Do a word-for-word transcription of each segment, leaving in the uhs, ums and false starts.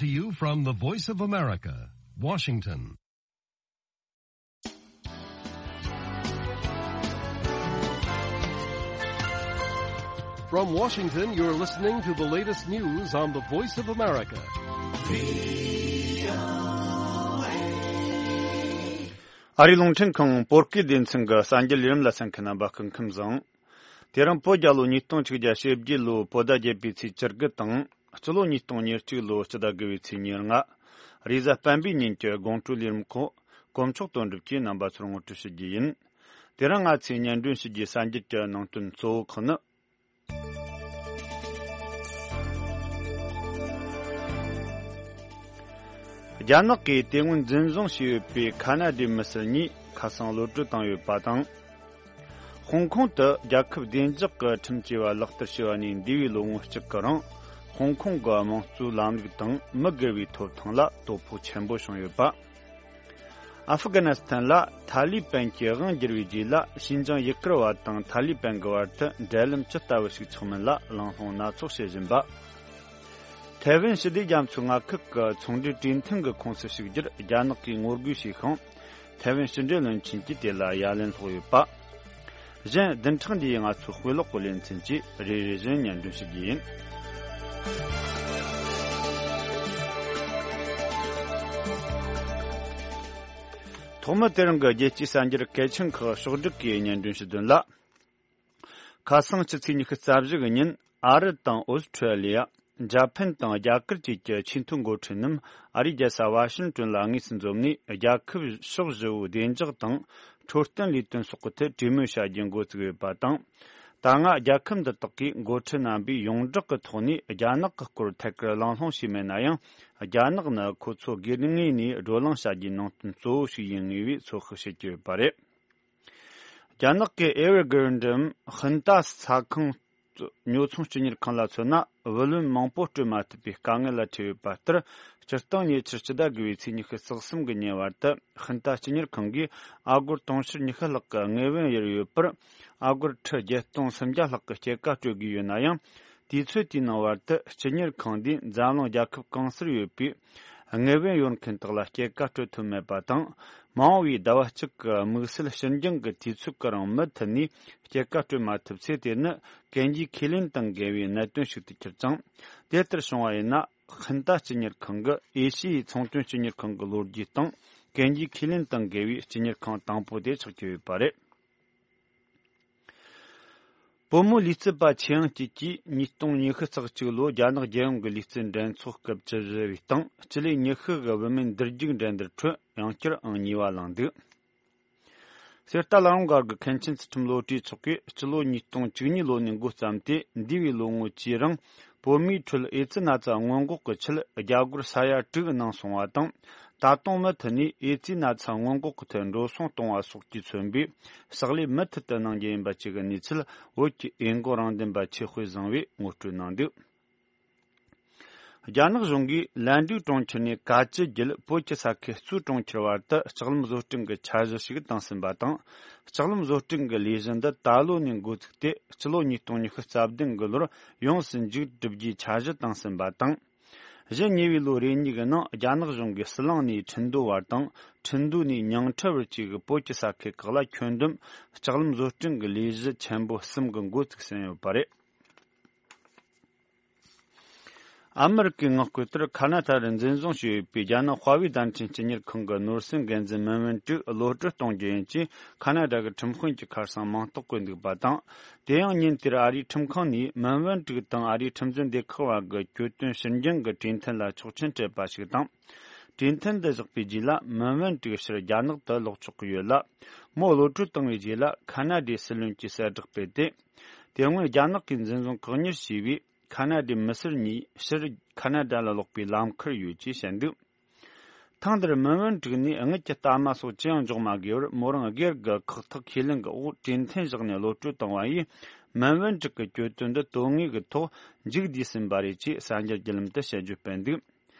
To you from the Voice of America, Washington. From Washington, you're listening to the latest news on the Voice of America. ཨ་རིའི་རླུང་འཕྲིན་ཁང་བོད་སྐད་སྡེ་ཚན་གྱི་གསར་འགྱུར་ལས་རིམ་ལ་གསན་མཁན་རྣམ་པ་སྐུ་ཁམས་བཟང་། དེ་རིང་བོད་རྒྱལ་ལོ་ཉིས་སྟོང་ཆིག་བརྒྱ་ཞེ་བརྒྱད་ལོའི་བོད་ཟླ་བརྒྱད་པའི་ཚེས་བཅུ་དགུ་དང་། སྤྱི་ལོ་ཉིས་སྟོང་ཉེར་གཅིག་ལོའི་སྤྱི་ཟླ་དགུ་པའི་ཚེས་ཉེར་ལྔ། རེས་གཟའ་སྤེན་པའི་ཉིན་གྱི་དགོང་དྲོའི་ལས་རིམ་ཁག་གོ་མཆོག་དོན་གྲུབ་ཀྱིས་རྣམ་པ་ཚོར་ངོ་སྤྲོད་ཞུ་རྒྱུ་ཡིན། དེ་རིང་ང་ཚོས་སྙན་སྒྲོན་ཞུ་རྒྱུའི་གསར་འགྱུར་གྱི་ནང་དོན་གཙོ་བོ་ཁག་ནི། རྒྱ་ནག་གིས་དེ་སྔོན་འཛིན་བཟུང་བྱས་ཡོད་པའི་ཁ་ན་ཌའི་མི་སེར་གཉིས་ཁ་སང་གློད་གྲོལ་བཏང་ཡོད་པ་དང་། ཧོང་ཀོང་དུ་རྒྱལ་ཁབ་བདེ་འཇགས་ཀྱི་ཁྲིམས་བཅས་པ་ལག་བསྟར་བྱས་པ་ནས་འདས་པའི་ལོ་ངོ་གཅིག་གི་རིང་། ཧོང་ཀོང་གི་དམངས་གཙོའི་ལམ་ལུགས་དང་མི་སྒེར་བའི་ཐོབ་ཐང་ལ་དོ་ཕོག་ཆེན་པོ་བྱུང་ཡོད་པ། ཨ་ཧྥི་ག་ནི་སི་ཐན་ལ་ཐ་ལི་པན་གྱིས་དབང་བསྒྱུར་བའི་རྗེས་ལ། ཤིན་ཅང་ཡུ་གུར་བ་དང་ཐ་ལི་པན་གྱི་བར་དུ་འབྲེལ་ལམ་ཇི་ལྟ་བུ་ཞིག་ཆགས་མིན་ལ་གླེང་སློང་སྣ་ཚོགས་བྱེད་བཞིན་པ། ཐའེ་ཝན་ཞི་བདེ་རྒྱ་མཚོའི་མངའ་ཁུལ་གྱི་ཚོང་འབྲེལ་གྲོས་མཐུན་གྱི་ཁོངས་སུ་ཞུགས་རྒྱུར་རྒྱ་ནག་གིས་ངོ་རྒོལ་བྱས་ཤིང་། ཐའེ་ཝན་ཕྱི་འབྲེལ་བློན་ཆེན་གྱིས་དེ་ལ་ཡ་ལན་སློག་ཡོད་པ། གཞན་བདུན་ཕྲག་འདིའི་ང་ཚོའི་དཔེ་ཀློག་གི་ལེ་ཚན་གྱིས་རེ་རེ་བཞིན་སྙན་སྒྲོན་ཞུ་རྒྱུ་ཡིན། ཐོག་མར་དེ་རིང་གི་རྒྱལ་སྤྱིའི་གསར་འགྱུར་གལ་ཆེན་ཁག་ཕྱོགས་བསྒྲིགས་ཀྱིས་སྙན་སྒྲོན་ཞུ་དོན་ལ། ཁ་སང་སྤྱི་ཚེས་ཉི་ཤུ་རྩ་བཞི་གི་ཉིན། ཨ་རི་དང་ཨོ་སི་ཁྲུ་ལི་ཡ། འཇར་པན་དང་རྒྱ་གར་བཅས་ཀྱི་ཆེས་མཐོའི་འགོ་ཁྲིད་རྣམས་ཨ་རིའི་རྒྱལ་ས་ཝ་ཤིང་ཏོན་ལ་དངོས་སུ་འཛོམས་ནས། རྒྱལ་ཁབ་ཕྱོགས་བཞི་པོའི་བདེ་འཇགས་དང་འཕྲོད་བསྟེན་ལས་དོན་སོགས་ཀྱི་ཐད་གྲོས་མོལ་བྱ་རྒྱུ་འགོ་བཙུགས་ཡོད་པ་དང་། ད་སྔ་རྒྱལ་ཁབ་འདི་དག་གི་འགོ་ཁྲིད་རྣམ་པས་ཡོངས་གྲགས་ཀྱི་ཐོག་ནས་རྒྱ་ནག་གི་སྐོར་ཐད་ཀར་གླེང་སློང་བྱས་མེད་ན་ཡང་། རྒྱ་ནག་ནི་ཁོ་ཚོ་སྒེར་ངོས་ནས་བགྲོ་གླེང་བྱ་རྒྱུའི་ནང་དོན་གཙོ་བོ་ཞིག་ཡིན་ངེས་པའི་ཚོད་དཔག་བྱེད་ཀྱི་ཡོད་པ་རེད། རྒྱ་ནག་གི་ཨེ་ཝར་གྷི་རན་ཌའམ་ཧིན་ཏཱ་ས་ཁང་ཉོ་ཚོང་སྤྱི་གཉེར་ཁང་ལ་མཚོན་ན། བུ་ལོན་མང་པོ་སྤྲོད་མ་ཐུབ་པའི་དཀའ་ངལ་ལ་འཕྲད་ཡོད་པ་ལྟར། སྤྱིར་བཏང་ཉེ་ཆར་སྤྱི་ཟླ་དགུ་པའི་ཚེས་ཉི་ཤུ་རྩ་གསུམ་གྱི་ཉིན་བར་དུ། ཧིན་ཏཱ་སྤྱི་གཉེར་ཁང་གིས་ཨ་སྒོར་དུང་ཕྱུར་ཉི་ཤུ་ལྷག་གི་དངུལ་བུན་གཡར་ཡོད་པར། ཨ་སྒོར་ཁྲི་བརྒྱད་སྟོང་སུམ་བརྒྱ་ལྷག་གི་སྐྱེད་ཀ་སྤྲོད་དགོས་ཡོད་ན་ཡང་། དུས་ཚོད་དེའི་ནང་བར་དུ་སྤྱི་གཉེར་ཁང་འདིས་འཛམ་གླིང་རྒྱལ་ཁབ་གང་སར་ཡོད་པའི་དངུལ་བུན་ཡོད་མཁན་དག་ལ་སྐྱེད་ཀ་སྤྲོད་ཐུབ་མེད་པ་དང་། མ་འོངས་པའི་ཟླ་བ་གཅིག་གི་དམིགས་བསལ་ཕྱིར་འགྱངས་ཀྱི་དུས་ཚོད་ཀྱི་རིང་མུ་མཐུད་ནས་སྐྱེད་ཀ་སྤྲོད་མ་ཐུབ་ཚེ། དེ་ནི་གན་རྒྱའི་ཁས་ལེན་དང་འགལ་བའི་གནད་དོན་ཞིག་ཏུ་གྱུར་ཅིང་། དེ་ལྟར་བྱུང་བ་ཡིན་ན། ཧིན་ཏཱ་སྤྱི་གཉེར་ཁང་གི་ཨེ་ཤི་ཡའི་ཚོང་དོན་སྤྱི་གཉེར་ཁང་གི་ལོ་རྒྱུས་སྟེང་། གན་རྒྱའི་ཁས་ལེན་དང་འགལ་བའི་སྤྱི་གཉེར་ཁང་དང་པོ་དེ་ཆགས་ཀྱི་ཡོད་པ་རེད། བུ་མོའི་ལུས་རྩལ་པ་ཆེ་ཡང་སྐྱིད་ཀྱིས་ཉིས་སྟོང་ཉི་ཤུ་རྩ་གཅིག་ལོའི་རྒྱ་ནག་རྒྱལ་ཡོངས་ཀྱི་ལུས་རྩལ་འགྲན་ཚོགས་སྐབས་བཅུ་བཞི་པའི་སྟེང་སྤྱི་ལེ་ཉི་ཤུ་གི་བུད་མེད་འདུར་རྒྱུག་འགྲན་བསྡུར་ཁྲོད་ཡང་བསྐྱར་ཨང་གཉིས་པ་བླངས་འདུག། གསེར་རྟ་བླ་བྲང་སྒར་གྱི་མཁན་ཆེན་ཚུལ་ཁྲིམས་བློ་གྲོས་མཆོག་གིས་སྤྱི་ལོ་ཉིས་སྟོང་བཅུ་གཉིས་ལོ་ནས་འགོ་བརྩམས་ཏེ། འདས་པའི་ལོ་ངོ་བཅུའི་རིང་། བོད་མིའི་ཁྲོད་ཨེ་ཙི་ན་ཚ་སྔོན་འགོག་གི་ཆེད་རྒྱ་སྒོར་ས་ཡ་དྲུག་གནང་སོང་བ་དང་། ད་དུང་མུ་མཐུད་ནས་ཨེ་ཙི་ན་ཚ་སྔོན་འགོག་གི་ཐད་འགྲོ་སོང་གཏོང་བ་སོགས་ཀྱིས་མཚོན་པའི་ཕྱག་ལས་མུ་མཐུད་དུ་གནང་རྒྱུ་ཡིན་པ་བཅས་ཀྱི་གནས་ཚུལ། བོད་ཀྱི་ཨེ་འགོ་རང་བདེན་པ་ཆོས་དཔལ་བཟང་བས་ངོ་སྤྲོད་གནང་འདུག། རྒྱ་ནག་གཞུང་གིས་ལན་ཀྲུའུ་གྲོང་ཁྱེར་ནས་ག་ཅི་བརྒྱུད་བོད་ཀྱི་ས་ཁུལ་གཙོས་གྲོང་ཁྱེར་བར་དུ་ལྕགས་ལམ་བཟོ་སྐྲུན་གྱི་འཆར་གཞི་ཞིག་བཏིང་ཟིན་པ་དང་། ལྕགས་ལམ་བཟོ་སྐྲུན་གྱི་ལས་གཞི་འདི་ད་ལོ་ནས་འགོ་བཙུགས་ཏེ། སྤྱི་ལོ་ཉིས་སྟོང་ཉི་ཤུ་རྩ་བདུན་གྱི་ལོར་ཡོངས་སུ་མཇུག་བསྒྲུབ་རྒྱུའི་འཆར་གཞི་བཏིང་ཟིན་པ་དང་། གཞན་ཉེ་བའི་ལོ་རེ་གཉིས་ཀྱི་ནང་རྒྱ་ནག་གཞུང་གིས་ཟི་ལིང་ནས་ཁྲིན་ཏུའུ་བར་དང་། ཁྲིན་ཏུའུ་ནས་ཉང་ཁྲི་བར་བཅས་ཀྱི་བོད་ཀྱི་ས་ཁུལ་ཁག་ལ་ཁྱོན་བསྡོམས་ལྕགས་ལམ་བཟོ་སྐྲུན་གྱི་ལས་གཞི་ཆེན་པོ་གསུམ་གྱི་འགོ་བཙུགས་ཟིན་ཡོད་པ་རེད། ཨ་མི་རི་ཀའི་ངག་སྐོར་ལྟར། ཁ་ན་ཌ་རུ་འཛིན་བཟུང་བྱས་ཡོད་པའི་རྒྱ་ནག་དཔའ་བོའི་བརྡ་འཕྲིན་སྤྱི་གཉེར་ཁང་གི་ནོར་སྲིད་འགན་འཛིན་མིན་ཝུན་ཀྲིག་གློད་གྲོལ་གཏོང་རྒྱུ་ཡིན་ཅེས་ཁ་ན་ཌ་གི་ཁྲིམས་དཔོན་གྱིས་ཁ་སང་མིང་རྟགས་བཀོད་འདུག་པ་དང་། དེ་ཡང་ཉིན་དེར་ཨ་རིའི་ཁྲིམས་ཁང་ནས་མིན་ཝུན་ཀྲིག་དང་ཨ་རིའི་ཁྲིམས་འཛིན་སྡེ་ཁག་བར་གྱི་གྱོད་དོན་ཕྱིར་འགྱངས་ཀྱི་གྲོས་མཐུན་ལ་ཆོག་མཆན་སྤྲད་པ་ཞིག་དང་། གྲོས་མཐུན་འདི་བཞག་པའི་རྗེས་ལ་མིན་ཝུན་ཀྲིག་ཕྱིར་རྒྱ་ནག་ཏུ་ལོག་ཆོག་གི་ཡོད་ལ། མོ་གློད་གྲོལ་བཏང་བའི་རྗེས་ལ་ཁ་ན་ཌའི་སྲིད་བློན་གྱིས་གསལ་བསྒྲགས་སྤེལ་ཏེ། དེ་སྔོན་རྒྱ་ནག་གིས་འཛིན་བཟུང་བཀག་ཉར་བྱས་པའི་ཁ་ན་ཌའི་མི་སེར་གཉིས་ཕྱིར་ཁ་ན་ཌ་ལ་ལོག་པའི་ལམ་ཁར་ཡོད་ཅེས་བཤད་འདུག། ཐེངས་འདིར་མིན་ཝུན་ཀྲིག་ནས་དངུལ་གྱི་རྟགས་མ་སོགས་ཅི་ཡང་འཇོག་མ་དགོས་པར། མོ་རང་སྒེར་གྱི་ཁག་ཐེག་ཁས་ལེན་གྱི་འོག་གྲོས་མཐུན་བཞག་ནས་གློད་གྲོལ་བཏང་བ་ཡིས། མིན་ཝུན་ཀྲིག་གི་གྱོད་དོན་འདི་དོན་དངོས་ཀྱི་ཐོག་མཇུག་བསྡུས་ཟིན་པ་རེད་ཅེས་གསར་འགྱུར་བརྒྱུད་ལམ་དུ་དཔྱད་བརྗོད་སྤེལ་འདུག།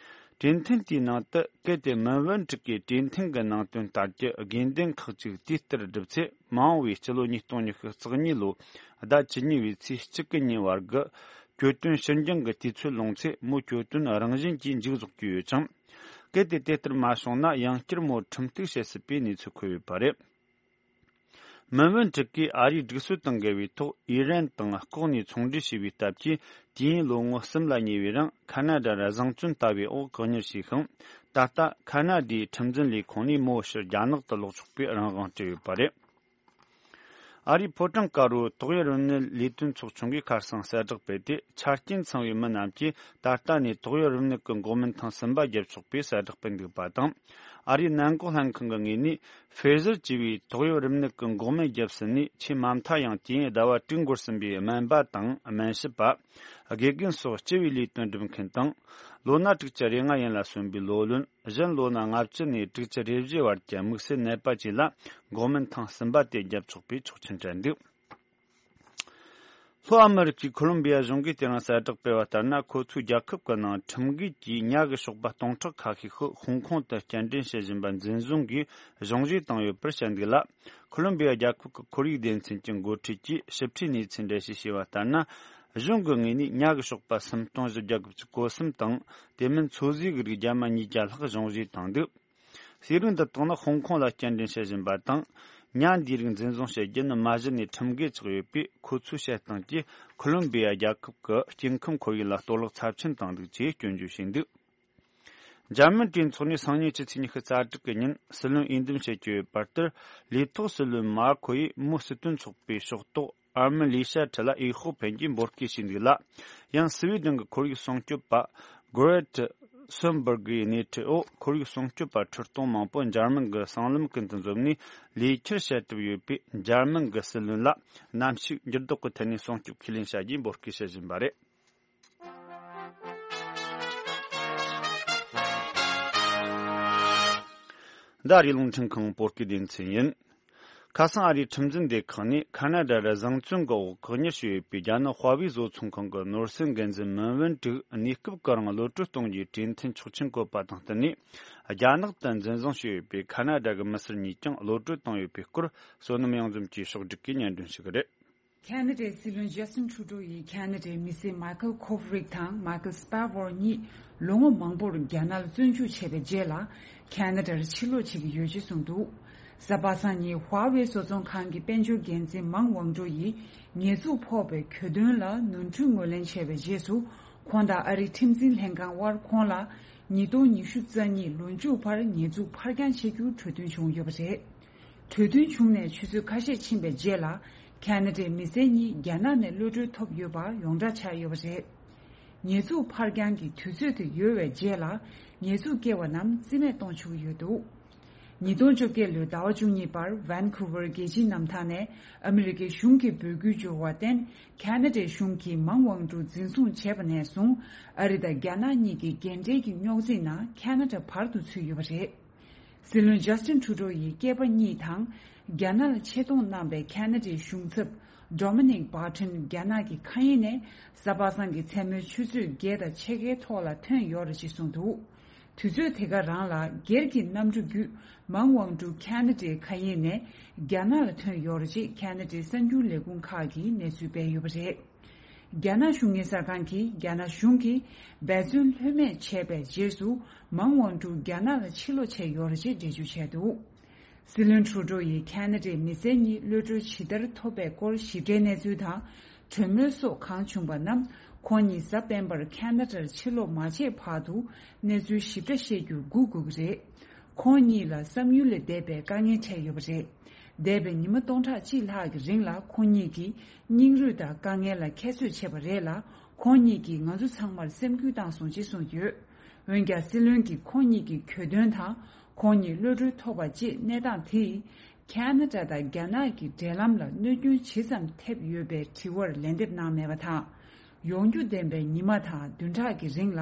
གྲོས་མཐུན་དེའི་ནང་དུ། གལ་ཏེ་མིན་ཝུན་ཀྲིག་གིས་གྲོས་མཐུན་གྱི་ནང་དོན་ལྟར་གྱི་དགོས་འདུན་ཁག་ཅིག་དུས་ལྟར་བསྒྲུབས་ཚེ། མ་འོངས་པའི་སྤྱི་ལོ་ཉིས་སྟོང་ཉི་ཤུ་རྩ་གཉིས་ལོའི་ཟླ་བཅུ་གཉིས་པའི་ཚེས་གཅིག་གི་ཉིན་བར་གྱི་ གྱོད་དོན་ཕྱིར་འགྱངས་ཀྱི་དུས་ཚོད་ལོངས་ཚེ་མོའི་གྱོད་དོན་རང་བཞིན་གྱིས་མཇུག་རྫོགས་ཀྱི་ཡོད་ཅིང་། གལ་ཏེ་དེ་ལྟར་མ་བྱུང་ན་ཡང་བསྐྱར་མོར་ཁྲིམས་གཏུག་བྱེད་སྲིད་པའི་གནས་ཚུལ་འཁོད་ཡོད་པ་རེད། མིན་ཝུན་ཀྲིག་གིས་ཨ་རིའི་སྒྲིག་སྲོལ་དང་འགལ་བའི་ཐོག་ཨི་རན་དང་ལྐོག་ནས་ཚོང་འབྲེལ་བྱས་པའི་སྟབས་ཀྱིས། དུས་ཡུན་ལོ་ངོ་གསུམ་ལ་ཉེ་བའི་རིང་ཁ་ན་ཌ་ར་བཟང་བཙོན་ལྟ་བའི་འོག་བཀག་ཉར་བྱས་ཤིང་། ད་ལྟ་ཁ་ན་ཌའི་ཁྲིམས་འཛིན་ལས་ཁུངས་ནས་མོའི་ཕྱིར་རྒྱ་ནག་ཏུ་ལོག་ཆོག་པའི་རང་དབང་སྤྲད་ཡོད་པ་རེད། ཨ་རིའི་ཕོ་བྲང་དཀར་པོའི་ཏོག་དབྱིབས་རིམས་ནད་ལས་དོན་ཚོགས་ཆུང་གིས་ཁ་སང་གསལ་བསྒྲགས་སྤེལ་ཏེ། ཆ་རྐྱེན་ཚང་བའི་མི་རྣམས་ཀྱིས་ད་ལྟ་ནས་ཏོག་དབྱིབས་རིམས་ནད་ཀྱི་འགོག་སྨན་ཐེངས་གསུམ་པ་བརྒྱབ་ཆོག་པའི་གསལ་བསྒྲགས་སྤེལ་འདུག་པ་དང་། ཨ་རིའི་ནད་འགོག་ལྷན་ཁང་གི་ངོས་ནས། ཕེ་ཟར་ཅེས་པའི་ཏོག་དབྱིབས་རིམས་ནད་ཀྱི་འགོག་སྨན་བརྒྱབ་ཟིན་ནས་ཆེས་མ་མཐའ་ཡང་དུས་ཡུན་ཟླ་བ་དྲུག་འགོར་ཟིན་པའི་སྨན་པ་དང་སྨན་ཞབས་པ། དགེ་རྒན་སོགས་སྤྱི་པའི་ལས་དོན་སྒྲུབ་མཁན་དང་། ལོ་ན་དྲུག་ཅུ་རེ་ལྔ་ཡན་ལ་སོན་པའི་ལོ་ལོན། གཞན་ལོ་ན་ལྔ་བཅུ་ནས་དྲུག་ཅུ་རེ་བཞི་བར་གྱི་དམིགས་བསལ་ནད་པ་བཅས་ལ་འགོག་སྨན་ཐེངས་གསུམ་པ་དེ་བརྒྱབ་ཆོག་པའི་ཆོག་མཆན་སྤྲད་འདུག། ལྷོ་ཨ་མེ་རི་ཁའི་ཁོ་ལོམ་བི་ཡ་གཞུང་གིས་དེ་རིང་གསལ་བསྒྲགས་སྤེལ་བ་ལྟར་ན། ཁོ་ཚོའི་རྒྱལ་ཁབ་ཀྱི་ནང་ཁྲིམས་འགལ་གྱིས་ཉ་གི་གཤོག་པ་སྟོང་ཕྲག་ཁ་ཤས་ཤིག་ཧོང་ཀོང་དུ་སྐྱེལ་འདྲེན་བྱེད་བཞིན་པ་འཛིན་བཟུང་གིས་གཞུང་བཞེས་བཏང་ཡོད་པར་བཤད་འདུག་ལ། ཁོ་ལོམ་བི་ཡ་རྒྱལ་ཁབ་ཀྱི་ཁོར་ཡུག་སྡེ་ཚན་གྱི་འགོ་ཁྲིད་ཀྱིས་ཞིབ་ཕྲའི་གནས་ཚུལ་འགྲེལ་བཤད་བྱས་པ་ལྟར་ན། གཞུང་གི་ངོས་ནས་ཉ་གི་གཤོག་པ་སུམ་སྟོང་བཞི་བརྒྱ་དགུ་བཅུ་གོ་གསུམ་དང་། དེ་མིན་མཚོ་ཟས་ཀྱི་རིགས་རྒྱ་མ་ཉིས་བརྒྱ་ལྷག་གཞུང་བཞེས་བཏང་འདུག། ཟས་རིགས་འདི་དག་ནི་ཧོང་ཀོང་ལ་སྐྱེལ་འདྲེན་བྱེད་བཞིན་པ་དང་། ཉ་འདིའི་རིགས་འཛིན་བཟུང་བྱེད་རྒྱུ་ནི་མ་གཞི་ནས་ཁྲིམས་འགལ་ཆགས་ཡོད་པས། ཁོ་ཚོའི་བཤད་སྟངས་ཀྱིས་ཁོ་ལོམ་བི་ཡ་རྒྱལ་ཁབ་ཀྱི་སྐྱེ་ཁམས་ཁོར་ཡུག་ལ་གཏོར་བརླག་ཚབས་ཆེན་བཏང་འདུག་ཅེས་སྐྱོན་བརྗོད་བྱས་འདུག། འཇར་མན་གྲོས་ཚོགས་ནས་སང་ཉིན་ཕྱི་ཚེས་ཉི་ཤུ་རྩ་དྲུག་གི་ཉིན་སྲིད་བློན་འོས་འདེམས་བྱེད་ཀྱི་ཡོད་པར་ལྟར། ལས་ཐོག་སྲིད་བློན་མཱ་ཁོ་ཡིས་མོའི་སྲིད་དོན་ཚོགས་པའི་ཕྱོགས་གཏོགས། ཨར་མི་ལི་ཤ་ཁྲི་ལ་འོས་ཤོག་འཕེན་རྒྱུའི་འབོད་སྐུལ་བྱས་འདུག་ལ། ཡང་སི་ཝི་ཌེན་གྱི་ཁོར་ཡུག་སྲུང་སྐྱོབ་པ་གོ་རེ་ཊ་སོན་སྦུར་གི་སྣེ་ཁྲིད་འོག་ཁོར་ཡུག་སྲུང་སྐྱོབ་པ་ཁྲི་སྟོང་མང་པོ་འཇར་མན་གྱི་སྲང་ལམ་ཀུན་ཏུ་འཛོམས་ནས་ལས་འཁྱུར་བྱེད་གྲབས་ཡོད་པས། འཇར་མན་གྱི་སྲིད་བློན་ལ་གནམ་གཤིས་འགྱུར་ལྡོག་གི་ཐད་ནས་སྲུང་སྐྱོབ་ཁས་ལེན་བྱ་རྒྱུའི་འབོད་སྐུལ་བྱེད་བཞིན་པ་རེད། འདི་ཨ་རིའི་རླུང་འཕྲིན་ཁང་བོད་སྐད་སྡེ་ཚན་ཡིན། ཁ་སང་ཨ་རིའི་ཁྲིམས་འཛིན་སྡེ་ཁག་ནས་ཁ་ན་ཌ་ར་བཟང་བཙོན་གྱི་འོག་བཀག་ཉར་བྱས་ཡོད་པའི་རྒྱ་ནག་ཧྭ་ཝེ་བཟོ་ཚོང་ཁང་གི་ནོར་སྲིད་འགན་འཛིན་མིན་ཝུན་ཀྲིག་གནས་སྐབས་ཀྱི་རིང་གློད་གྲོལ་གཏོང་རྒྱུའི་གྲོས་མཐུན་ཆོག་མཆན་བཀོད་པ་དང་བསྟུན་ནས། རྒྱ་ནག་ཏུ་འཛིན་བཟུང་བྱས་ཡོད་པའི་ཁ་ན་ཌ་གི་མི་སེར་གཉིས་ཀྱང་གློད་གྲོལ་བཏང་ཡོད་པའི་སྐོར། བསོད་ནམས་གཡང་འཛོམས་ཀྱིས་ཕྱོགས་བསྒྲིགས་ཀྱིས་སྙན་སྒྲོན་ཞུ་གི་རེད། ཁ་ན་ཌའི་སྲིད་བློན་ཇ་སི་ཊིན་ཁྲུ་ཌོ་ཡིས་ཁ་ན་ཌའི་མི་སེར་མཱ་ཁལ་ཁོབ་རིག་དང་མཱ་ཁལ་སྤ་ཝོར་གཉིས་ལོ་ངོ་མང་པོར་རྒྱ་ནག་ལ་བཙོན་འཇུག་བྱས་པའི་རྗེས་ལ། ཁ་ན་ཌར་ཕྱིར་ལོག་བྱེད་ཀྱི་ཡོད་ཅེས་གསུངས་འདུག། གཟའ་པ་སངས་ཉིན་ཧྭ་ཝེ་བཟོ་ཚོང་ཁང་གི་དཔལ་འབྱོར་འགན་འཛིན་མང་ཝང་ཀྲུའུ་ཡིས་ཉེས་འཛུགས་ཕོག་པའི་གྱོད་དོན་ལ་ནོར་འཁྲུལ་ངོས་ལེན་བྱས་པའི་རྗེས་སུ། ཁོང་དང་ཨ་རིའི་ཁྲིམས་འཛིན་ལྷན་ཁང་དབར་ཁོང་ལ་ཉིས་སྟོང་ཉི་ཤུ་རྩ་གཉིས་ལོ་མཇུག་བར་ཉེས་འཛུགས་ཕར་འགྱངས་བྱེད་རྒྱུར་གྲོས་མཐུན་བྱུང་ཡོད་པ་རེད། གྲོས་མཐུན་བྱུང་ནས་ཆུ་ཚོད་ཁ་ཤས་ཕྱིན་པའི་རྗེས་ལ། ཁ་ན་ཌའི་མི་སེར་གཉིས་རྒྱ་ནག་ནས་གློད་གྲོལ་ཐོབ་ཡོད་པ་ཡོངས་གྲགས་ཆགས་ཡོད་པ་རེད། ཉེས་འཛུགས་ཕར་འགྱངས་ཀྱི་དུས་ཚོད་དེ་ཡོལ་བའི་རྗེས་ལ། ཉེས་འཛུགས་བཀལ་བ་རྣམས་རྩིས་མེད་གཏོང་ཆོག་གི་ཡོད་འདུག། ཉིས་སྟོང་བཅོ་བརྒྱད་ལོའི་ཟླ་བ་བཅུ་གཉིས་པར་ཝན་ཁུ་ཝར་རྒྱལ་སྤྱིའི་གནམ་ཐང་ནས་ཨ་མི་རི་ཀའི་གཞུང་གིས་འབོད་སྐུལ་འབྱོར་བར་བརྟེན། ཁ་ན་ཌའི་གཞུང་གིས་མང་ཝང་ཀྲུའུ་འཛིན་བཟུང་བྱས་པ་ནས་བཟུང་། ཨ་རི་དང་རྒྱ་ནག་གཉིས་ཀྱི་རྒན་གྲས་ཀྱི་རྙོག་འཛིང་ནང་ཁ་ན་ཌ་བར་དུ་ཚུད་ཡོད་པ་རེད། སྲིད་བློན་ཇ་སི་ཊིན་ཁྲུ་ཌོ་ཡི་སྐྱེས་པ་གཉིས་དང་། རྒྱ་ནག་ལ་ཆེད་གཏོང་གནང་པའི་ཁ་ན་ཌའི་གཞུང་ཚབ་ཌོ་མི་ནིག་བྷར་ཊོན་རྒྱ་ནག་གི་མཁའ་དབྱིངས་ནས་གཟའ་པ་སངས་ཀྱི་མཚན་མོའི་ཆུ་ཚོད་བརྒྱད་དང་ཕྱེད་ཀའི་ཐོག་ལ་ཐོན་ཡོད་རེད་ཅེས་གསུངས་འདུག། དུས་ཚོད་དེ་ག་རང་ལ་སྒེར་གྱི་གནམ་གྲུ་བརྒྱུད་མང་ཝང་ཀྲུའུ་ཁ་ན་ཌའི་མཁའ་དབྱིངས་ནས་རྒྱ་ནག་ལ་ཐོན་ཡོད་རེད་ཅེས་ཁ་ན་ཌའི་གསར་འགྱུར་ལས་ཁུངས་ཁག་གིས་གནས་ཚུལ་སྤེལ་ཡོད་པ་རེད། རྒྱ་ནག་གཞུང་གཉེར་གསར་ཁང་གིས་རྒྱ་ནག་གཞུང་གིས་འབད་བརྩོན་ལྷོད་མེད་བྱས་པའི་རྗེས་སུ་མང་ཝང་ཀྲུའུ་རྒྱ་ནག་ལ་ཕྱིར་ལོག་བྱས་ཡོད་རེད་ཅེས་འགྲེལ་བརྗོད་བྱས་འདུག། སྲིད་བློན་ཁྲུ་ཌོ་ཡིས་ཁ་ན་ཌའི་མི་སེར་གཉིས་གློད་གྲོལ་ཇི་ལྟར་ཐོབ་པའི་སྐོར་ཞིབ་ཕྲའི་གནས་ཚུལ་དང་། གྲོས་མོལ་སོགས་གང་བྱུང་པ་རྣམས་ཁོང་གཉིས་གཟའ་སྤེན་པར་ཁ་ན་ཌར་ཕྱིར་ལོག་མ་བྱས་བར་དུ་གནས་ཚུལ་ཞིབ་ཕྲ་ཤེས་རྒྱུར་སྒུག་དགོས་ཀྱི་རེད། ཁོང་གཉིས་ལ་བསམ་ཡུལ་ལས་འདས་པའི་དཀའ་ངལ་འཕྲད་ཡོད་པ་རེད། འདས་པའི་ཉི་མ་སྟོང་ཕྲག་གཅིག་ལྷག་གི་རིང་ལ་ཁོང་གཉིས་ཀྱིས་སྙིང་རུས་དང་དཀའ་ངལ་ལ་ཁྱད་གསོད་བྱས་པ་རེད་ལ། ཁོང་གཉིས་ཀྱིས་ང་ཚོ་ཚང་མར་སེམས་འགུལ་བཏང་སོང་ཅེས་གསུངས་ཡོད། འོན་ཀྱང་སྲིད་བློན་གྱིས་ཁོང་གཉིས་ཀྱི་གྱོད་དོན་དང་། ཁོང་གཉིས་གློད་གྲོལ་ཐོབ་པ་བཅས་གནས་སྟངས་དེས། ཁ་ན་ཌ་དང་རྒྱ་ནག་གི་འབྲེལ་ལམ་ལ་གནོད་སྐྱོན་ཇི་ཙམ་ཐེབས་ཡོད་པའི་དྲི་བར་ལན་འདེབས་གནང་མེད་པ་དང་། ཡོང་རྒྱུ་ལྡན་པའི་ཉི་མ་དང་བདུན་ཕྲག་གི་རིང་ལ་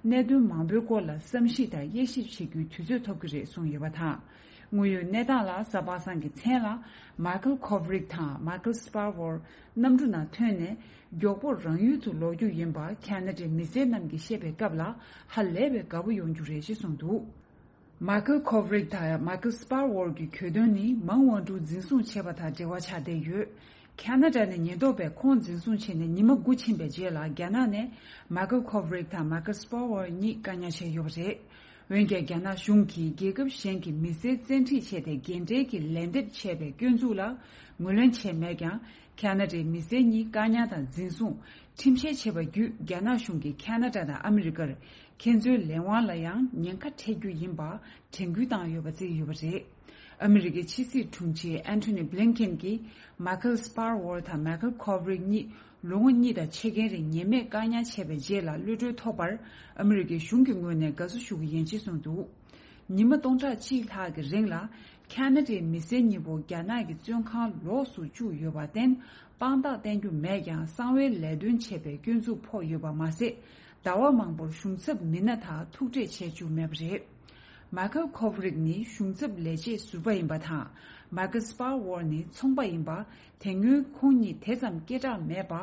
གནད་དོན་མང་པོའི་སྐོར་ལ་བསམ་གཞིག་དང་དབྱེ་ཞིབ་བྱེད་རྒྱུའི་དུས་ཚོད་ཐོབ་ཀྱི་རེད་གསུངས་ཡོད་པ་དང་། དངོས་ཡོད་གནས་སྟངས་ལ་གཟའ་པ་སངས་ཀྱི་མཚན་ལ་མཱ་ཁལ་ཁོབ་རིག་དང་མཱ་ཁལ་སྤ་ཝོར་གནམ་གྲུ་ནང་ཐོན་ནས་མགྱོགས་པོར་རང་ཡུལ་དུ་ལོག་རྒྱུ་ཡིན་པ་ཁ་ན་ཌའི་མི་སེར་རྣམས་ཀྱིས་བཤད་པའི་སྐབས་ལ་ཧ་ལས་པའི་དགའ་པོ་ཡོང་རྒྱུ་རེད་ཅེས་གསུངས་འདུག། མཱ་ཁལ་ཁོབ་རིག་དང་མཱ་ཁལ་སྤར་ཝོར་གྱི་གྱོད་དོན་ནི་མང་ཝང་ཀྲུའུ་འཛིན་བཟུང་བྱས་པ་དང་འབྲེལ་བ་ཆགས་བསྡད་ཡོད། ཁ་ན་ཌ་ནས་ཉེན་རྟོག་པས་ཁོང་འཛིན་བཟུང་བྱས་ནས་ཉི་མ་དགུ་ཕྱིན་པའི་རྗེས་ལ། རྒྱ་ནག་ནས་མཱ་ཁལ་ཁོབ་རིག་དང་མཱ་ཁལ་སྤར་ཝར་གཉིས་བཀག་ཉར་བྱས་ཡོད་པ་རེད། འོན་ཀྱང་། རྒྱ་ནག་གཞུང་གིས་རྒྱལ་ཁབ་གཞན་གྱི་མི་སེར་བཙན་ཁྲིད་བྱས་ཏེ། རྒན་གྲས་ཀྱི་ལན་འདེབས་བྱས་པའི་སྐྱོན་འཛུགས་ལ་ངོས་ལེན་བྱས་མེད་ཀྱང་། ཁ་ན་ཌའི་མི་སེར་གཉིས་བཀག་ཉར་དང་འཛིན་བཟུང་། ཁྲིམས་བཤེར་བྱས་པ་བརྒྱུད། རྒྱ་ནག་གཞུང་གིས་ཁ་ན་ཌ་དང་ཨ་མི་རི་ཀར་ཁྱེད་ཚོའི་ལས་དབང་ལ་ཡང་ཉེན་ཁ་འཕྲད་རྒྱུ་ཡིན་པ་དྲན་སྐུལ་བཏང་ཡོད་པ་བརྩིས་ཡོད་པ་རེད། ཨ་མི་རི་ཀའི་ཕྱི་སྲིད་དྲུང་ཆེ་ཨན་ཐོ་ནི་བྷི་ལིན་ཀེན་གྱིས། མཱ་ཁལ་སྤར་ཝར་དང་མཱ་ཁལ་ཁོབ་རིག་གཉིས་ལོ་ངོ་གཉིས་དང་ཕྱེད་ཀའི་རིང་ཉེས་མེད་བཀག་ཉར་བྱས་པའི་རྗེས་ལ། གློད་གྲོལ་ཐོབ་པར་ཨ་མི་རི་ཀའི་གཞུང་གི་ངོས་ནས་དགའ་བསུ་ཞུ་གི་ཡིན་ཅེས་གསུངས་འདུག་ཉི་མ་སྟོང་ཕྲག་གཅིག་ལྷག་གི་རིང་ལ། ཁ་ན་ཌའི་མི་སེར་གཉིས་པོ་རྒྱ་ནག་གི་བཙོན་ཁང་ལོགས་སུ་བཅུག་ཡོད་པར་བརྟེན། དཔང་རྟགས་བསྟན་རྒྱུ་མེད་ཀྱང་། གསང་བའི་ལས་དོན་བྱས་པའི་སྐྱོན་འཛུགས་ཕོག་ཡོད་པ་མ་ཟད། ཟླ་བ་མང་པོར་གཞུང་ཚབ་མི་སྣ་དང་ཐུག་འཕྲད་བྱས་བཅུག་མེད་པ་རེད། མཱ་ཁལ་ཁོབ་རིག་ནི་གཞུང་ཚབ་ལས་བྱེད་ཟུར་པ་ཡིན་པ་དང་། མཱ་ཁལ་སྤར་ཝར་ནི་ཚོང་པ་ཡིན་པ། དེ་སྔོན་ཁོང་གཉིས་དེ་ཙམ་སྐད་གྲགས་མེད་པ།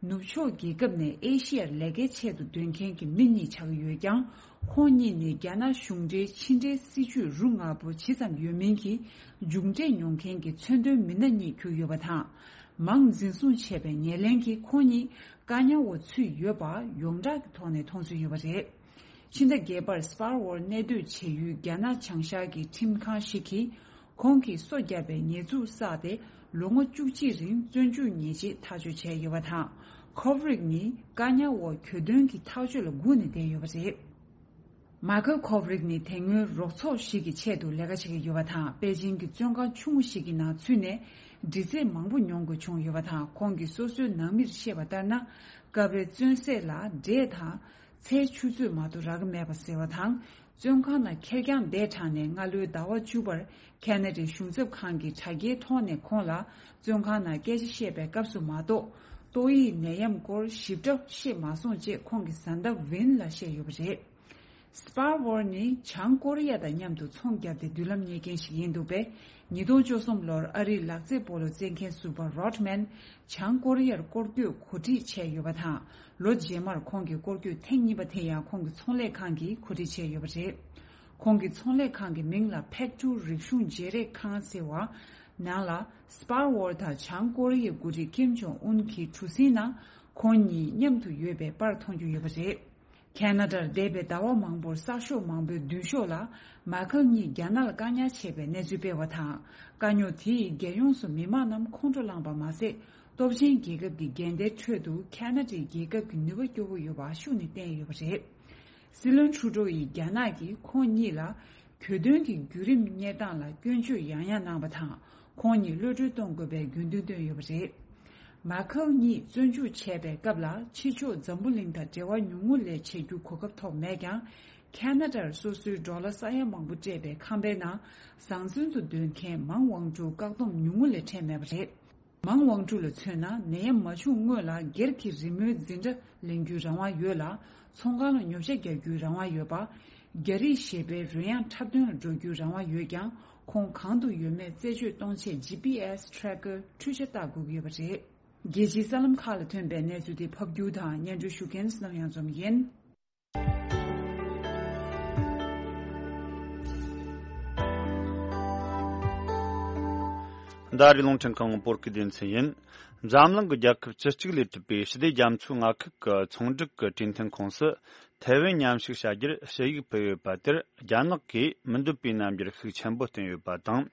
ནུབ་ཕྱོགས་རྒྱལ་ཁབ་ནས་ཨེ་ཤི་ཡར་ལས་ཀའི་ཆེད་དུ་སྡོད་མཁན་གྱི་མི་གཉིས་ཆགས་ཀྱི་ཡོད་ཀྱང་། ཁོང་གཉིས་ནི་རྒྱ་ནག་གཞུང་འབྲེལ་ཕྱི་འབྲེལ་སྲིད་ཇུས་རུ་ང་པོ་ཇི་ཙམ་ཡོད་མིན་གྱི་མཇུག་འབྲས་མྱོང་མཁན་གྱི་མཚོན་དོན་མི་སྣ་གཉིས་གྱུར་ཡོད་པ་དང་། མང་འཛིན་བཟུང་བྱས་པའི་ཉེར་ལེན་གྱིས་ཁོང་གཉིས་བཀག་ཉར་འོག་ཚུད་ཡོད་པ་ཡོངས་གྲགས་ཀྱི་ཐོག་ནས་མཐོང་ཚུལ་ཡོད་པ་རེད། ཕྱི་ཟླ་བརྒྱད་པར་སྤར་ཝར་གནས་སྡོད་བྱེད་ཡུལ་རྒྱ་ནག་བྱང་ཤར་གྱི་ཁྲིམས་ཁང་ཞིག་གིས། ཁོང་གིས་སོ་བརྒྱབ་པའི་ཉེས་འཛུགས་བསགས་ཏེ། ལོ་ངོ་བཅུ་གཅིག་རིང་བཙོན་འཇུག་ཉེས་ཆད་ཐག་གཅོད་བྱས་ཡོད་པ་དང་། ཁོབ་རིག་ནི་བཀག་ཉར་འོག་གྱོད་དོན་གྱི་ཐག་གཅོད་ལ་སྒུག་ནས་བསྡད་ཡོད་པ་རེད། མཱ་ཁལ་ཁོབ་རིག་ནི་དེ་སྔོན་རོགས་ཚོགས་ཤིག་གི་ཆེད་དུ་ལས་ཀ་བྱེད་ཀྱི་ཡོད་པ་དང་། པེ་ཅིང་གི་བཙོན་ཁང་ཆུང་ངུ་ཞིག་གི་ནང་ཚུད་ནས། འདྲི་རྩད་མང་པོ་མྱོང་དགོས་བྱུང་ཡོད་པ་དང་། ཁོང་གིས་སོ་སོའི་ནང་མིར་བཤད་པ་ལྟར་ན། སྐབས་རེ་བཙོན་ཟས་ལ་འབྲས་དང་། ཚལ་ཆུ་ཚོད་མ་གཏོགས་རག་གི་མེད་པ་ཟེར་བ་དང་། བཙོན་ཁང་ནང་ཁེར་རྐྱང་བསྡད་དྲགས་ནས། སྔ་ལོའི་ཟླ་བ་བཅུ་པར་ཁ་ན་ཌའི་གཞུང་ཚབ་ཁང་གི་དྲ་རྒྱའི་ཐོག་ནས་ཁོང་ལ་བཙོན་ཁང་ནང་སྐད་ཆ་བཤད་པའི་སྐབས་སུ་མ་གཏོགས། ཏོག་དབྱིབས་ནད་ཡམས་སྐོར་ཞིབ་ཕྲ་བཤད་མ་སོང་ཅེས་ཁོང་གི་བཟའ་ཟླ་ཝིན་ལ་བཤད་ཡོད་པ་རེད། སྤར་ཝར་ནི་བྱང་ཀོ་རི་ཡ་དང་མཉམ་དུ་ཚོང་བརྒྱབ་སྟེ་མདུན་ལམ་རྙེད་མཁན་ཞིག་ཡིན་འདུག་པས། ཉིས་སྟོང་བཅུ་གསུམ་ལོར་ཨ་རིའི་ལག་རྩེད་སྤོ་ལོ་རྩེད་མཁན་ཟུར་པ་རོད་མན་བྱང་ཀོ་རི་ཡར་སྐོར་སྐྱོད་གོ་སྒྲིག་བྱས་ཡོད་པ་དང་། ལོ་རྗེས་མར་ཁོང་གིས་སྐོར་སྐྱོད་ཐེངས་གཉིས་པ་དེ་ཡང་ཁོང་གི་ཚོང་ལས་ཁང་གིས་གོ་སྒྲིག་བྱས་ཡོད་པ་རེད། ཁོང་གི་ཚོང་ལས་ཁང་གི་མིང་ལ་ཕེག་ཊུ་རིག་གཞུང་བརྗེ་རེས་ཁང་ཟེར་བ། ནང་ལ་སྤར་ཝར་དང་བྱང་ཀོ་རི་ཡའི་འགོ་ཁྲིད་ཀིམ་ཇོང་ཨུན་གྱི་གྲུ་གཟིངས་ནང་ཁོང་གཉིས་མཉམ་དུ་ཡོད་པའི་པར་མཐོང་རྒྱུ་ཡོད་པ་རེད། ཁ་ན་ཌར་འདས་པའི་ཟླ་བ་མང་པོར་གསར་ཤོག་མང་པོའི་མདུན་ཤོག་ལ་མཱ་ཁལ་གཉིས་རྒྱ་ནག་ལ་བཀག་ཉར་བྱས་པའི་གནས་ཚུལ་སྤེལ་བ་དང་། དཀའ་རྙོག་དེས་རྒྱལ་ཡོངས་སུ་མི་མང་རྣམས་ཁོང་ཁྲོ་ལངས་པ་མ་ཟད། སྟོབས་ཆེན་རྒྱལ་ཁབ་ཀྱི་འགལ་ཟླའི་ཁྲོད་དུ་ཁ་ན་ཌའི་རྒྱལ་ཁབ་ཀྱི་ནུས་པ་སྐྱོ་བོ་ཡོད་པ་ཤུགས་ནས་བསྟན་ཡོད་པ་རེད། སྲིད་བློན་ཁྲུ་ཏྲོ་ཡིས་རྒྱ་ནག་གིས་ཁོང་གཉིས་ལ་གྱོད་དོན་གྱི་བརྒྱུད་རིམ་གཉེར་སྟངས་ལ་སྐྱོན་བརྗོད་ཡང་ཡང་གནང་བ་དང་། ཁོང་གཉིས་གློད་གྲོལ་གཏོང་དགོས་པའི་དགོས་འདུན་བཏོན་ཡོད་པ་རེད། མཱ་ཁལ་གཉིས་བཙོན་འཇུག་བྱས་པའི་སྐབས་ལ། ཕྱི་ཕྱོགས་འཛམ་བུ་གླིང་དང་འབྲེལ་བ་ཉུང་ངུ་ལས་བྱེད་རྒྱུ་གོ་སྐབས་ཐོབ་མེད་ཀྱང་། ཁ་ན་ཌར་སོ་སོའི་ཌོ་ལར་ས་ཡ་མང་པོ་སྤྲད་པའི་ཁང་པའི་ནང་ཟང་ཟིང་དུ་སྡོད་མཁན་མང་ཝང་ཀྲུའུ་བཀག་སྡོམ་ཉུང་ངུ་ལས་འཕྲད་མེད་པ་རེད། མང་ཝང་ཀྲུའུ་ལ་མཚོན་ན། ནད་ཡམས་མ་བྱུང་སྔོན་ལ་སྒེར་གྱི་རི་མོའི་འཛིན་གྲྭ་ལེན་རྒྱུའི་རང་དབང་ཡོད་ལ། ཚོང་ཁང་ལ་ཉོ་ཆ་རྒྱག་རྒྱུའི་རང་དབང་ཡོད་པ། རྒྱ་རིགས་གཞས་པའི་རོལ་དབྱངས་འཁྲབ་སྟོན་ལ་འགྲོ་རྒྱུའི་རང་དབང་ཡོད་ཀྱང་། ཁོང་གང་དུ་ཡོད་མེད་རྩད་གཅོད་གཏོང་ཆེད་ཇི་པི་ཨེས་ཊེ་རེ་ཀར་འཕྲུལ་ཆ་བལྟ་དགོས་ཀྱི་ཡོད་པ་རེད། རྒྱལ་སྤྱིའི་གསར་ལམ་ཁག་ལ་ཐོན་པའི་གནས་ཚུལ་དེ་ཕབ་སྒྱུར་དང་སྙན་སྒྲོན་ཞུ་མཁན་བསོད་ནམས་གཡང་འཛོམས་ཡིན། འདི་ཨ་རིའི་རླུང་འཕྲིན་ཁང་བོད་སྐད་སྡེ་ཚན་ཡིན། འཛམ་གླིང་གི་རྒྱལ་ཁབ་བཅུ་གཅིག་ལས་གྲུབ་པའི་ཞི་བདེ་རྒྱ་མཚོའི་མངའ་ཁུལ་གྱི་ཚོང་སྒྲིག་གི་གྲོས་མཐུན་ཁོངས་སུ་ཐའེ་ཝན་མཉམ་ཞུགས་བྱ་རྒྱུར་ཞུ་ཡིག་ཕུལ་ཡོད་པ་དེར། རྒྱ་ནག་གིས་མི་འདོད་པའི་རྣམ་འགྱུར་ཤུགས་ཆེན་པོ་བསྟན་ཡོད་པ་དང་།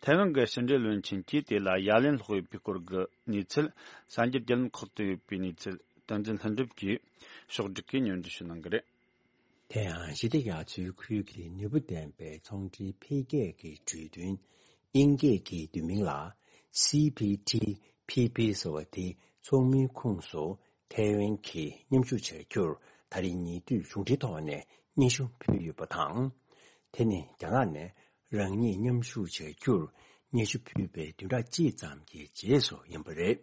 ཐའེ་ཝན་གྱི་ཕྱི་འབྲེལ་བློན་ཆེན་གྱིས་དེ་ལ་ཡ་ལན་སློག་ཡོད་པའི་སྐོར་གྱི་གནས་ཚུལ། གསར་འགྱུར་བརྒྱུད་ལམ་ཁག་ཏུ་ཡོད་པའི་གནས་ཚུལ། བསྟན་འཛིན་ལྷུན་གྲུབ་ཀྱིས་ཕྱོགས་བསྒྲིགས་ཀྱིས་སྙན་སྒྲོན་ཞུ་གནང་གི་རེད། དེ་ཡང་ཞི་བདེ་རྒྱ་མཚོའི་ཁུལ་གྱི་ནུས་པ་ལྡན་པའི་ཚོང་འབྲེལ་འཕེལ་རྒྱས་ཀྱི་གྲོས་མཐུན། དབྱིན་སྐད་ཀྱི་བསྡུས་མིང་ལ་སི་ཕི་ཐི་ཕི་ཕི་ཟེར་བ་དེ་ཚོགས་མིའི་ཁོངས་སུ་ཐའེ་ཝན་གྱིས་མཉམ་ཞུགས་བྱ་རྒྱུར་ད་རེས་ཉེ་དུས་གཞུང་འབྲེལ་ཐོག་ནས་སྙན་ཞུ་ཕུལ་ཡོད་པ་དང་། དེ་ནི་རྒྱ་ནག་ནས་རང་ཉིད་མཉམ་ཞུགས་བྱ་རྒྱུར་སྙན་ཞུ་ཕུལ་བའི་བདུན་ཕྲག་གཅིག་ཙམ་གྱི་རྗེས་སུ་ཡིན་པ་རེད།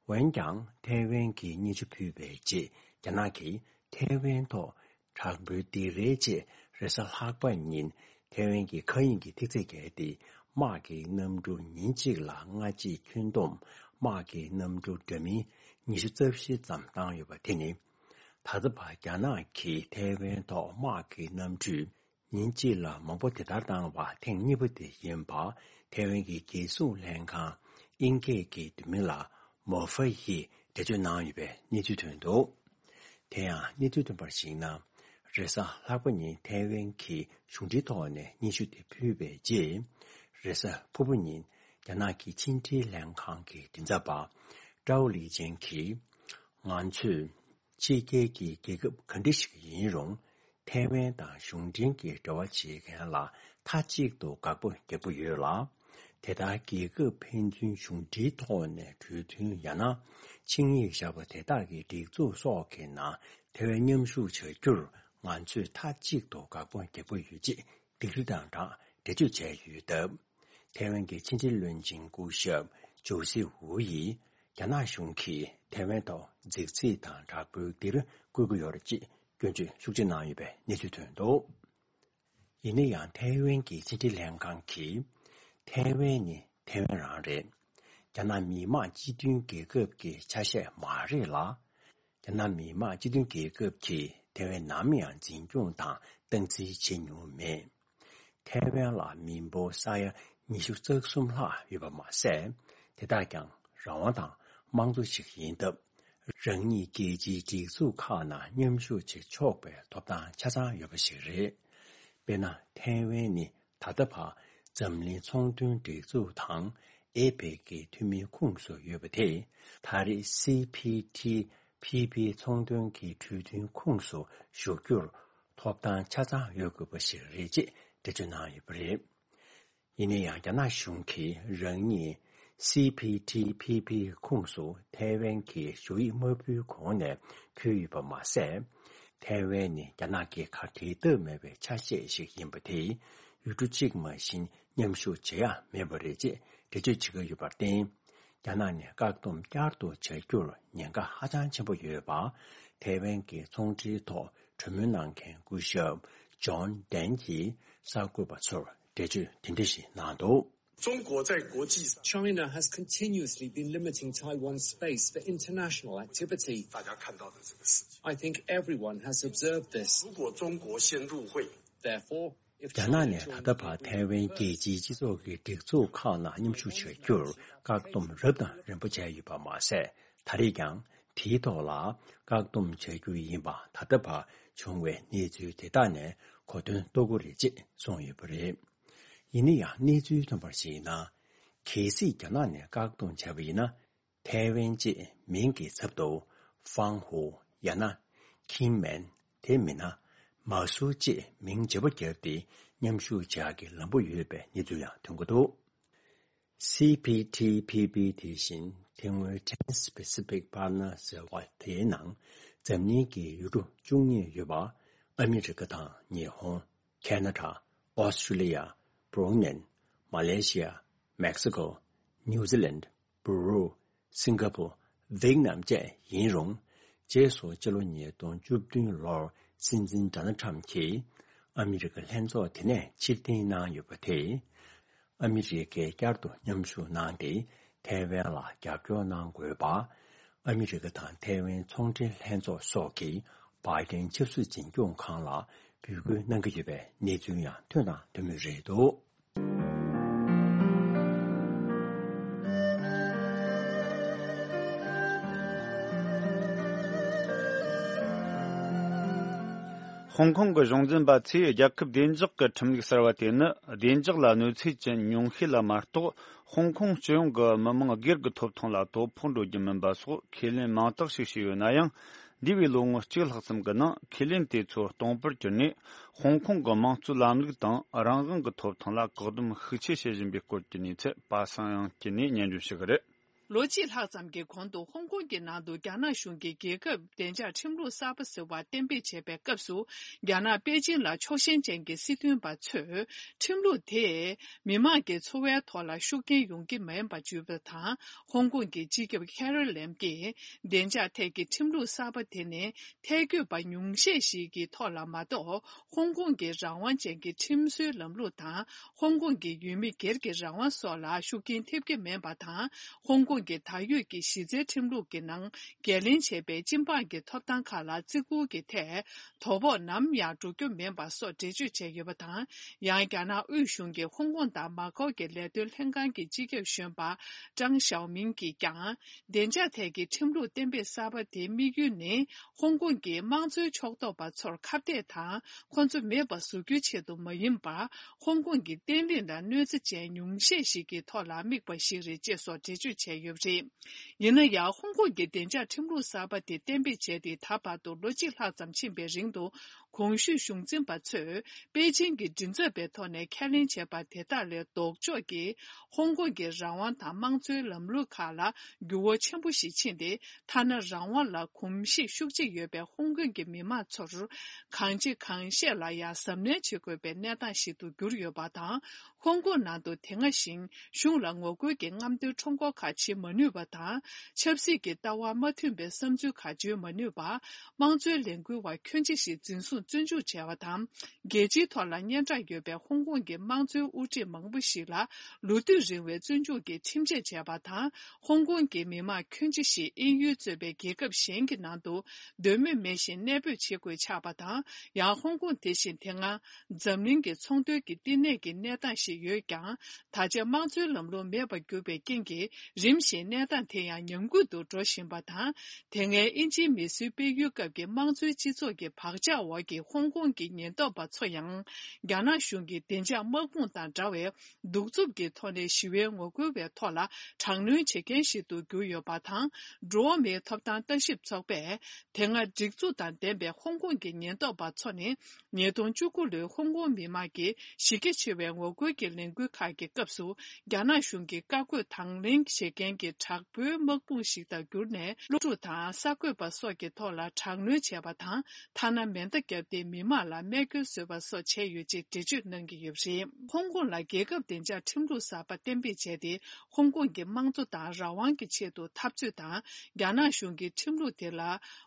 འོན་ཀྱང་། ཐའེ་ཝན་གྱིས་སྙན་ཞུ་ཕུལ་བའི་རྗེས། རྒྱ་ནག་གིས་ཐའེ་ཝན་ཐོག་དྲག་པོའི་སྡིགས་རའི་ཆེད། རེས་གཟའ་ལྷག་པ་ཉིན་ཐའེ་ཝན་གྱི་མཁའ་དབྱིངས་ཀྱི་ཐིག་ཚད་བརྒལ་ཏེ། དམག་གི་གནམ་གྲུ་ཉིན་གཅིག་ལ་སྔ་རྗེས་ཁྱོན་བསྡོམས་དམག་གི་གནམ་གྲུ་འདྲ་མིན་ཉི་ཤུ་རྩ་བཞི་ཙམ་བཏང་ཡོད་པ་དེ་ནི། ད་ལྟ་བར་རྒྱ་ནག་གིས་ཐའེ་ཝན་ཐོག་དམག་གི་གནམ་གྲུ་ཉིན་གཅིག་ལ་མང་པོ་དེ་ལྟར་བཏང་བ་ཐེངས་གཉིས་པ་དེ་ཡིན་པ། ཐའེ་ཝན་གྱི་རྒྱལ་སྲུང་ལྷན་ཁང་ དབྱིན་སྐད་ཀྱི་བསྡུས་མིང་ལ་མོ་ཧྥེ་ཡིས་འགྲེལ་བརྗོད་གནང་ཡོད་པའི་གནས་ཚུལ་ཐོན་འདུག་དེ་ཡང་གནས་ཚུལ་ཐོན་པར་གཞིགས་ན། རེས་གཟའ་ལྷག་པ་ཉིན་ཐའེ་ཝན་གྱི་གཞུང་འབྲེལ་ཐོག་ནས་སྙན་ཞུ་དེ་ཕུལ་བའི་རྗེས། རེས་གཟའ་ཕུར་བུ་ཉིན་རྒྱ་ནག་གི་ཕྱི་འབྲེལ་ལྷན་ཁང་གི་མགྲིན་ཚབ་པ་ཀྲའོ་ལི་ཅན་གྱིས། ང་ཚོས་ཕྱི་རྒྱལ་གྱི་རྒྱལ་ཁབ་ག་འདྲ་ཞིག་ཡིན་རུང་། ཐའེ་ཝན་དང་གཞུང་འབྲེལ་གྱི་འབྲེལ་བ་བྱེད་མཁན་ལ་མཐའ་གཅིག་ཏུ་དགག་པ་རྒྱག་གི་ཡོད་ལ། དེ་ལྟར་རྒྱལ་ཁབ་ཕན་ཚུན་གཞུང་འབྲེལ་ཐོག་ནས་གྲོས་མཐུན་ཡང་ན་ཆིངས་ཡིག་བཞག་པ་དེ་དག་གི་སྒྲིག་འཛུགས་སོགས་ཀྱི་ནང་ཐའེ་ཝན་མཉམ་ཞུགས་བྱ་རྒྱུར་ང་ཚོས་མཐའ་གཅིག་ཏུ་དགག་པ་རྒྱག་གི་ཡོད་ཅེས་སྡིགས་ར་དང་སྦྲགས་འགྲེལ་བརྗོད་བྱས་ཡོད་སྟབས། ཐའེ་ཝན་གྱི་ཕྱི་འབྲེལ་བློན་ཆེན་སྐུ་ཞབས་ཇོ་སི་ཝུ་ཡིས་རྒྱ་ནག་གཞུང་གིས་ཐའེ་ཝན་ཐོག་རྫིག་རྫིག་དང་དྲག་པོའི་སྡིགས་ར་བསྐུལ་གྱི་ཡོད་རེད་ཅེས་སྐྱོན་བརྗོད་ཤུགས་ཆེ་གནང་ཡོད་པའི་གནས་ཚུལ་ཐོན་འདུག་ཡིན་ན་ཡང་ཐའེ་ཝན་གྱི་ཕྱི་འབྲེལ་ལྷན་ཁང་གིས། ཐའེ་ཝན་ནི་ཐའེ་ཝན་རང་རེད། རྒྱ་ནག་མི་དམངས་སྤྱི་མཐུན་རྒྱལ་ཁབ་ཀྱི་ཆ་ཤས་མ་རེད་ལ། རྒྱ་ནག་མི་དམངས་སྤྱི་མཐུན་རྒྱལ་ཁབ་ཀྱིས་ཐའེ་ཝན་ནམ་ཡང་འཛིན་སྐྱོང་དང་སྟངས་འཛིན་བྱེད་མྱོང་མེད། ཐའེ་ཝན་ལ་མི་འབོར་ས་ཡ་ཉི་ཤུ་རྩ་གསུམ་ལྷག་ཡོད་པ་མ་ཟད། དེ་དག་ཀྱང་རང་དབང་དང་དམངས་གཙོ་ཞིག་ཡིན་སྟབས། རང་ཉིད་རྒྱལ་སྤྱིའི་སྒྲིག་འཛུགས་ཁག་ནང་མཉམ་ཞུགས་བྱེད་ཆོག་པའི་ཐོབ་ཐང་ཆ་ཚང་ཡོད་པ་ཞིག་རེད། དཔེར་ན། ཐའེ་ཝན་ནི་ད་ལྟ་བར་འཛམ་གླིང་ཚོང་དོན་སྒྲིག་འཛུགས་དང་། ཨེ་པེག་གི་འཐུས་མིའི་ཁོངས་སུ་ཡོད་པ་དེས། ད་རེས་སི་ཕི་ཐི་ཕི་པི་ཚོང་དོན་གྱི་གྲོས་མཐུན་ཁོངས་སུ་ཞུགས་རྒྱུར་ཐོབ་ཐང་ཆ་ཚང་ཡོད་དགོས་པ་ཞིག་རེད་ཅེས་འགྲེལ་བརྗོད་གནང་ཡོད་པ་རེད། ཡིན་ན་ཡང་། རྒྱ་ནག་གཞུང་གིས་རང་ཉིད་སི་ཕི་ཐི་ཕི་པི་ཁོངས་སུ་ཐའེ་ཝན་གྱི་ཞུ་ཡིག་མ་ཕུལ་གོང་ནས་ཕུལ་ཡོད་པ་མ་ཟད། ཐའེ་ཝན་ནི་རྒྱ་ནག་གི་ཁ་བྲལ་ཐབས་མེད་པའི་ཆ་ཤས་ཤིག་ཡིན་པ་དེས། ཡུལ་གྲུ་གཅིག་མ་གཞན་མཉམ་ཞུགས་བྱེད་ཡ་མེད་པ་རེད་ཅེས་འགྲེལ་བརྗོད་བྱེད་ཀྱི་ཡོད་པར་བརྟེན། རྒྱ་ནག་ནས་བཀག་སྡོམ་བསྐྱར་དུ་བྱ་རྒྱུར་ཉེན་ཁ་ཧ་ཅང་ཆེན་པོ་ཡོད་པ། ཐའེ་ཝན་གྱི་ཚོང་འབྲེལ་ཐོག་གྲོས་མོལ་གནང་མཁན་སྐུ་ཞབས་ཇོན་ཏན་གྱིས་གསར་འགོད་པ་ཚོར་འགྲེལ་བརྗོད་དེ་འདྲ་ཞིག་གནང་འདུག 中国在国际上 China has continuously been limiting Taiwan's space for international activity. 大家看到的这个事情。 I think everyone has observed this. 如果中国先入会， Therefore, if རྒྱ་ནག་ནས་ད་ལྟ་བར་ཐའེ་ཝན་རྒྱལ་སྤྱིའི་སྤྱི་ཚོགས་ཀྱི་སྒྲིག་འཛུགས་ཁག་ནང་མཉམ་ཞུགས་བྱ་རྒྱུར་བཀག་སྡོམ་རབ་དང་རིམ་པ་བྱས་ཡོད་པ་མ་ཟད། ད་རེས་ཀྱང་དེའི་ཐོག་ལ་བཀག་སྡོམ་བྱ་རྒྱུ་ཡིན་པ་ད་ལྟ་བར་བྱུང་བའི་གནས་ཚུལ་དེ་དག་ནས་གོ་དོན་རྟོགས་ཀྱི་རེད་ཅེས་གསུངས་ཡོད་པ་རེད། ཡིན་ན་ཡང་། གནས་ཚུལ་ཐོན་པར་གཞིགས་ན། གལ་སྲིད་རྒྱ་ནག་ནས་བཀག་སྡོམ་བྱས་པ་ཡིན་ན། ཐའེ་ཝན་ཅེས་མིང་གི་ཚབ་ཏུ་ཧྥང་ཧུའུ་ཡང་ན་ཁིན་མེན། དེ་མིན་ན་མ་སུའུ་ཅེས་མིང་བརྗེ་པོ་བརྒྱབ་སྟེ་མཉམ་ཞུགས་བྱ་ཡག་གི་ལམ་བུ་ཡོད་པའི་གནས་ཚུལ་ཡང་ཐོན་གྱི་འདུག་སི་ཕི་ཐི་ཕི་པི་དེ་བཞིན་དེ་སྔོན་Trans-Pacific Partner ཟེར་བ་དེའི་ནང་འཛམ་གླིང་གི་ཡུལ་གྲུ་བཅུ་གཉིས་ཡོད་པ། ཨ་མི་རི་ཀ་དང་ཉི་ཧོང་། ཁེ་ན་ཌ། ཨོ་སི་ཀྲི་ལི་ཡ། བྷ་རུ་ནེན། མ་ལེ་ཤི་ཡ། མེག་སི་ཀོ། ནིའུ་ཛི་ལན། པུ་རུ། སིང་ག་པུར། ཝེད་ནམ་བཅས་ཡིན་རུང་། རྗེས་སུ་ཕྱི་ལོ་ཉིས་སྟོང་བཅུ་བདུན་ལོར་སྲིད་འཛིན་ཌོ་ནལ་ཊམ་གྱིས་ཨ་མི་རི་ཀ་ལྷན་ཚོགས་དེ་ནས་ཕྱིར་འཐེན་གནང་ཡོད་པ་དེས། ཨ་མི་རི་ཀས་བསྐྱར་དུ་མཉམ་ཞུགས་གནང་སྟེ། ཐའེ་ཝན་ལ་རྒྱབ་སྐྱོར་གནང་དགོས་པ། ཨ་མི་རི་ཀ་དང་ཐའེ་ཝན་ཚོང་འབྲེལ་ལྷན་ཚོགས་སོགས་ཀྱིས་བྷའི་ཏིན་ཆབ་སྲིད་འཛིན་སྐྱོང་ཁང་ལ་འབོད་སྐུལ་གནང་གི་ཡོད་པའི་གནས་ཚུལ་ཡང་ཐོན་དང་ཐོན་མུས་རེད་འདུག་ཧོང་ཀོང་གི་གཞུང་འཛིན་པ་ཚོས་རྒྱལ་ཁབ་བདེ་འཇགས་ཀྱི་ཁྲིམས་ལུགས་གསར་བ་དེ་ནི་བདེ་འཇགས་ལ་གནོད་འཚེ་ཅན་ཉུང་ཤས་ལ་མ་གཏོགས། ཧོང་ཀོང་སྤྱི་ཡོངས་ཀྱི་མི་མང་སྒེར་གྱི་ཐོབ་ཐང་ལ་དོ་ཕོག་འགྲོ་རྒྱུ་མིན་པ་སོགས་ཁས་ལེན་མང་དག་ཞིག་བྱས་ཡོད་ན་ཡང་། འདས་པའི་ལོ་ངོ་གཅིག་ལྷག་ཙམ་གྱི་ནང་ཁས་ལེན་དེ་ཚོ་སྟོང་པར་གྱུར་ནས། ཧོང་ཀོང་གི་དམངས་གཙོའི་ལམ་ལུགས་དང་རང་དབང་གི་ཐོབ་ཐང་ལ་བཀག་སྡོམ་ཤུགས་ཆེ་བྱེད་བཞིན་པའི་སྐོར་གྱི་གནས་ཚུལ་པ་སངས་དབྱངས་སྐྱིད་ནས་སྙན་སྒྲོན་ཞུ་གི་རེད། ལོ་གཅིག་ལྷག་ཙམ་གྱི་གོང་དུ་ཧོང་ཀོང་གི་ནང་དུ་རྒྱ་ནག་གཞུང་གིས་རྒྱལ་ཁབ་བདེ་འཇགས་ཁྲིམས་ལུགས་གསར་པ་ཟེར་བ་གཏན་འབེབས་བྱས་པའི་སྐབས་སུ། རྒྱ་ནག་པེ་ཅིང་ལ་ཕྱོགས་ཞེན་ཅན་གྱི་སྲིད་དོན་པ་ཚོས་ཁྲིམས་ལུགས་དེས་མི་མང་གི་འཚོ་བའི་ཐོག་ལ་ཤུགས་རྐྱེན་ཡོང་གི་མིན་པ་བརྗོད་པ་དང་། ཧོང་ཀོང་གི་སྤྱི་ཁྱབ་ཁེ་རི་ལེམ་གྱིས་བདེ་འཇགས་ཐད་ཀྱི་ཁྲིམས་ལུགས་གསར་པ་དེ་ནི་ཐལ་འགྱུར་བ་ཉུང་ཤས་ཤིག་གི་ཐོག་ལ་མ་གཏོགས། ཧོང་ཀོང་གི་རང་དབང་ཅན་གྱི་ཁྲིམས་བཟོའི་ལམ་ལུགས་དང་། ཧོང་ཀོང་གི་ཡུལ་མི་སྒེར་གྱི་རང་དབང་སོགས་ལ་ཤུགས་རྐྱེན་ཐེབས་ཀྱི་མིན་པ་དང་། ཧོང་ཀོང་ ཁོང་གིས་ད་ཡོད་ཀྱི་གཞི་རྩའི་ཁྲིམས་ལུགས་ཀྱི་ནང་འགན་ལེན་བྱས་པའི་སྤྱི་འབངས་ཀྱི་ཐོབ་ཐང་ཁག་ལ་བརྩི་བཀུར་གྱི་ཐད་དོ་ཕོག་ནམ་ཡང་འགྲོ་རྒྱུ་མིན་པ་སོགས་འགྲེལ་བརྗོད་བྱས་ཡོད་པ་དང་། ཡང་རྒྱ་ནག་དབུས་གཞུང་གིས་ཧོང་ཀོང་དང་མ་ཀའོ་གྱི་ལས་དོན་ལྷན་ཁང་གི་སྤྱི་ཁྱབ་གཞོན་པ་ཀྲང་ཞའོ་མིང་གིས་ཀྱང་། བདེ་འཇགས་ཐད་ཀྱི་ཁྲིམས་ལུགས་གཏན་འབེབས་གསར་པ་དེའི་དམིགས་ཡུལ་ནི། ཧོང་ཀོང་གི་དམངས་གཙོའི་ཕྱོགས་གཏོགས་པ་ཚོར་ཁ་གཏད་དང་ཁོ་ཚོ་མེད་པ་བཟོ་རྒྱུའི་ཆེད་དུ་མ་ཡིན་པར། ཧོང་ཀོང་གི་བརྟན་ལྷིང་ལ་གནོད་འཚེ་ཅན་ཉུང་ཤས་ཤིག་གི་ཐོག་ལ་དམིགས་པ་ཞིག་རེད་ཅེས་སོགས་འགྲེལ་བརྗོད་བྱས་ཡོད་པ་རེད། ཡིན་ན་ཡང་། ཧོང་ཀོང་གི་བདེ་འཇགས་ཁྲིམས་ལུགས་གསར་པ་དེ་གཏན་འབེབས་བྱས་ཏེ་ད་བར་དུ་ལོ་གཅིག་ལྷག་ཙམ་ཕྱིན་པའི་རིང་དུ། གོང་ཞུས་གཞུང་འཛིན་པ་ཚོས་པེ་ཅིང་གི་མགྲིན་ཚབ་པའི་ཐོག་ནས་ཁས་ལེན་བྱས་པ་དེ་དག་ལས་ལྡོག་ཕྱོགས་ཀྱིས་ཧོང་ཀོང་གི་རང་དབང་དང་དམངས་གཙོའི་ལམ་ལུགས་ཁག་ལ་འགྱུར་བ་ཆེན་པོ་ཞིག་ཕྱིན་ཏེ། ཐ་ན་རང་དབང་ལ་གོམས་གཤིས་ཤུགས་ཆེ་ཡོད་པའི་ཧོང་ཀོང་གི་མི་མང་ཚོར་གང་བྱེད་གང་བཤད་ལ་ཡང་གཟབ་ནན་བྱེད་དགོས་པའི་གནས་སྟངས་ཤིག་ཏུ་གྱུར་ཡོད་པ་དང་། ཧོང་ཀོང་ནང་དུ་དེ་སྔ་བཞིན་གཞུང་ལ་ངོ་རྒོལ་གྱི་རྔམ་སྟོན་ཁྲོམ་སྐོར་ཁག་བྱེད་མ་ནུས་པ་དང་། ཆབ་སྲིད་ཀྱི་ལྟ་བ་མ་མཐུན་པའི་བསམ་ཚུལ་ཁག་བརྗོད་མ་ནུས་པ། དམངས་གཙོའི་ལས་འགུལ་བ་ཁྱོན་ཆེ་ཞིག་འཛིན་བཟུང་བཙོན་འཇུག་བྱས་པ་དང་། རྒྱལ་སྤྱིའི་ཐོག་ལ་སྙན་གྲགས་ཡོད་པའི་ཧོང་ཀོང་གི་དམངས་གཙོའི་དབུ་ཁྲིད་མང་པོ་ཞིག་ལ་ལོ་དུས་རིང་བའི་བཙོན་འཇུག་གི་ཁྲིམས་ཆད་བཅད་པ་དང་། ཧོང་ཀོང་གི་མི་མང་ཁྱོན་ཆེ་ཞིག་དབྱིན་ཡུལ་གཙོས་པའི་རྒྱལ་ཁབ་གཞན་གྱི་ནང་དུ་འདོད་མོས་མེད་བཞིན་གནས་སྤོས་བྱེད་དགོས་ཆགས་པ་དང་། ཡང་ཧོང་ཀོང་དེ་བཞིན་དེ་སྔ་འཛམ་གླིང་གི་ཚོང་དོན་གྱི་བསྟི་གནས་ཀྱི་གནས་སྟངས་ཤིག་ཡོད་ཀྱང་། ད་ཆ་དམངས་གཙོའི་ལམ་ལུགས་མེད་པར་གྱུར་པའི་རྐྱེན་གྱིས། རིམ་བཞིན་གནས་སྟངས་དེ་ཡང་ཉམས་རྒུད་དུ་འགྲོ་བཞིན་པ་དང་། དེ་སྔའི་དབྱིན་ཇིའི་མི་སེར་སྤེལ་ཡུལ་སྐབས་ཀྱི་དམངས་གཙོའི་སྤྱི་ཚོགས་ཀྱི་བག་ཆགས་འོག་གི་ཧོང་ཀོང་གི་ཉེན་རྟོག་པ་ཚོ་ཡང་། རྒྱ་ནག་གཞུང་གི་བདེ་འཇགས་དམག་དཔུང་དང་འདྲ་བའི་གདུག་རྩུབ་ཀྱི་ཐོག་ནས་ཞི་བའི་ངོ་རྒོལ་བའི་ཐོག་ལ་དྲག་གནོན་བྱེད་མཁན་ཞིག་ཏུ་གྱུར་ཡོད་པ་དང་། འགྲོ་བ་མིའི་ཐོབ་ཐང་ལྟ་ཞིབ་ཚོགས་པས། དེ་སྔ་སྒྲིག་འཛུགས་དང་ལྡན་པའི་ཧོང་ཀོང་གི་ཉེན་རྟོག་པ་ཚོ་ནི། ཉིས་སྟོང་བཅུ་དགུ་ལོའི་ཧོང་ཀོང་མི་མང་གི་གཞི་རྒྱ་ཆེ་བའི་ངོ་རྒོལ་གྱི་ལས་འགུལ་ཁག་གི་སྐབས་སུ། རྒྱ་ནག་གཞུང་གིས་བཀའ་བཀོད་དང་ལེན་བྱེད་མཁན་གྱི་དྲག་པོའི་དམག་དཔུང་ཞིག་ཏུ་གྱུར་ནས། སློབ་ཕྲུག་དང་གསར་འགོད་པ་སོགས་ཀྱི་ཐོག་ལ་དྲག་གནོན་བྱས་པ་དང་། ཐ་ན་མེ་མདའ་བརྒྱབ་སྟེ་མི་མང་ལ་རྨས་སྐྱོན་བཟོས་པ་སོགས་བྱས་ཡོད་ཅེས་འགྲེལ་བརྗོད་གནང་གི་ཡོད་པ་རེད། ཧོང་ཀོང་ལ་རྒྱལ་ཁབ་བདེ་འཇགས་ཁྲིམས་ལུགས་གསར་པ་གཏན་འབེབས་བྱས་ཏེ། ཧོང་ཀོང་གི་དམངས་གཙོ་དང་རང་དབང་གི་ཆེད་དུ་འཐབ་རྩོད་དང་། རྒྱ་ནག་གཞུང་གི་ཁྲིམས་ལུགས་དེ་ལ་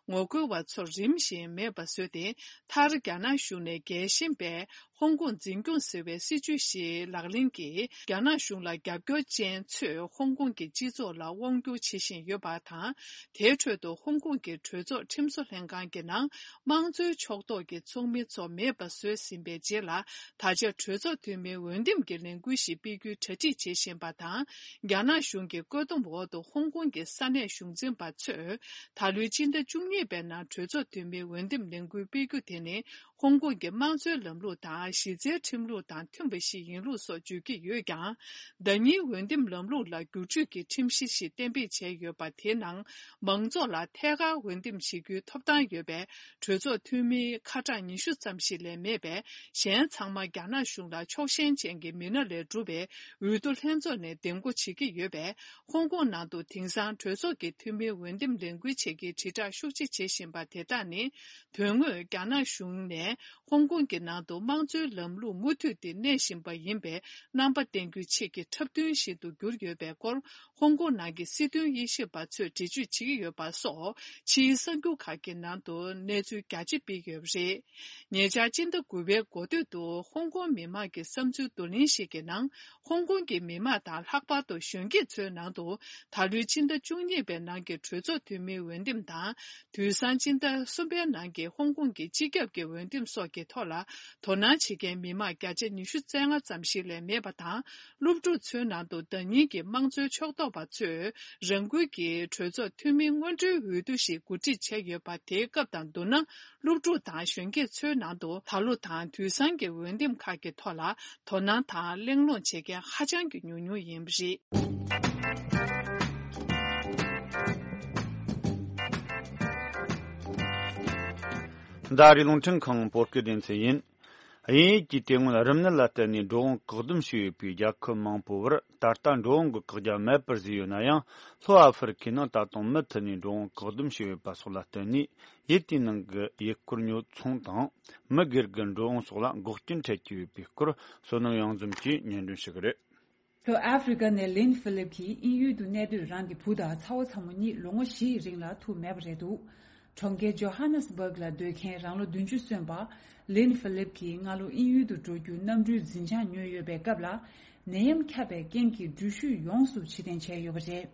ངོ་རྒོལ་བ་ཚོར་རིམ་བཞིན་མེད་པ་བཟོས་ཏེ། མཐར་རྒྱ་ནག་གཞུང་ནས་རྒྱལ་ཞེན་པས་ཧོང་ཀོང་འཛིན་སྐྱོང་ཟེར་བའི་སྲིད་ཇུས་ཤིག་ལག་ལེན་གྱིས། རྒྱ་ནག་གཞུང་ལ་རྒྱབ་སྐྱོར་ཅན་ཚོས་ཧོང་ཀོང་གི་སྤྱི་ཚོགས་ལ་དབང་བསྒྱུར་བྱེད་བཞིན་ཡོད་པ་དང་། དེའི་ཁྲོད་དུ་ཧོང་ཀོང་གི་གྲོས་ཚོགས་ཁྲིམས་བཟོ་ལྷན་ཁང་གི་ནང་དམངས་གཙོའི་ཕྱོགས་གཏོགས་ཀྱི་ཚོགས་མི་ཚོ་མེད་པ་བཟོས་ཟིན་པའི་རྗེས་ལ། ད་ཆ་གྲོས་ཚོགས་འཐུས་མིའི་འོས་འདེམས་ཀྱི་ལས་འགུལ་ཞིག་སྤེལ་རྒྱུའི་གྲ་སྒྲིག་བྱེད་བཞིན་པ་དང་། རྒྱ་ནག་གཞུང་གི་བཀོད་འདོམས་འོག་ཏུ་ཧོང་ཀོང་གི་ས་གནས་གཞུང་འཛིན་པ་ཚོས། ད་ལོའི་སྤྱི་ཟླ་བཅུ་གཉིས་པའི་ནང་གྲོས་ཚོགས་འཐུས་མིའི་འོས་འདེམས་ལས་འགུལ་སྤེལ་རྒྱུ་དེ་ནི། ཧོང་ཀོང་གི་དམངས་གཙོའི་ལམ་ལུགས་དང་གཞི་རྩའི་ཁྲིམས་ལུགས་དང་མཐུན་པ་ཞིག་ཡིན་ལུགས་སོགས་བརྗོད་ཀྱི་ཡོད་ཀྱང་། ཟླ་ཉིན་འོས་འདེམས་ལམ་ལུགས་ལ་བསྒྱུར་བཅོས་ཀྱི་ཁྲིམས་གཞི་ཞིག་གཏན་འབེབས་བྱས་ཡོད་པ། དེའི་ནང་མང་ཚོགས་ལ་ཐད་ཀར་འོས་འདེམས་བྱེད་རྒྱུའི་ཐོབ་ཐང་ཡོད་པའི་གྲོས་ཚོགས་འཐུས་མིའི་ཁ་གྲངས་ཉི་ཤུ་ཙམ་ཞིག་ལས་མེད་པས། གཞན་ཚང་མ་རྒྱ་ནག་གཞུང་ལ་ཕྱོགས་ཞེན་ཅན་གྱི་མི་སྣ་ལས་གྲུབ་པའི་འོས་བསྡུ་ལྷན་ཚོགས་ནས་འདེམས་བསྐོ་བྱེད་ཀྱི་ཡོད་པས། ཧོང་ཀོང་ནང་དུ་དེང་སང་གྲོས་ཚོགས་ཀྱི་འཐུས་མིའི་འོས་འདེམས་ལས་འགུལ་བྱེད་མཁན་དྲིལ་བསྒྲགས་ཤུགས་ཆེ་བྱེད་བཞིན་པ་དེ་དག་ནི། དོན་དངོས་རྒྱ་ནག་གཞུང་ནས་ཧོང་ཀོང་གི་ནང་དུ་དམངས་གཙོའི་ལམ་ལུགས་མུ་མཐུད་དེ་གནས་བཞིན་པ་ཡིན་པའི་རྣམ་པ་བསྟན་རྒྱུའི་ཆེད་ཀྱི་འཁྲབ་སྟོན་ཞིག་ཏུ་གྱུར་ཡོད་པའི་སྐོར། ཧོང་ཀོང་ནང་གི་སྲིད་དོན་དབྱེ་ཞིབ་པ་ཚོས་འགྲེལ་བརྗོད་བྱེད་ཀྱི་ཡོད་པ་སོགས། ཕྱིའི་གསར་འགྱུར་ཁག་གི་ནང་དུ་གནས་ཚུལ་རྒྱ་ཆེ་སྤེལ་ཡོད་པ་རེད། ཉེ་ཆར་སྤྱི་ཟླ་དགུ་པའི་འགོ་སྟོད་དུ་ཧོང་ཀོང་མི་མང་གི་བསམ་ཚུལ་བསྡུ་ལེན་ཞིག་གི་ནང་། ཧོང་ཀོང་གི་མི་མང་དང་། ལྷག་པར་དུ་གཞོན་སྐྱེས་ཚོའི་ནང་དུ། ད་ལོའི་སྤྱི་ཟླ་བཅུ་གཉིས་པའི་ནང་གི་གྲོས་ཚོགས་འཐུས་མིའི་འོས་འདེམས་དང་། དུས་སང་སྤྱི་ཟླ་གསུམ་པའི་ནང་གི་ཧོང་ཀོང་གི་སྤྱི་ཁྱབ་ཀྱི་འོས་འདེམས་སོགས་ཀྱི་ཐོག་ལ་དོ་སྣང་བྱེད་མཁན་མི་མང་བརྒྱ་ཆ་ཉི་ཤུ་རྩ་ལྔ་ཙམ་ཞིག་ལས་མེད་པ་དང་། སློབ་ཕྲུག་ཚོའི་ནང་དུ་ཟླ་ཉིན་གྱི་དམངས་གཙོའི་ཕྱོགས་གཏོགས་པ་ཚོས་རང་འགུལ་གྱིས་གྲོས་ཚོགས་འཐུས་མི་སྔོན་འགྲོའི་འོས་བསྡུ་ཞིག་གོ་སྒྲིག་བྱས་ཡོད་པ། དེའི་སྐབས་དང་བསྡུར་ན། སློབ་ཕྲུག་དང་གཞོན་སྐྱེས་ཚོའི་ནང་དུ་ད་ལོ་དང་དུས་སང་གི་འོས་འདེམས་ཁག་གི་ཐོག་ལ་དོ་སྣང་དང་གླེང་སློང་བྱེད་མཁན་ཧ་ཅང་གི་ཉུང་ཉུང་ཡིན་པ་རེད། འདི་རི་རླུང་འཕྲིན་ཁང་བོད་སྐད་སྡེ་ཚན་ཡིན། དབྱིན་ཡུལ་གྱི་དེ་སྔོན་རིམས་ནད་ལ་བརྟེན་ནས་འགྲོ་འོང་བཀག་སྡོམ་བྱས་ཡོད་པའི་རྒྱལ་ཁབ་མང་པོའི་བར། ད་ལྟ་འགྲོ་འོང་གི་བཀག་རྒྱ་མེད་པར་བཟོས་ཡོད་ན་ཡང་། ལྷོ་ཨ་ཧྥེ་རི་ཁའི་ནང་ད་དུང་མུ་མཐུད་ནས་འགྲོ་འོང་བཀག་སྡོམ་བྱས་ཡོད་པ་སོགས་ལ་བརྟེན་ནས། ཡུལ་དེའི་ནང་གི་ཡུལ་སྐོར་ཉོ་ཚོང་དང་། མི་སྒེར་གྱི་འགྲོ་འོང་སོགས་ལ་འགོག་རྐྱེན་འཕྲད་ཀྱི་ཡོད་པའི་སྐོར། བསོད་ནམས་གཡང་འཛོམས་ཀྱིས་སྙན་སྒྲོན་ཞུ་གི་རེད། ལྷོ་ཨ་ཧྥེ་རི་ཀ་ནས་ལིན་ཧྥི་ལིབ་ཀྱིས་དབྱིན་ཡུལ་དུ་གནས་སྡོད་རང་གི་བུ་དང་ཚ་བོ་ཚ་མོ་གཉིས་ལོ་ངོ་བཞི་ཡི་རིང་ལ་ཐུག་མེད་པ་རེད་འདུག་གྲོང་ཁྱེར་ཇོ་ཧ་ནེ་སི་བྷག་ལ་སྡོད་མཁན་རང་ལོ་བདུན་ཅུ་སོན་པ་ལིན་ཧྥི་ལིབ་ཀྱིས་སྔ་ལོ་དབྱིན་ཡུལ་དུ་འགྲོ་རྒྱུའི་གནམ་གྲུའི་འཛིན་བྱང་ཉོས་ཡོད་པའི་སྐབས་ལ། ནད་ཡམས་ཁྱབ་པའི་རྐྱེན་གྱིས་འགྲུལ་བཞུད་ཡོངས་སུ་ཕྱིར་འཐེན་བྱས་ཡོད་པ་རེད།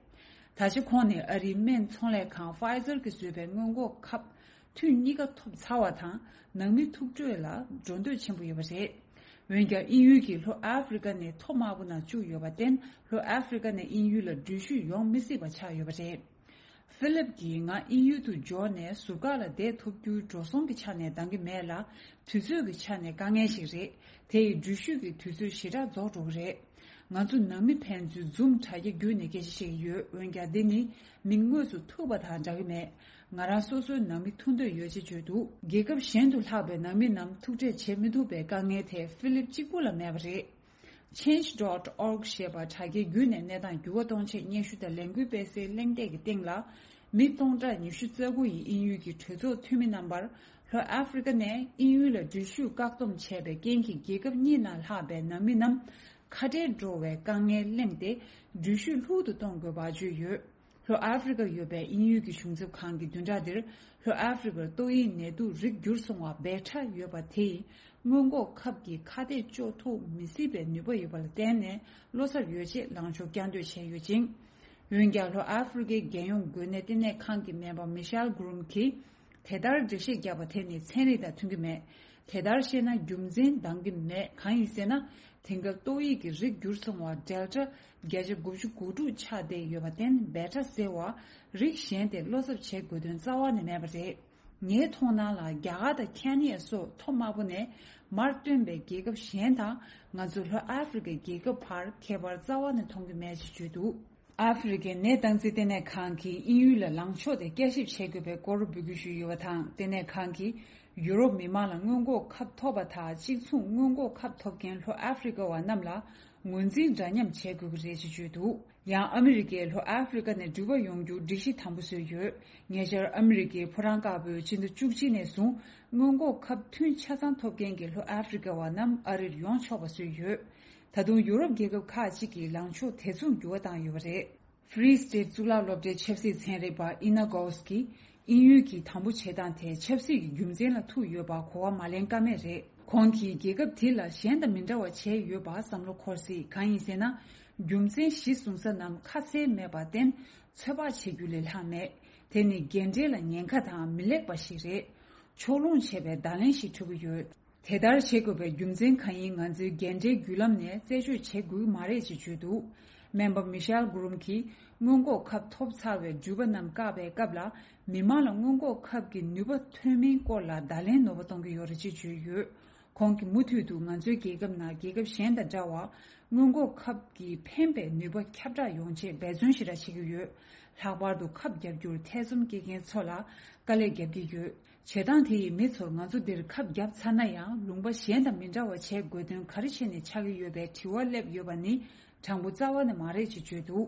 ད་ཆ་ཁོང་ནི་ཨ་རིའི་སྨན་ཚོང་ལས་ཁང་Pfizer་གིས་བཟོས་པའི་སྔོན་འགོག་ཁབ་ཐུན་གཉིས་ཀ་ཐོབ་ཚར་བ་དང་། ནང་མི་ཐུག་འཕྲད་ལ་འགྲོ་འདོད་ཆེན་པོ་ཡོད་པ་རེད། འོན་ཀྱང་དབྱིན་ཡུལ་གྱི་ལྷོ་ཨ་ཧྥེ་རི་ཀ་ནི་མཐོ་དམའ་པོ་ནང་བཅུག་ཡོད་པར་བརྟེན། ལྷོ་ཨ་ཧྥེ་རི་ཀ་ནས་དབྱིན་ཡུལ་ལ་འགྲུལ་བཞུད་ཡོང་མི་སྲིད་པ་ཆགས་ཡོད་པ་རེད། ཧྥི་ལིབ་ཀྱིས་ང་དབྱིན་ཡུལ་དུ་འབྱོར་ནས་ཟུར་བཀག་ལ་བསྡད་ཐུབ་རྒྱུའི་འགྲོ་སོང་གི་ཆ་ནས་འདང་གི་མེད་ལ། དུས་ཚོད་ཀྱི་ཆ་ནས་དཀའ་ངལ་ཞིག་རེད། དེ་ཡིས་འགྲུལ་བཞུད་ཀྱི་དུས་ཚོད་ཞེ་དྲག་རྫོགས་འགྲོ་གི་རེད། ང་ཚོ་ནང་མི་ཕན་ཚུན་Zoom་དྲ་རྒྱ་བརྒྱུད་ནས་སྐད་ཆ་བཤད་ཀྱི་ཡོད། འོན་ཀྱང་འདི་ནི་མི་དངོས་སུ་ཐུག་པ་དང་འདྲ་གི་མེད། ང་རང་སོ་སོའི་ནང་མི་ཐུག་འདོད་ཡོད་ཅེས་བརྗོད་འདུག་རྒྱལ་ཁབ་གཞན་དུ་ལྷག་པའི་ནང་མི་རྣམས་ཐུག་འཕྲད་བྱེད་མི་ཐུབ་པའི་དཀའ་ངལ་དེ་ཧྥི་ལིབ་གཅིག་པུ་ལ་མེད་པ་རེད། Change dot org་ཞེས་པ་དྲ་རྒྱའི་བརྒྱུད་ནས་གནས་སྟངས་འགྱུར་བ་གཏོང་ཆེད་སྙན་ཞུ་དང་ལས་འགུལ་སྤེལ་སའི་གླེང་སྟེགས་ཀྱི་སྟེང་ལ། མི་སྟོང་ཕྲག་ཉི་ཤུ་རྩ་དགུ་ཡིས་དབྱིན་ཡུལ་གྱི་གྲོས་ཚོགས་འཐུས་མི་རྣམ་པར་ལྷོ་ཨ་ཧྥེ་རི་ཀ་ནས་དབྱིན་ཡུལ་ལ་འགྲུལ་བཞུད་བཀག་སྡོམ་བྱས་པའི་རྐྱེན་གྱིས་རྒྱལ་ཁབ་གཉིས་ནང་ལྷག་པའི་ནང་མི་རྣམས་ཁ་བྲལ་འགྲོ་བའི་དཀའ་ངལ་གླེང་སྟེ། འགྲུལ་བཞུད་ལྷུག་ཏུ་གཏོང་དགོས་པ་བརྗོད་ཡོད། ལྷོ་ཨ་ཧྥེ་རི་ཀར་ཡོད་པའི་དབྱིན་ཡུལ་གྱི་གཞུང་ཚབ་ཁང་གིས་བདུན་ཕྲག་འདིར་ལྷོ་ཨ་ཧྥེ་རི་ཀར་ཏོག་དབྱིབས་ནད་དུག་རིགས་འགྱུར་སོང་བ་འབད་ཕྲ་ཡོད་པ་དེ་ཡིས་སྔོན་འགོག་ཁབ་ཀྱི་ཁ་གཏད་གཅོག་ཐུབ་མི་སྲིད་པའི་ནུས་པ་ཡོད་པ་ལ་བརྟེན་ནས་བློ་འཚབ་ཡོད་ཅེས་ལངས་ཕྱོགས་བསྐྱར་ཟློས་བྱས་ཡོད་ཅིང་། འོན་ཀྱང་ལྷོ་ཨ་ཧྥེ་རི་ཀའི་རྒྱལ་ཡོངས་འགོས་ནད་ལྟེ་གནས་ཁང་གི་སྨན་པ་མི་ཤེལ་གྷུ་རུམ་གྱིས། དེ་ལྟར་འགྲེལ་བཤད་བརྒྱབ་པ་དེ་ནི་ཚན་རིག་དང་མཐུན་གྱི་མེད། དེ་ལྟར་བཤད་ན་རྒྱུ་མཚན་འདང་གི་མེད། གང་ཡིན་ཟེར་ན། དེང་སྐབས་ཏོག་དབྱིབས་ཀྱི་རིགས་འགྱུར་སོང་བ་Delta་བརྒྱ་ཆ་དགུ་བཅུ་གོ་དྲུག་ཆགས་བསྡད་ཡོད་པར་བརྟེན། འབད་ཕྲ་ཟེར་བ་རིགས་གཞན་དེ་བློ་འཚབ་བྱེད་དགོས་དོན་རྩ་བ་ནས་མེད་པ་རེད། ངའི་མཐོང་སྣང་ལ་རྒྱ་གར་དང་ཁེན་ཡ་སོགས་མཐོ་དམའ་པོ་ནས་མར་ཐོན་པའི་རྒྱལ་ཁབ་གཞན་དང་ང་ཚོ་ལྷོ་ཨ་ཧྥེ་རི་ཀའི་རྒྱལ་ཁབ་བར་ཁྱད་པར་རྩ་བ་ནས་མཐོང་གི་མེད་ཅེས་བརྗོད་འདུག་ཨ་ཧྥེ་རི་ཀའི་ནད་བསྟན་འཛིན་ལྟེ་གནས་ཁང་གིས་དབྱིན་ཡུལ་ལ་ལངས་ཕྱོགས་དེ་བསྐྱར་ཞིབ་བྱེད་དགོས་པའི་སྐོར་འབོད་སྐུལ་ཞུས་ཡོད་པ་དང་། ལྟེ་གནས་ཁང་གིས་ཡུ་རོབ་མི་མང་ལ་སྔོན་འགོག་ཁབ་ཐོབ་པ་དང་གཅིག་མཚུངས་སྔོན་འགོག་ཁབ་ཐོབ་མཁན་ལྷོ་ཨ་ཧྥེ་རི་ཀ་བ་རྣམས་ལ་ངོས་འཛིན་འདྲ་མཉམ་བྱེད་དགོས་ཀྱི་རེད་ཅེས་བརྗོད་འདུག་ཡང་ཨ་མི་རི་ཀས་ལྷོ་ཨ་ཧྥེ་རི་ཀ་ནས་འགྲུལ་པ་ཡོང་རྒྱུར་སྒྲིག་གཞི་དམ་པོ་བཟོས་ཡོད། ཉེ་ཆར་ཨ་མི་རི་ཀས་ཕོ་བྲང་དཀར་པོས་ཕྱི་ཟླ་བཅུ་གཅིག་ནས་བཟུང་སྔོན་འགོག་ཁབ་ཐུན་ཆ་ཚང་ཐོབ་མཁན་གྱི་ལྷོ་ཨ་ཧྥེ་རི་ཀ་བ་རྣམས་ཨ་རིར་ཡོང་ཆོག་པ་བཟོས་ཡོད། ད་དུང་ཡུ་རོབ་རྒྱལ་ཁབ་ཁག་ཅིག་གིས་ལངས་ཕྱོགས་དེ་མཚུངས་འགྱུར་བ་བཏང་ཡོད་པ་རེད། Free State་གཙུག་ལག་སློབ་གྲྭའི་ཆབ་སྲིད་ཚན་རིག་པ་ཨི་ན་གོ་སི་ཀིས་དབྱིན་ཡུལ་གྱིས་དམ་པོ་བྱེད་སྟངས་དེ་ཆབ་སྲིད་ཀྱི་རྒྱུ་མཚན་ལ་ཐུག་ཡོད་པར་གོ་བ་མ་ལེན་ཀ་མེད་རེད། ཁོང་གིས་རྒྱལ་ཁབ་དེ་ལ་གཞན་དང་མི་འདྲ་བ་བྱས་ཡོད་པར་བསམ་བློ་འཁོར་སྲིད། གང་ཡིན་ཟེར་ན། རྒྱུ་མཚན་གཞི་བཟུང་ས་རྣམས་ཁ་གསལ་མེད་པར་བརྟེན་ཚོད་དཔག་བྱེད་རྒྱུ་ལས་ལྷག་མེད། དེ་ནི་རྒན་གྲས་ལ་ཉེན་ཁ་དང་མི་ལེགས་པ་ཞིག་རེད། ཕྱོགས་ལྷུང་བྱས་པའི་བརྡ་ལན་ཞིག་འཕྲོད་ཀྱི་ཡོད། དེ་ལྟར་བྱེད་དགོས་པའི་རྒྱུ་མཚན་གང་ཡིན་ང་ཚོའི་རྒན་གྲས་བརྒྱུད་ལམ་ནས་རྩད་གཅོད་བྱེད་དགོས་ཀྱི་མ་རེད་ཅེས་བརྗོད་འདུག་སྨན་པ་མི་ཤེལ་གྷུ་རུམ་གྱིས་སྔོན་འགོག་ཁབ་ཐོབ་ཚར་བའི་འགྲུལ་པ་རྣམས་བཀག་པའི་སྐབས་ལ། མི་མང་ལ་སྔོན་འགོག་ཁབ་ཀྱི་ནུས་པ་ཐོན་མིན་སྐོར་ལ་བརྡ་ལན་ནོར་བ་གཏོང་གི་ཡོད་རེད་ཅེས་བརྗོད་ཡོད། ཁོང་གིས་མུ་མཐུད་དུ་ང་ཚོའི་རྒྱལ་ཁབ་ནང་རྒྱལ་ཁབ་གཞན་དང་འདྲ་བར་སྔོན་འགོག་ཁབ་ཀྱི་ཕན་པའི་ནུས་པ་ཁྱབ་བསྒྲགས་ཡོང་ཆེད་འབད་བརྩོན་ཞེ་དྲག་བྱེད་ཀྱི་ཡོད། ལྷག་པར་དུ་ཁབ་བརྒྱབ་རྒྱུར་ཐེ་ཚོམ་སྐྱེ་མཁན་ཚོ་ལ་དཀའ་ལས་བརྒྱབ་ཀྱི་ཡོད། བྱེད་སྟངས་དེ་ཡིས་མི་ཚོར་ང་ཚོ་འདིར་ཁབ་བརྒྱབ་ཚར་ན་ཡང་ལུང་པ་གཞན་དང་མི་འདྲ་བ་བྱེད་དགོས་དོན་ག་རེ་བྱས་ནས་ཆགས་ཀྱི་ཡོད་པའི་དྲི་བ་སླེབས་ཡོད་པ་ནི་དྲང་པོ་རྩ་བ་ནས་མ་རེད་ཅེས་བརྗོད་འདུག་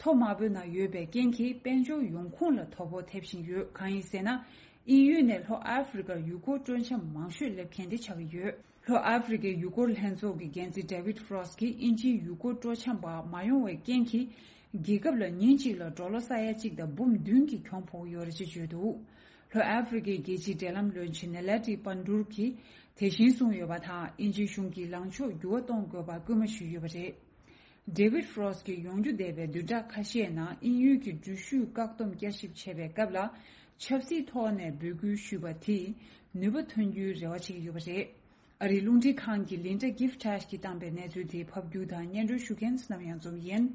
མཐོ་དམའ་པོའི་ནང་ཡོད་པའི་རྐྱེན་གྱིས་དཔལ་འབྱོར་ཡོང་ཁུངས་ལ་དོ་ཕོག་ཐེབས་བཞིན་ཡོད། གང་ཡིན་ཟེར་ན། དབྱིན་ཡུལ་ནས་ལྷོ་ཨ་ཧྥེ་རི་ཀར་ཡུལ་སྐོར་སྤྲོ་འཆམ་མང་ཤོས་སླེབས་མཁན་དེ་ཆགས་ཀྱི་ཡོད། ལྷོ་ཨ་ཧྥེ་རི་ཀའི་ཡུལ་སྐོར་ལྷན་ཚོགས་ཀྱི་འགན་འཛིན་David Frost་གྱིས་དབྱིན་ཇིའི་ཡུལ་སྐོར་སྤྲོ་འཆམ་པ་མ་ཡོང་བའི་རྐྱེན་གྱིས། རྒྱལ་ཁབ་ལ་ཉིན་གཅིག་ལ་ཌོ་ལར་ས་ཡ་གཅིག་དང་འབུམ་བདུན་གྱི་གྱོང་ཕོག་ཡོད་རེད་ཅེས་བརྗོད་འདུག་ལྷོ་ཨ་ཧྥེ་རི་ཀའི་རྒྱལ་སྤྱིའི་འབྲེལ་ལམ་བློན་ཆེན་Naledi Pandor་གྱིས་དེ་བཞིན་གསུངས་ཡོད་པ་དང་། དབྱིན་ཇིའི་གཞུང་གིས་ལངས་ཕྱོགས་འགྱུར་བ་གཏོང་དགོས་པར་སྐུལ་མ་ཞུས་ཡོད་པ་རེད། David Frost་གྱིས་ཡོང་རྒྱུ་བསྡད་པའི་བདུན་ཕྲག་ཁ་ཤས་ནང་དབྱིན་ཡུལ་གྱི་འགྲུལ་བཞུད་བཀག་སྡོམ་བསྐྱར་ཞིབ་བྱས་པའི་སྐབས་ལ། ཆབ་སྲིད་ཐོག་ནས་འབོད་སྐུལ་ཞུས་པ་དེས་ནུས་པ་ཐོན་རྒྱུའི་རེ་བ་བྱེད་ཀྱི་ཡོད་པ་རེད། ཨ་རིའི་རླུང་འཕྲིན་ཁང་གི་Linda Gifford་གྱིས་བཏང་པའི་གནས་ཚུལ་དེ་ཕབ་སྒྱུར་དང་སྙན་སྒྲོན་ཞུ་མཁན་ནམ་ཡང་འཛོམས་ཡིན།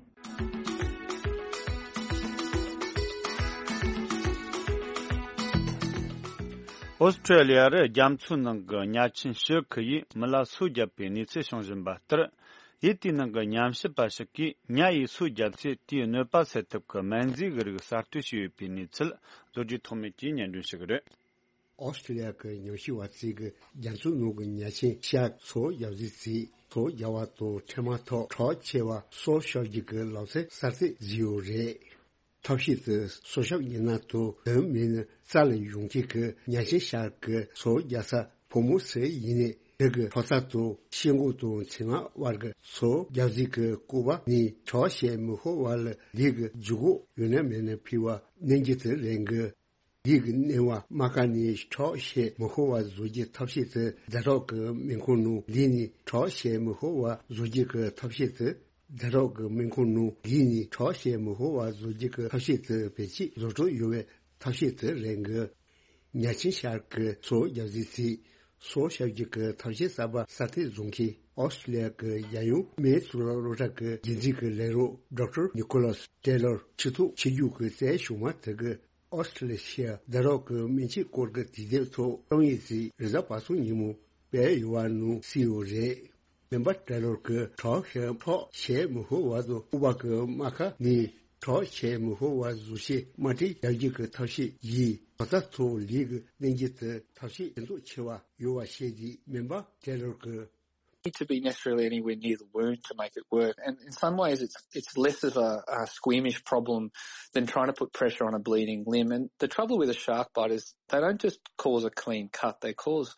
ཨོ་སི་ཁྲུ་ལི་ཡར་རྒྱ་མཚོའི་ནང་གི་ཉ་ཆེན་ཤི་ཁི་ཡིས་མི་ལ་སོ་བརྒྱབ་པའི་གནས་ཚུལ་བྱུང་བཞིན་པ་ལྟར། ཡུལ་དེའི་ནང་གི་ཉམས་ཞིབ་པ་ཞིག་གིས་ཉ་ཡིས་སོ་བརྒྱབ་ཚེ་དེའི་གནོད་པ་སེལ་ཐབས་ཀྱི་སྨན་རྫས་ཀྱི་རིགས་གསར་གཏོད་བྱས་ཡོད་པའི་གནས་ཚུལ་མཛོད་སྒྲིག་ཐོགས་མེད་ཀྱིས་སྙན་སྒྲོན་ཞུ་གི་རེད། ཨོ་སི་ཀྲི་ལི་ཡ་གི་ཉམས་ཞིབ་པ་ཚོས་ཀྱི་རྒྱ་མཚོའི་ནང་གི་ཉ་ཆེན་ཤར་སོ་བརྒྱབ་རྫས་ཚོས་སོ་བརྒྱབ་པ་དང་འཕྲད་མ་ཐག་ཁྲག་ཆེ་བ་སོ་ཤོར་རྒྱུ་གི་ལོ་ཚད་གསར་གཏོད་བཟོས་ཡོད་རེད། ཐབས་ཤེས་དེ་སོ་ཤོར་ཉེན་ན་དང་དོན་མེད་ན་རྩ་ལ་ཡོང་མཁན་གྱི་ཉ་ཆེན་ཤར་གྱི་སོ་བརྒྱབ་ས་ཕོ་མོ་སུ་ཡིན་ནའི་དེ་གི་ཁྲག་རྩ་དང་ཤེལ་སྒོ་དང་མཚན་མ་བར་གྱི་སོ་བརྒྱབ་རྫས་ཀྱི་སྐུད་པ་ནས་ཁྲག་ཤེད་མི་ཤོར་བ་ལ་ལུས་ཀྱི་ལྗིད་ཁོག་ཡོད་ན་མེད་ན་ཕུད་པ་གནོན་རྒྱུ་དེ་ལེན་དགོས། ལུས་ཀྱི་གནོན་པ་རྨ་ཁ་ནས་ཁྲག་ཤེད་མི་ཤོར་བ་བཟོ་རྒྱུའི་ཐབས་ཤེས་དེ་ཛ་དྲག་གི་སྨན་ཁང་ནང་ལུས་ནས་ཁྲག་ཤེད་མི་ཤོར་བ་བཟོ་རྒྱུ་གི་ཐབས་ཤེས་དེ་ རྒྱ་རོགས་ཀྱི་སྨན་ཁང་ནང་བསྡད་ནས་གྲོགས་བྱེད་མི་ཕོད་པ་བཟོ་རྒྱུ་གི་ཐབས་ཤེས་དེ་བེད་སྤྱད་བཟོ་གྲབས་ཡོད་པའི་ཐབས་ཤེས་དེ་རེད་འགི། ཉ་ཆེན་ཤར་གྱི་སོ་རྒྱག་རྩིས་ཚེ། སོ་བཤལ་རྒྱུ་གི་ཐབས་ཤེས་གསར་པ་གསར་གཏོད་བཟོ་མཁན་ཨོ་སི་ཀྲི་ལི་ཡ་གི་རྒྱལ་ཡོངས་སྨན་གཙུག་ལག་སློབ་གྲྭ་གི་རྒྱུན་འཛིན་གྱི་ལས་རོགས་ཌོག་ཊར་ནི་ཀོ་ལཱས་ཊེ་ལར་ཕྱི་ཐོག་ཆིབས་བསྒྱུར་གྱིས་གསལ་བྱུང་བ་དེ་གི། ཨོ་སི་ཀྲི་ལི་ཡ་རྒྱ་རོགས་ཀྱི་སྨན་ཆས་སྐོར་གྱི་དུས་དེབ་ཐོག་རྩོམ་ཡིག་ཅིག་རེས་གཟའ་པ་སངས་ཉིན་མོ་སྤེལ་ཡོད་པ་ནང་གསལ་ཡོད་རེད། སྨན་པ་ཊེ་ལར་གྱིས་གྲོགས་ཤིག་གྲོགས་བྱེད་མི་ཕོད་པ་དང་ལྐུགས་པ་གི་རྨ་ཁ་ནས་གྲོགས་བྱེད་མི་ཕོད་པ་བཟོ་བྱེད་རྨ་སྤྲད་རྒྱག་རྒྱུ་གི་ཐབས་ཤེས་ཡིས་ལོ་ཙཱ་ཚོ་ལས་ཀྱི་གནས་འགྱུར་དུ་ཐབས་ཤེས་ཇེ་ཚོགས་ཆེ་བ་ཡོད་པ་བཤད་དུས་སྨན་པ་ཊེ་ལར་གྱིས། Need to be necessarily anywhere near the wound to make it work. And in some ways, it's it's less of a, a squeamish problem than trying to put pressure on a bleeding limb. And the trouble with a shark bite is they don't just cause a clean cut; they cause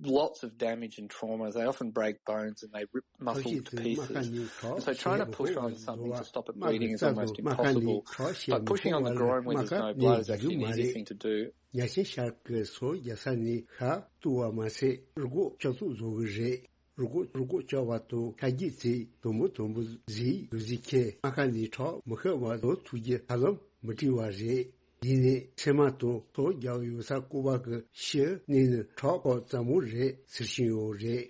lots of damage and trauma. They often break bones and they rip muscle to pieces. And so trying to push on something to stop it bleeding is almost impossible. But pushing on the groin when there's no blood is actually an easy thing to do. ཉ་ཆེན་ཤར་གྱི་སོ་རྒྱག་ས་ནས་ཤ་བཏུ་བ་མ་ཟད་རུས་ཁོག་བཅག་ཐུག་བཟོ་གི་རེད། རུས་ཁོག་རུས་ཁོག་བཅག་པ་དང་ཤ་རྒྱུས་ཚད་དུམ་བུ་དུམ་བུ་ཟིག་ཡོད་ཟིག་ཁྱེད་རྨ་ཁ་ནས་ཁྲག་མི་ཤོར་བ་བཟོ་ཐུབ་རྒྱུ་ཧ་ལམ་མི་བྲི་བ་རེད། ཡིན་ནའི་ཚེར་མ་དང་སོ་རྒྱག་ཡོད་ས་ལྐུགས་པ་གི་ཤི་གནས་ནི་ཁྲག་ཁོག་ཙམ་མོ་རེད་ཟེར་བཞིན་ཡོད་རེད།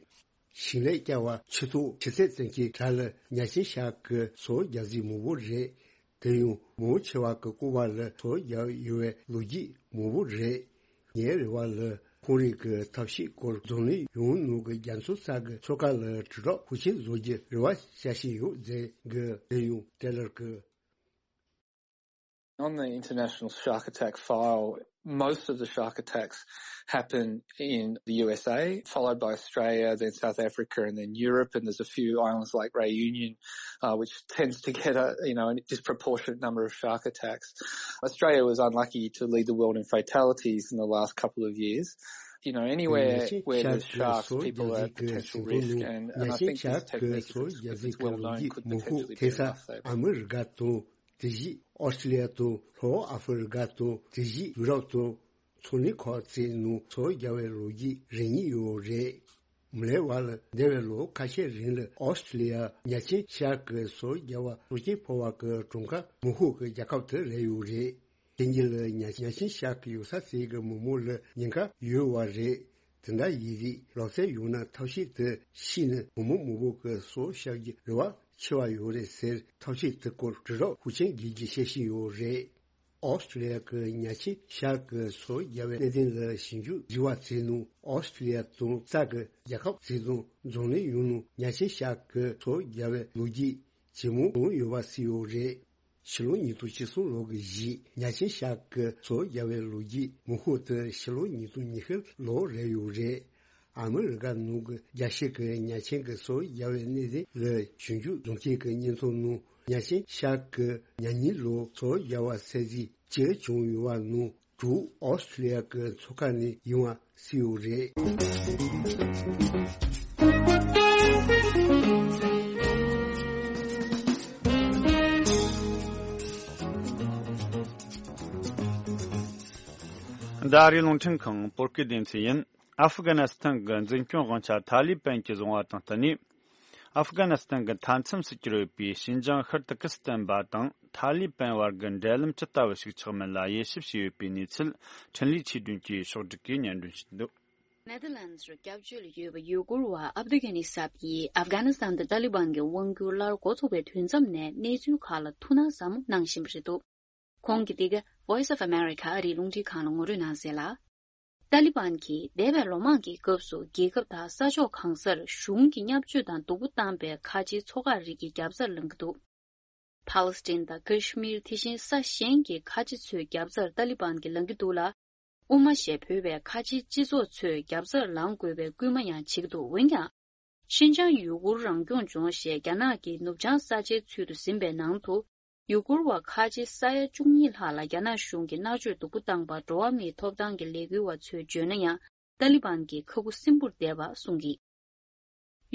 ཞིང་ལས་བསྐྱར་བ་ཆུ་ཐོག་ཆུ་ཚད་ཙམ་གྱི་གྲས་ལ་ཉ་ཆེན་ཤར་གྱི་སོ་རྒྱག་རྩིས་མང་པོ་རེད། དེ་ཡང་མང་ཆེ་བ་གི་ལྐུགས་པ་ལ་སོ་རྒྱག་ཡོད་པའི་ལོ་རྒྱུས་མང་པོ་རེད། ངའི་རེ་བ་ལ་ཁོང་རང་གི་ཐབས་ཤེས་སྐོར་འཛམ་གླིང་ཡོངས་ནང་གི་རྒྱ་མཚོ་ས་གི་མཚོ་ཁ་ལ་དྲིལ་སྒྲོག་ཤུགས་ཆེན་བཟོ་རྒྱུ་རེ་བ་བྱ་བཞིན་ཡོད་ཟེར་གི། དེ་ཡང་ཊེ་ལར་གྱིས། On the international shark attack file, most of the shark attacks happen in the U S A, followed by Australia, then South Africa, and then Europe. And there's a few islands like Reunion, uh, which tends to get a you know a disproportionate number of shark attacks. Australia was unlucky to lead the world in fatalities in the last couple of years. You know, anywhere where there's sharks, people are at potential risk, and, and I think this technique, if it's, if it's well known, could potentially be enough saving. དེ་བཞིན་ཨོ་སི་ཀྲི་ལི་ཡ་དང་ལྷོ་ཨ་ཧྥེ་རི་ཀ་དང་དེ་བཞིན་ཡུ་རོབ་དང་མཚོ་གླིང་ཁག་ཅིག་ནང་སོ་རྒྱག་པའི་ལོ་རྒྱུས་རེ་གཉིས་ཡོད་རེད། མི་ལས་བར་ལ་འདས་པའི་ལོ་ཁ་ཤས་རིང་ལ་ཨོ་སི་ཀྲི་ལི་ཡ་ཉ་ཆེན་ཤར་གྱི་སོ་རྒྱག་པ་གཙོ་ཆེན་ཕོག་པ་གི་གྲངས་ཀ་མང་ཤོས་ཀྱི་རྒྱལ་ཁབ་དེ་རེད་ཡོད་རེད། དེ་གཉིས་ལ་ཉ་ཉ་ཆེན་ཤར་གྱི་ཡོད་ས་ཟེར་གྱི་མི་མང་ལ་ཉེན་ཁ་ཡོད་པ་རེད། དེ་འདྲ་ཡིན་དུས་ལག་རྩལ་ཡོད་ན་ཐབས་ཤེས་དེ་ཤེས་ནས་མི་མང་མང་པོ་གི་སོ་བཤལ་རྒྱུ་རེ་བ་ཆེ་བ་ཡོད་རེད་ཟེར་ཐབས་ཤེས་དེ་སྐོར་དྲིལ་སྒྲོག་ཤུགས་ཆེན་རྒྱག་རྒྱུ་བཤད་བཞིན་ཡོད་རེད། ཨོ་སི་ཀྲི་ལི་ཡ་གི་ཉ་ཆེན་ཤར་གྱི་སོ་རྒྱག་པའི་གནད་དོན་ལ་ཞིབ་འཇུག་བགྱིས་པ་ཚོའི་ནང་ཨོ་སི་ཀྲི་ལི་ཡ་དང་ས་གི་རྒྱལ་ཁབ་ཚོའི་ནང་འཛམ་གླིང་ཡོངས་ནང་ཉ་ཆེན་ཤར་གྱི་སོ་རྒྱག་པའི་ལོ་རྒྱུས་ཇེ་མང་བྱུང་ཡོད་པ་གསལ་ཡོད་རེད། ཕྱི་ལོ་ཉིས་སྟོང་བཅུ་གསུམ་ལོ་གི་གཞིས་ཉ་ཆེན་ཤར་གྱི་སོ་རྒྱག་པའི་ལོ་རྒྱུས་མང་ཤོས་དེ་ཕྱི་ལོ་ཉིས་སྟོང་ཉི་ཤུ་ལོ་རེད་ཡོད་རེད། ཨ་མི་རི་ཀ་ནང་གི་རྒྱལ་སྤྱི་གི་ཉ་ཆེན་གྱི་སོ་རྒྱག་པའི་གནད་དོན་ལ་ཞིབ་འཇུག་བཟོ་མཁན་གྱི་སྙན་ཐོ་ནང་ཉ་ཆེན་ཤར་གྱི་ཉ་ཉིན་ལོ་སོ་རྒྱག་པ་ཚད་གཞི་བཅུ་བྱུང་ཡོད་པ་ནང་དྲུག་ཨོ་སི་ཀྲི་ལི་ཡ་གི་མཚོ་ཁ་ནས་ཡིན་པ་གསལ་ཡོད་རེད། ད་རེས་རླུང་འཕྲིན་ཁང་བོད་སྐད་སྡེ་ཚན་ཡིན། ཨ་ཧྥི་གྷ་ནི་སི་ཐན་གྱི་འཛིན་སྐྱོང་དབང་ཆ་ཐ་ལི་པན་གྱིས་བཟུང་བ་དང་བསྟུན་ནས། ཨ་ཧྥི་གྷ་ནི་སི་ཐན་གྱི་མཐའ་མཚམས་སུ་གྱུར་ཡོད་པའི་ཤིན་ཅང་ཤར་ཏུར་ཀི་སི་ཐན་པ་དང་ཐ་ལི་པན་བར་གྱི་འབྲེལ་ལམ་ཇི་ལྟ་བུ་ཞིག་ཆགས་མིན་ལ་དབྱེ་ཞིབ་བྱས་ཡོད་པའི་གནས་ཚུལ་འཕྲིན་ལས་ཆོས་སྒྲོན་གྱིས་ཕྱོགས་སྒྲིག་གིས་སྙན་སྒྲོན་ཞུས་འདུག། ནེ་དར་ལན་སི་རུ་སྐྱབས་བཅོལ་ཡོད་པའི་ཡུ་གུར་བ་ཨབ་དུ་གྷ་ནི་སབ་ཡིས་ཨབ་གྷ་ནི་སི་ཐན་དུ་ཏཱ་ལི་བན་གྱི་དབང་སྒྱུར་སླར་འགོ་ཚུགས་པའི་དུས་མཚམས་ནས་གནས་ཚུལ་ཁག་ལ་ཐུགས་སྣང་ཟབ་མོ་གནང་བཞིན་པ་རེད་འདུག། ཁོང་གིས་འདི་ག་Voice of America ཨ་རིའི་རླུང་འཕྲིན་ཁང་ལ་ངོ་སྤྲོད་གནང་གསལ་ལ། ཏཱ་ལི་བན་གྱིས་འདས་པའི་ལོ་མང་གི་སྐབས་སུ་རྒྱལ་ཁབ་དང་ས་ཕྱོགས་གང་སར་གཞུང་གི་བརྙས་བཅོས་དང་སྡུག་པོ་བཏང་པའི་ཁ་ཆེའི་མཚོ་འགག་རིགས་ཀྱི་རྒྱབ་རྩར་ལངས་ཀྱི་འདུག། ཕཱ་ལེ་སི་ཐན་དང་ཀ་ཤི་མིར་དེ་བཞིན་ས་གཞན་གྱི་ཁ་ཆེ་ཚོའི་རྒྱབ་རྩར་ཏཱ་ལི་བན་གྱིས་ལངས་ཀྱི་འདུག་ལ། དབུ་མ་ཞེས་འབོད་པའི་ཁ་ཆེའི་སྤྱི་ཚོགས་ཚོའི་རྒྱབ་རྩར་ལངས་དགོས་པའི་སྐུལ་མ་ཡང་བྱེད་ཀྱི་འདུག། འོན་ཀྱང་། ཤིན་ཅང་ཡུ་གུར་རང་སྐྱོང་ལྗོངས་ཞེས་རྒྱ་ནག་གི་ནུབ་བྱང་ས་ཆའི་ཚུལ་དུ་ཟིན་པའི་ནང་དུ། ཡུ་གུར་བ་ཁ་ཆེ་ས་ཡ་བཅུ་གཉིས་ལྷག་ལ་རྒྱ་ནག་གཞུང་གིས་མནར་གཅོད་སྡུག་པོ་བཏང་པར་འགྲོ་བ་མིའི་ཐོབ་ཐང་གི་ལས་འགུལ་བ་ཚོས་བརྗོད་ན་ཡང་། ཏཱ་ལི་བན་གྱིས་ཁ་ཁུ་སིམ་པོར་བསྡད་པ་གསུངས་ཀྱིས།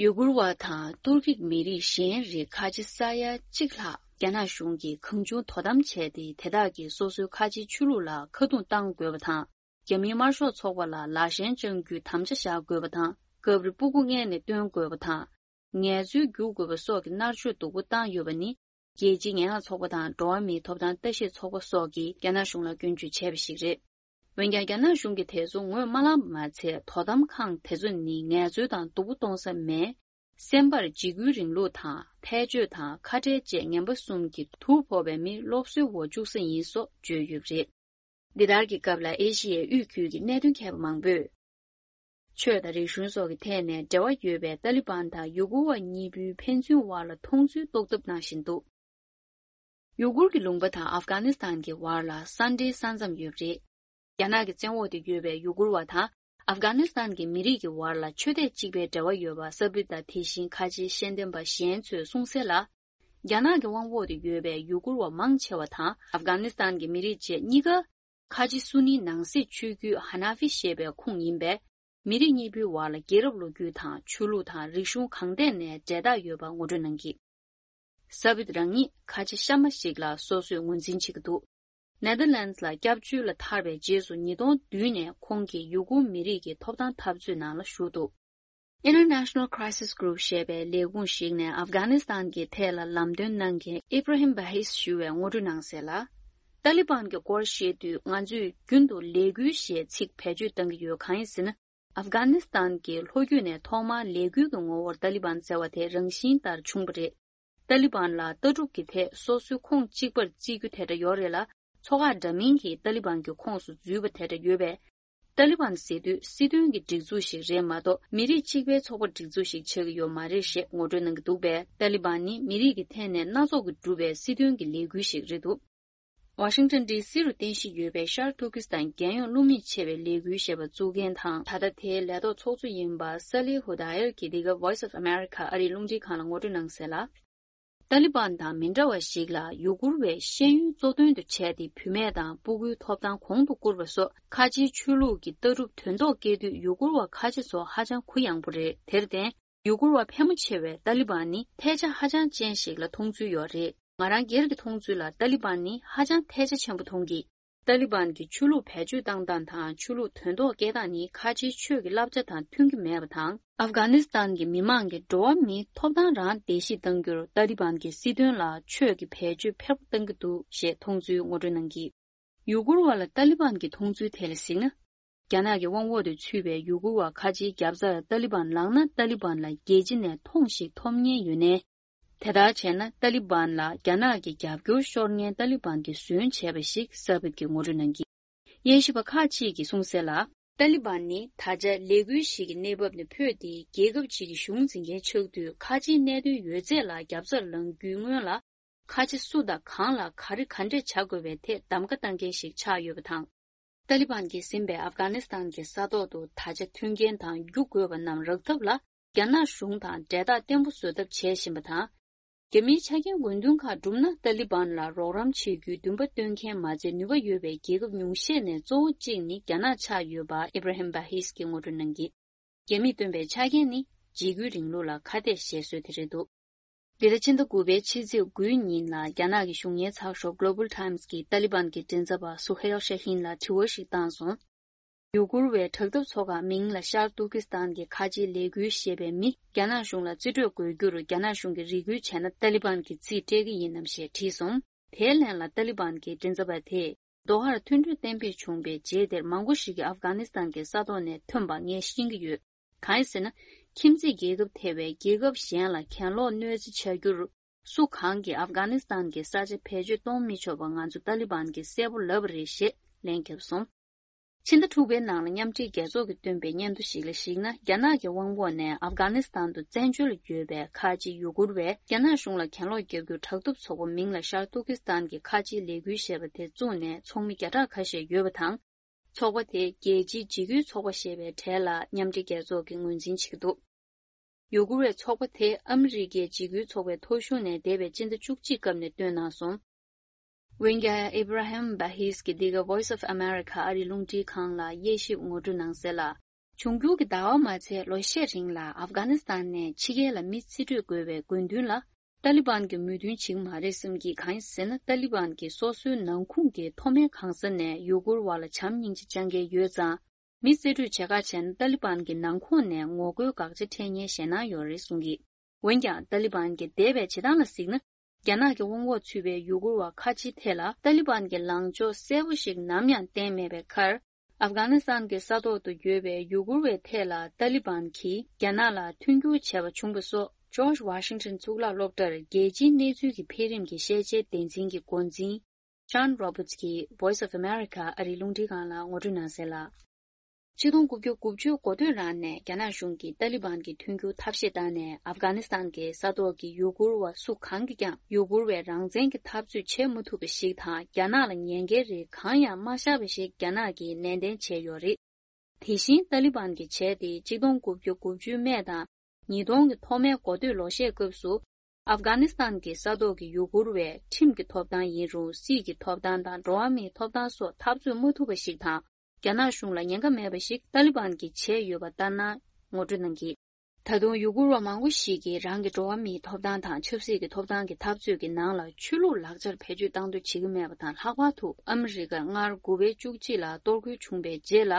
ཡུ་གུར་བ་དང་ཏུར་ཀིག་མི་རིགས་གཞན་རིགས་ཁ་ཆེ་ས་ཡ་གཅིག་ལྷག་རྒྱ་ནག་གཞུང་གིས་གང་བྱུང་དོ་དམ་བྱས་ཏེ། དེ་དག་གིས་སོ་སོའི་ཁ་ཆེའི་ཆོས་ལུགས་ལ་ཁ་རྡུང་གཏང་དགོས་པ་དང་། རྒྱ་མིའི་དམར་ཤོག་ཚོགས་པ་ལ་ལག་ཞེན་བཅང་རྒྱུའི་དམ་བཅའ་བཞག་དགོས་པ་དང་། སྐབས་རེ་སྤུ་གུ་མངལ་ནས་བཏོན་དགོས་པ་དང་། ངལ་རྩོལ་བསྒྱུར་དགོས་པ་སོགས་ཀྱི་མནར་གཅོད་སྡུག་པོ་བཏང་ཡོད་པ་ནི། རྒྱལ་སྤྱིའི་ངན་སློང་ཚོགས་པ་དང་འགྲོ་བ་མིའི་ཐོབ་ཐང་ལྟ་ཞིབ་ཚོགས་པ་སོགས་ཀྱིས་རྒྱ་ནག་གཞུང་ལ་སྐྱོན་བརྗོད་བྱས་པ་ཞིག་རེད། འོན་ཀྱང་། རྒྱ་ནག་གཞུང་གིས་དེ་ཚོ་ངོས་མ་བླངས་པ་མ་ཚད། དོ་དམ་ཁང་དེ་ཚོ་ནི་ངལ་རྩོལ་དང་སྡུག་པོ་གཏོང་ས་མེད། སེམས་པར་འཇིགས་སྐུལ་རིང་ལུགས་དང་། འཐས་ཤོར་དང་། ཁ་བྲལ་བཅས་ངན་པ་གསུམ་གྱིས་དུག་ཕོག་པའི་མི་སློབ་གསོའི་འོག་བཅུག་ས་ཡིན་སོགས་བརྗོད་ཡོད་པ་རེད། འདི་ལྟར་གྱི་སྐབས་ལ་ཨེ་ཤི་ཡའི་དབུས་ཁུལ་གྱི་གནད་དོན་མཁས་པ་མང་པོས། ཆོས་དང་རིག་གཞུང་སོགས་ཀྱི་ཐད་ནས་འབྲེལ་བ་ཡོད་པའི་ཏཱ་ལི་བན་དང་ཡུ་གུར་བ་གཉིས་པོའི་ཕན་ཚུན་བར་ལ་མཐོང་ཚུལ་རྟོགས་ཐབས་གནང་བཞིན་འདུག་ཡུ་གུར་གྱི་ལུང་པ་དང་ཨབ་གྷ་ནི་སི་ཐན་གྱི་བར་ལ་ས་འབྲེལ་ས་མཚམས་ཡོད་པ་རེད། རྒྱ་ནག་གི་བཙན་འོག་ཏུ་ཡོད་པའི་ཡུ་གུར་བ་དང་ཨབ་གྷ་ནི་སི་ཐན་གྱི་མི་རིགས་ཀྱི་བར་ལ་ཆོས་དད་གཅིག་པའི་འབྲེལ་བ་ཡོད་པ་ས་བུད་དང་། དེ་བཞིན་ཁ་ཆེའི་ཤེས་ལྡན་པ་གཞན་ཚོས་གསུངས་གསལ་ལ། རྒྱ་ནག་གི་དབང་འོག་ཏུ་ཡོད་པའི་ཡུ་གུར་བ་མང་ཆེ་བ་དང་ཨབ་གྷ་ནི་སི་ཐན་གྱི་མི་རིགས་བཅས་གཉིས་ཀ། ཁ་ཆེ་སུ་ནིའི་ནང་སྲིད་ཆོས་བརྒྱུད་ཧ་ན་ཧྥི་ཞེས་པའི་ཁོངས་ཡིན་པས། མི་རིགས་གཉིས་པོའི་བར་ལ་རྒྱལ་རབས་ལོ་རྒྱུས་དང་། ཆོས་ལུགས་དང་། རིག་གཞུང་གང་ཐད་ནས་འབྲེལ་ཐག་ཡོད་པ་ངོ་སྤྲོད་གནང་གིས། ས་བུད་རང་ཉིད་ཁ་ཆེ་གཤའ་མ་ཞིག་ལ་སོ་སོས་ངོས་འཛིན་བྱེད་ཀྱི་འདུག་ནེ་དར་ལན་སི་ལ་སྐྱབས་བཅོལ་ལ་ཐར་བའི་རྗེས་སུ། ཉིས་སྟོང་བདུན་ནས་ཁོང་གིས་ཡུ་གུར་མི་རིགས་ཀྱི་ཐོབ་ཐང་འཐབ་རྩོད་ནང་ལ་ཞུགས་འདུག International Crisis Group ཞེས་པའི་ལས་ཁུངས་ཤིག་ནས་ཨབ་གྷ་ནི་སི་ཐན་གྱི་ཐད་ལ་ལམ་སྟོན་གནང་མཁན་ཨི་བྷ་ར་ཧིམ་བྷ་ཧིས་ཞུ་བས་ངོ་སྤྲོད་གནང་གསལ་ལ། ཏཱ་ལི་བན་གྱི་སྐོར་བཤད་དུས། ང་ཚོས་རྒྱུན་དུ་ལས་འགུལ་ཞེས་ཚིག་བེད་སྤྱོད་གཏང་གི་ཡོད། གང་ཡིན་ཟེར་ན། ཨབ་གྷ་ནི་སི་ཐན་གྱི་ལྷོ་རྒྱུད་ནས་ཐོག་མར་ལས་འགུལ་གྱི་ངོ་བོར་ཏཱ་ལི་བན་ཟེར་བ་དེ་རང་བཞིན་ལྟར་བྱུང་བ་རེད། ཏཱ་ལི་བན་ལ་ལྟ་གྲུབ་ཀྱི་ཐད་སོ་སོའི་ཁོངས་གཅིག་པར་བརྩི་རྒྱུ་དེ་འདྲ་ཡོད་རེད་ལ། ཚོགས་ཁག་འདྲ་མིན་གྱིས་ཏཱ་ལི་བན་གྱི་ཁོངས་སུ་འཛུལ་བ་དེ་འདྲ་ཡོད་པས། ཏཱ་ལི་བན་ཟེར་དུས་སྲིད་དོན་གྱི་སྒྲིག་འཛུགས་ཤིག་རེད་མ་གཏོགས། མི་རིགས་གཅིག་པའི་ཚོགས་པ་སྒྲིག་འཛུགས་ཤིག་ཆགས་ཀྱི་ཡོད་མ་རེད་ཞེས་ངོ་སྤྲོད་གནང་གི་འདུག་པས། ཏཱ་ལི་བན་ནི་མི་རིགས་ཀྱི་ཐད་ནས་སྣ་ཚོགས་ཀྱིས་གྲུབ་པའི་སྲིད་དོན་གྱི་ལས་འགུལ་ཞིག་རེད་འདུག་ཝ་ཤིང་ཊོན་ཌི་སི་རུ་རྟེན་གཞི་ཡོད་པའི་ཤར་ཏུར་ཀི་སི་ཐན་རྒྱལ་ཡོངས་བློ་མིག་ཅེས་པའི་ལས་འགུལ་ཞེས་པ་བཙུགས་མཁན་དང་། ད་ལྟ་དེའི་ལས་ཐོག་ཚོགས་གཙོ་ཡིན་པ་སཱ་ལི་ཧུ་དཱ་ཡར་གྱིས་འདི་ག་Voice of America ཨ་རིའི་རླུང་འཕྲིན་ཁང་ལ་ངོ་སྤྲོད་གནང་གསལ་ལ། ཏཱ་ལི་བན་དང་མི་འདྲ་བ་ཞིག་ལ་ཡུ་གུར་བའི་ཤེས་ཡོན་གཙོ་དོན་དུ་བྱས་ཏེ། བུད་མེད་དང་སྤུ་གུའི་ཐོབ་ཐང་གོང་དུ་བཀུར་བ་སོགས་ཁ་ཆེའི་ཆོས་ལུགས་ཀྱི་ལྟ་གྲུབ་དོན་ཐོག་སྐྱེལ་དུས། ཡུ་གུར་བ་ཁ་ཆེ་ཚོ་ཧ་ཅང་གུ་ཡངས་པོ་རེད། དེར་བརྟེན། ཡུ་གུར་བ་ཕལ་མོ་ཆེ་བས་ཏཱ་ལི་བན་ནི་ཐལ་ཆ་ཧ་ཅང་ཅན་ཞིག་ལ་མཐོང་ཚུལ་ཡོད་རེད། ང་རང་སྒེར་གྱི་མཐོང་ཚུལ་ལ། ཏཱ་ལི་བན་ནི་ཧ་ཅང་ཐལ་ཆ་ཆེན་པོ་མཐོང་གི། ཏཱ་ལི་བན་གྱི་ཆོས་ལུགས་བེད་སྤྱོད་བཏང་སྟངས་དང་། ཆོས་ལུགས་དོན་ཐོག་སྐྱེལ་སྟངས་ནི་ཁ་ཆེའི་ཆོས་ཀྱི་བསླབ་བྱ་དང་མཐུན་གྱི་མེད་པ་དང་། ཨབ་གྷ་ནི་སི་ཐན་གྱི་མི་མང་གིས་འགྲོ་བ་མིའི་ཐོབ་ཐང་རང་བརྡལ་བཤིག་གཏང་རྒྱུར། ཏཱ་ལི་བན་གྱི་སྲིད་དོན་ལ་ཆོས་ཀྱི་བེད་སྤྱོད་འཕེར་པོ་གཏང་གི་འདུག་ཞེས་མཐོང་ཚུལ་ངོ་སྤྲོད་གནང་གིས། ཡུ་གུར་བ་ལ་ཏཱ་ལི་བན་གྱི་མཐོང་ཚུལ་ཐད་ལ་གཟིགས་ན། རྒྱ་ནག་གི་དབང་འོག་ཏུ་ཚུད་པའི་ཡུ་གུར་བ་ཁ་ཆེའི་རྒྱབ་རྩར་ཏཱ་ལི་བན་ལངས་ན། ཏཱ་ལི་བན་ལ་རྒྱལ་སྤྱི་ནས་མཐོང་ཞིག་ཐོབ་ཉེན་ཡོད་ནའི། དེ་ལྟར་བྱས་ན། ཏཱ་ལི་བན་ལ་རྒྱ་ནག་གི་རྒྱབ་སྐྱོར་ཤོར་ཉེན་ཏཱ་ལི་བན་གྱིས་བཟོས་བྱས་པ་ཞིག་སར་བྷིད་ཀྱིས་ངོ་སྤྲོད་གནང་གིས། དབྱེ་ཞིབ་པ་ཁག་ཅིག་གིས་གསུངས་གསལ་ལ། ཏཱ་ལི་བན་ནི་ད་ཆ་ལས་འགུལ་ཞིག་གི་གནས་བབ་ནས་འཕོས་ཏེ། རྒྱལ་ཁབ་ཅིག་གི་གཞུང་འཛིན་མཁན་ཆགས་དུས། ཁ་ཆེའི་གནད་དོན་ཡོད་ཚད་ལ་རྒྱབ་རྩར་ལངས་རྒྱུའི་སྔོན་ལ། ཁ་ཆེ་སུ་དང་གང་ལ་ག་རེ་ག་འདྲས་བྱ་དགོས་པའི་ཐད་གདམ་ག་བཏང་མཁན་ཞིག་ཆགས་ཡོད་པ་དང་། ཏཱ་ལི་བན་གྱིས་ཟིན་པའི་ཨབ་གྷ་ནི་སི་ཐན་གྱི་ས་ཐོག་ཏུ་ད་ཆ་མཐུན་རྐྱེན་དང་རྒྱུ་དགོས་པ་རྣམས་རག་ཐབས་ལ། རྒྱ་ནག་གཞུང་དང་འབྲེལ་ཐག་བརྟན་པོ་བཟོ་ཐབས་བྱེད་བཞིན་པ་དང་། རྒྱ་མིའི་ཆ་རྐྱེན་དགོས་འདུན་ཁག་བསྒྲུབས་ན། ཏཱ་ལི་བན་ལ་རོགས་རམ་བྱེད་རྒྱུའི་འདུན་པ་བཏོན་མཁན་མ་ཚད། ནུས་པ་ཡོད་པའི་རྒྱལ་ཁབ་ཉུང་ཤས་ནས་གཙོ་བོ་གཅིག་ནི་རྒྱ་ནག་ཆགས་ཡོད་པ་ཨི་བྷ་ར་ཧིམ་བྷ་ཧིས་ཀྱིས་ངོ་སྤྲོད་གནང་གིས། རྒྱ་མིས་བཏོན་པའི་ཆ་རྐྱེན་ནི་འཇིགས་སྐུལ་རིང་ལུགས་ལ་ཁ་གཏད་བཞེས་སྲོལ་དེ་རེད་འདུག་འདི་ཟླ་ཕྱི་ཟླ་དགུ་པའི་ཕྱི་ཚེས་དགུའི་ཉིན་ལ། རྒྱ་ནག་གི་གཞུང་གཉེར་ཚགས་ཤོག་Global Times གྱིས་ཏཱ་ལི་བན་གྱི་མགྲིན་ཚབ་པ་སུ་ཧེལ་ཤ་ཧིན་ལ་དྲི་བ་ཞིག་བཏང་སོང་། ཡུ་གུར་བའི་དྲག་འཐབ་ཚོགས་ཁག་མིང་ལ་ཤར་ཏུར་ཀི་སི་ཐན་གྱི་ཁ་ཆེའི་ལས་འགུལ་ཞེས་པའི་མི། རྒྱ་ནག་གཞུང་ལ་རྩིས་སྤྲོད་དགོས་རྒྱུར། རྒྱ་ནག་གཞུང་གིས་རེ་སྐུལ་བྱས་ན། ཏཱ་ལི་བན་གྱིས་རྩིས་སྤྲད་ཀྱི་ཡིན་ནམ་ཞེས་དྲིས་སོང་། དེའི་ལན་ལ་ཏཱ་ལི་བན་གྱི་མགྲིན་ཚབ་པ་དེས། དོ་ཧར་མཐུན་གྲོས་གཏན་འབེབས་བྱུང་པའི་རྗེས། དེར་མང་པོ་ཞིག་གིས་ཨབ་གྷ་ནི་སི་ཐན་གྱི་ས་ཐོག་ནས་ཐོན་པ་ངས་ཤེས་ཀྱི་ཡོད། གང་ཡིན་ཟེར་ན། ཁྱིམ་མཚེས་རྒྱལ་ཁབ་ཐེ་བའི་རྒྱལ་ཁབ་གཞན་ལ་གྱེན་ལོག་གནོད་འཚེ་བྱ་རྒྱུར། སུ་གང་གིས་ཨབ་གྷ་ནི་སི་ཐན་གྱི་ས་ཆ་བེད་སྤྱོད་གཏོང་མི་ཆོག་པ། ང་ཚོ་ཏཱ་ལི་བན་གྱིས་གསལ་པོ་ལབ་པ་རེད་ཞེས་ལན་བརྒྱབ་སོང་། ཕྱི་ཟླ་དྲུག་པའི་ནང་ལ་མཉམ་འབྲེལ་རྒྱལ་ཚོགས་ཀྱིས་བཏོན་པའི་སྙན་ཐོ་ཞིག་ལ་གཞིགས་ན། རྒྱ་ནག་གི་དབང་འོག་ནས་ཨབ་གྷ་ནི་སི་ཐན་དུ་བཙན་བྱོལ་ལ་ཡོད་པའི་ཁ་ཆེ་ཡུ་གུར་བས། རྒྱ་ནག་གཞུང་ལ་གྱེན་ལོག་བརྒྱབ་རྒྱུར། དྲག་འཐབ་ཚོགས་པ་མིང་ལ་ཤར་ཏུར་ཀི་སི་ཐན་གྱི་ཁ་ཆེའི་ལས་འགུལ་ཞེས་པ་དེ་བཙུགས་ནས་ཚོགས་མི་བརྒྱ་ཕྲག་ཁ་ཤས་ཡོད་པ་དང་། ཚོགས་པ་དེ་རྒྱལ་སྤྱིའི་འཇིགས་སྐུལ་ཚོགས་པ་ཞེས་པའི་གྲས་ལ་མཉམ་འབྲེལ་རྒྱལ་ཚོགས་ཀྱིས་ངོས་འཛིན་བྱེད་ཀྱི་འདུག་ཡུ་གུར་བའི་ཚོགས་པ་དེ་ཨ་མི་རི་ཀའི་འཇིགས་སྐུལ་ཚོགས་པའི་ཐོ་གཞུང་ནས་འདས་པའི་སྤྱི་ཟླ་བཅུ་གཅིག་སྐབས་ནས་བཏོན་གནང་སོང་། འོན་ཀྱང་། ཨི་བྷ་ར་ཧིམ་བྷ་ཧིས་ཀྱིས་འདི་ག་Voice of America ཨ་རིའི་རླུང་འཕྲིན་ཁང་ལ་དབྱེ་ཞིབ་ངོ་སྤྲོད་གནང་གསལ་ལ། འབྱུང་འགྱུར་གྱི་ཟླ་བ་མ་ཚད་ལོ་ཤས་རིང་ལ་ཨབ་གྷ་ནི་སི་ཐན་ནས་ཕྱི་རྒྱལ་ལ་མི་རྩིས་སྤྲོད་དགོས་པའི་དགོས་འདུན་ལ། ཏཱ་ལི་བན་གྱིས་མོས་མཐུན་བྱེད་ཀྱི་མ་རེད་བསམ་གྱི། གང་ཡིན་ཟེར་ན། ཏཱ་ལི་བན་གྱིས་སོ་སོའི་ནང་ཁོངས་ཀྱི་མཐོ་དམན་གང་ས་ནས་ཡུ་གུར་བ་ལ་བྱམས་སྙིང་རྗེ་བཅངས་མཁན་ཡོད་ཙང་། མི་རྩིས་སྤྲོད་བྱེད་ཁ་བྱས་ན། ཏཱ་ལི་བན་གྱི་ནང་ཁོངས་ནས་ངོ་རྒོལ་དགག་བྱ་འཕྲད་ཉེན་ཞེད་སྣང་ཡོད་རེད་གསུངས་ཀྱི། འོན་ཀྱང་ཏཱ་ལི་བན་གྱི་འདས་པའི་བྱེད་སྟངས་ལ་གཟིགས་ན། རྒྱ་ནག་གི་དབང་འོག་ཚུད་པའི་ཡུ་གུར་བ་ཁ་ཆེའི་ཐད་ལ་ཏཱ་ལི་བན་གྱི་ལངས་ཕྱོགས་གསལ་པོ་ཞིག་ནམ་ཡང་བསྟན་མེད་པའི་ཁར། ཨབ་གྷ་ནི་སི་ཐན་གྱི་ས་ཐོག་ཏུ་ཡོད་པའི་ཡུ་གུར་བའི་ཐད་ལ་ཏཱ་ལི་བན་གྱིས་རྒྱ་ནག་ལ་མཐུན་འགྱུར་བྱས་པ་བྱུང་བ་སོགས། ཇོརྗ་ཝ་ཤིང་ཊོན་གཙུག་ལག་སློབ་གྲྭར་རྒྱལ་སྤྱིའི་གནས་ཚུལ་གྱི་འཕེལ་རིམ་གྱི་ཤེས་བྱའི་སྡེ་ཚན་གྱི་འགོ་འཛིན་ཇོན་རོ་བར་ཊི་གིས་Voice of America ཨ་རིའི་རླུང་འཕྲིན་ཁང་ལ་ངོ་སྤྲོད་གནང་གསལ་ལ། ཆིག་སྟོང་དགུ་བརྒྱ་དགུ་བཅུ་འགོ་སྟོད་རང་ནས་རྒྱ་ནག་གཞུང་གིས་ཏཱ་ལི་བན་གྱི་མཐུན་འགྱུར་ཐབས་ཤེས་བཏང་ནས། ཨབ་གྷ་ནི་སི་ཐན་གྱི་ས་ཐོག་གི་ཡུ་གུར་བ་སུ་གང་གིས་ཀྱང་ཡུ་གུར་བའི་རང་བཙན་གྱི་འཐབ་རྩོད་བྱེད་མ་ཐུབ་པ་ཞིག་དང་། རྒྱ་ནག་ལ་ཉེན་ཁའི་རིགས་གང་ཡང་མ་བཞག་པ་ཞིག་རྒྱ་ནག་གིས་ནན་ཏན་བྱས་ཡོད་རེད། དེ་བཞིན་ཏཱ་ལི་བན་གྱི་བྱས་ཏེ་ཆིག་སྟོང་དགུ་བརྒྱ་དགུ་བཅུའི་སྨད་དང་། ཉིས་སྟོང་གི་ཐོག་མའི་འགོ་སྟོད་ལོ་ཤས་སྐབས་སུ། ཨབ་གྷ་ནི་སི་ཐན་གྱི་ས་ཐོག་གི་ཡུ་གུར་བས་ཁྲིམས་ཀྱི་ཐོབ་ཐང་ཡིན་རུང་། སྲིད་ཀྱི་ཐོབ་ཐང་དང་འགྲོ་བ་མིའི་ཐོབ་ཐང་སོགས་འཐབ་རྩོད་མ་ཐུབ་པ་ཞིག་དང་། རྒྱ་ནག་གཞུང་ལ་ཉེན་ཁ་མེད་པ་ཞིག་ཏཱ་ལི་བན་གྱིས་བྱས་ཡོད་པ་ལྟར་ན་ངོ་སྤྲོད་གནང་གིས། ད་དུང་ཡུ་གུར་བ་མང་པོ་ཞིག་གིས་རང་གི་འགྲོ་བ་མིའི་ཐོབ་ཐང་དང་ཆབ་སྲིད་ཀྱི་ཐོབ་ཐང་གི་འཐབ་རྩོད་ཀྱི་ནང་ལ་ཆོས་ལུགས་ལག་ཆར་བེད་སྤྱོད་བཏང་འདོད་བྱེད་ཀྱི་མེད་པ་དང་། ལྷག་པར་དུ་ཨ་མི་རི་ཀར་སྔར་དགུ་པའི་བཅུ་གཅིག་ལ་གཏོར་རྒོལ་བྱུང་བའི་རྗེས་ལ།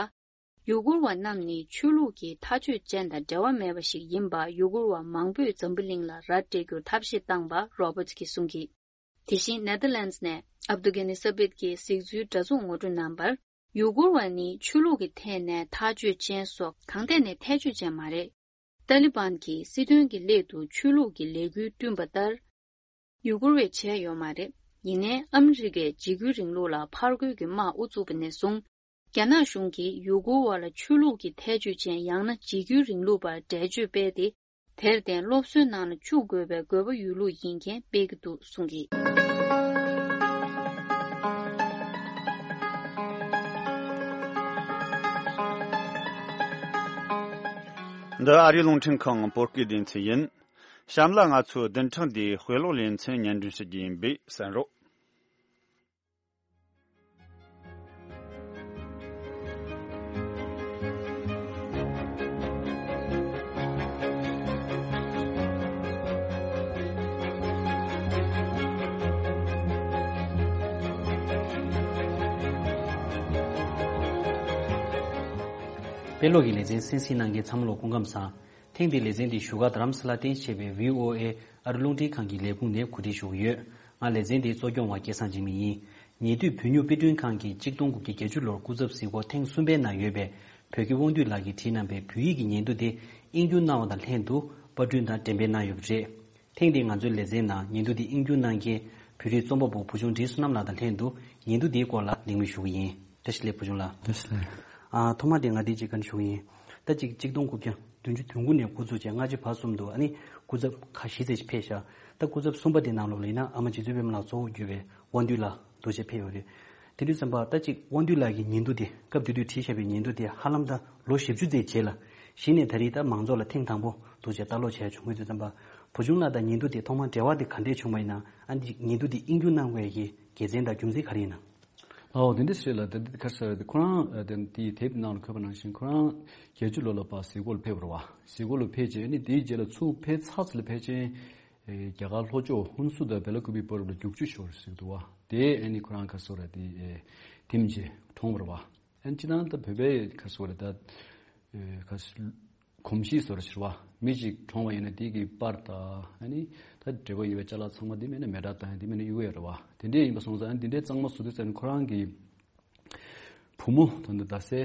ཡུ་གུར་བ་རྣམས་ནི་ཆོས་ལུགས་ཀྱི་མཐའ་དཔྱོད་ཅན་དང་འབྲེལ་བ་མེད་པ་ཞིག་ཡིན་པ། ཡུ་གུར་བ་མང་པོས་འཛམ་བུ་གླིང་ལ་ར་སྤྲད་རྒྱུར་ཐབས་ཤེས་བཏང་བ་རོ་བར་ཊི་གིས་གསུངས་ཀྱིས། དེ་བཞིན་ནེ་དར་ལན་ཌི་ནས་ཨབ་དུ་གྷ་ནི་ས་བིད་ཀྱིས་གཟིགས་ཚུལ་འདྲ་མཚུངས་ངོ་སྤྲོད་གནང་བར། ཡུ་གུར་བ་ནི་ཆོས་ལུགས་ཀྱི་ཐད་ནས་མཐའ་དཔྱོད་ཅན་སོགས་གང་ཐད་ནས་ཐལ་ཆོས་ཅན་མ་རེད། ཏཱ་ལི་བན་གྱིས་སྲིད་དོན་གྱི་སླད་དུ་ཆོས་ལུགས་ཀྱི་ལས་འགུལ་བསྐྲུན་པ་ལྟར། ཡུ་གུར་བས་བྱས་ཡོད་མ་རེད། ཡིན་ནའི་ཨ་མི་རི་ཀས་འཇིགས་སྐུལ་རིང་ལུགས་ལ་ཕར་རྒོལ་གྱི་དམག་དབུ་བཙུགས་པ་ནས་བཟུང་། རྒྱ་ནག་གཞུང་གིས་ཡུ་གུར་བ་ལ་ཆོས་ལུགས་ཀྱི་ཐལ་ཆོས་ཅན་ཡང་ན་འཇིགས་སྐུལ་རིང་ལུགས་པར་འགྲེལ་བརྗོད་སྤེལ་ཏེ། དེར་བརྟེན་སློབ་གསོའི་ནང་ལ་བཅུག་དགོས་པའི་དགོས་པ་ཡོད་ལུགས་ཡིན་མཁན་སྤེལ་གྱི་འདུག་གསུངས་ཀྱིས། འདི་ཨ་རིའི་རླུང་འཕྲིན་ཁང་བོད་སྐད་སྡེ་ཚན་ཡིན། གཤམ་ལ་ང་ཚོའི་བདུན་ཕྲག་འདིའི་དཔེ་ཀློག་ལེ་ཚན་སྙན་སྒྲོན་ཞུ་རྒྱུ་ཡིན་པས་གསན་རོགས། དཔེ་ཀློག་གི་ལེ་ཚན་གསན་གཟིགས་གནང་མཁན་ཚང་མ་ལ་སྐུ་ཁམས་བཟང་། ཐེངས་འདིའི་ལེ་ཚན་འདི་བཞུགས་སྒར་རྡ་རམ་ས་ལ་རྟེན་གཞི་བྱས་པའི་བྷི་ཨོ་ཨེ་ཨ་རི་རླུང་འཕྲིན་ཁང་གི་ལས་ཁུངས་ནས་གོ་སྒྲིག་ཞུ་གི་ཡོད། ང་ལེ་ཚན་འདིའི་གཙོ་སྐྱོང་བ་སྐལ་བཟང་འཇིགས་མེད་ཡིན། ཉེ་དུས་བོད་ནུབ་དཔེ་སྐྲུན་ཁང་གིས་གཅིག་སྟོང་དགུ་བརྒྱ་བརྒྱད་ཅུ་ལོར་སྐུ་ཚབ་གཟིགས་སྐོར་ཐེངས་གསུམ་པའི་ནང་ཡོད་པའི་བོད་ཀྱི་དབང་འདུས་ལགས་ཀྱིས་བྲིས་གནང་པའི་བོད་ཡིག་གི་ཉིན་ཐོ་དེ་དབྱིན་སྒྱུར་གནང་བ་དང་ལྷན་དུ་པར་སྐྲུན་དང་འགྲེམས་སྤེལ་གནང་ཡོད་པ་རེད། ཐེངས་འདིའི་ང་ཚོའི་ལེ་ཚན་ནང་ཉིན་ཐོ་འདི་དབྱིན་སྒྱུར་གནང་མཁན་བོད་རིགས་རྩོམ་པ་པོ་བུ་ཆུང་བགྲེས་གསོ་རྣམ་ལགས་དང་ལྷན་དུ་ཉིན་ཐོ་འདིའི་སྐོར་ལ་གླེང་མོལ་ཞུ་གི་ཡིན། བཀྲ་ཤིས་བདེ་ལེགས་བུ་ཆུང་ལགས། བཀྲ་ཤིས་བདེ་ལེགས། ཨ། ཐོག་མ་དེ་ང་འདི་གཅིག་བཀའ་འདྲི་ཞུ་གི་ཡིན། ད་གཅིག་གཅིག་སྟོང་དགུ་བརྒྱ་བདུན་ཅུ་དོན་དགུ་ནས་འགོ་བཙུགས་བྱས་ལྔ་བཅུ་བར་གསུམ་དུ། ཨ་ནི་སྐུ་ཚབ་ཁག་བཞི་ཙམ་ཞིག་ཕེབས་ཤག་ད་སྐུ་ཚབ་གསུམ་པ་དེ་ནང་ལོགས་ལ་ཡིན་ན་ཨ་མ་རྗེ་བཙུན་པད་མ་ལགས་གཙོ་བོ་གྱུར་པའི་དབང་འདུས་ལགས་འདུག་བྱས་ཕེབས་ཡོད་རེད། དེ་དུས་ཙམ་པ་ད་གཅིག་དབང་འདུས་ལགས་ཀྱི་ཉིན་ཐོ་དེ་སྐབས་དེ་དུས་བྲིས་བཞག་པའི་ཉིན་ཐོ་དེ་ཧ་ལམ་ད་ལོ་བཞི་བཅུ་ཙམ་རྗེས་ལ་གཞི་ནས་ད་རེས་ད་མང་ཚོགས་ལ་ཐེངས་དང་པོ་འདུག་བྱས་ལྟ་ཀློག་བྱས་བྱུང་གི་དུས་ཙམ་པ། བུ་ཆུང་ལགས་དང་ཉིན་ཐོ་དེ་ཐོག་མར་འབྲེལ་བ་དེ་ག་འདྲས་བྱུང་བ་ཡིན་ན། ཨ་ནི་ཉིན་ཐོ་དེ་དབྱིན་སྒྱུར་གནང་དགོས་ཡ་གི་དགེ་མཚན་དང་རྒྱུ་མཚན་ག་རེ་ཡིན་ན། ཨོ། དེ་འདྲ་ཞིག་ལ་དེ་འདྲ་ཁ་ཤས་དེ་ཁོ་རང་དེ་དེའི་དེབ་ནང་ལ་འཁོད་པ་ནང་བཞིན་ཁོ་རང་བརྒྱད་ཅུ་ལོ་ལ་ཕར་གཟིགས་སྐོར་ལ་ཕེབས་པ་རེད་བ། གཟིགས་སྐོར་ལ་ཕེབས་རྗེས་ཨ་ནི་དེའི་རྗེས་ལ་ཚུར་ཕེབས་ཚར་ཚར་ལ་ཕལ་ཆེར་རྒྱ་གར་ལྷོ་ཕྱོགས་ཧུན་སུར་དང་བེ་ལ་ཀུ་པི་བར་དུ་རྒྱུག་ཆུ་ཤོར་ཟེར་གི་འདུག་བ། དེ་ཨ་ནི་ཁོ་རང་ཁ་སོ་ར་དེ་དེ་མཇེ་གྲོངས་པ་རེད་བ། ཨ་ནི་སྤྱིར་བཏང་ད་བོད་པའི་ཁ་སོ་ར་ད་ཁ་གོམས་གཤིས་བཟོ་འདྲ་ཞིག་རེད་བ། མི་གཅིག་གྲོངས་པ་ཡིན་ན་དེ་གི་པར་དང་ཨ་ནི་ད་འབྲེལ་བ་ཡོད་པའི་ཅ་ལག་ཚང་མ་དེ་མིན་ན་མེ་སྲེག་བཏང་ཡ་དེ་མིན་ན་གཡུག་ཡ་རེད་བ། དེ་འདྲས་ཡིན་པ་སོང་ཙང་ཨ་ནི་དེ་འདྲས་གཙང་མ་བཟོ་དུས་ཙམ་ཁོ་རང་གི་བུ་མོ་ད་ལྟ་རྡ་སའི་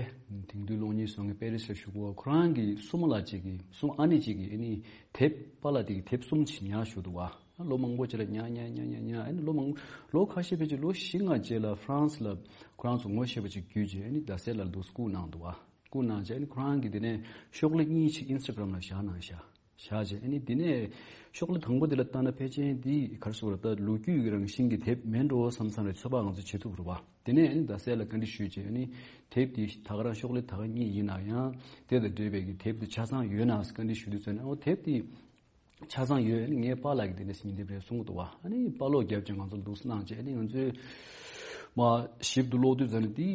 དེང་དུས་གློག་བརྙན་བཟོ་མཁན་པེ་རི་སར་བཞུགས་པ་ཁོ་རང་གི་སྲུ་མོ་ལགས་གཅིག་གི་སྲུ་མོ་ཨ་ནེ་གཅིག་གིས་ཨ་ནི་དེབ་པཱ་ལགས་དེ་གི་དེབ་གསུམ་ཅིག་ཉར་བཞག་འདུག་བ། ལོ་མང་པོ་ཅིག་ལ་ཉར་ཉར་ཉར་ཉར་ཉར་ཨ་ནི་ལོ་མང་ལོ་ཁ་ཤས་ཕལ་ཆེར་ལོ་བཞི་ལྔ་རྗེས་ལ་ཧྥ་རན་སི་ལ་ཁོ་རང་ཚོ་ངོ་ཤེས་པ་ཅིག་བརྒྱུད་རྗེས་ཨ་ནི་རྡ་སའི་ལ་འདུག་སྐུ་གནང་འདུག་བ། སྐུ་གནང་རྗེས་ཨ་ནི་ཁོ་རང་གིས་དེ་ནས་ཤོག་ལྷེ་གཉིས་ཤིག་ཨིན་སི་ཊ་གྷ་རམ་ལ་བཞག་གནང་ཤག་བཞག་རྗེས་ཨ་ནི་དེ་ནས་ཤོག་ལྷེ་དང་པོ་དེ་ལ་ལྟ་ན་ཕལ་ཆེར་འདི་ག་རེ་ཟེར་དགོས་རེད། ད་ལོ་རྒྱུས་ཀྱི་རང་བཞིན་གྱི་དེབ་མིན་འགྲོ་བསམ་བསམ་རེད། ཚོད་དཔག་ང་ཚོས་བྱེད་ཐུབ་རེད་བ། དེ་ནས་ཨ་ནི་རྡ་སའི་ལ་བཀའ་འདྲི་ཞུས་རྗེས་ཨ་ནི་དེབ་དེ་ད་ག་རང་ཤོག་ལྷེ་ད་ག་གཉིས་ཡིན་ན་ཡང་དེ་དང་འབྲེལ་བའི་གི་དེབ་དེ་ཆ་ཚང་ཡོད་ན་ཟེར་བཀའ་འདྲི་ཞུས་དུས་ཙམ་ནས་ཨོ་དེབ་དེ་ཆ་ཚང་ཡོད། ཨ་ནི་ངའི་པཱ་ལགས་ཀྱིས་དེ་འདྲ་ཞིག་ཉིན་དེབ་རེད་གསུང་གི་འདུག་བ། ཨ་ནི་པཱ་ལོག་རྒྱབ་ཀྱང་ང་ཚོ་འདུག་སེ་གནང་བྱས་ཨ་ནི་ང་ཚོས་མ་ཞིབ་ཏུ་ཀློག་དུས་ཙམ་ནས་དེ་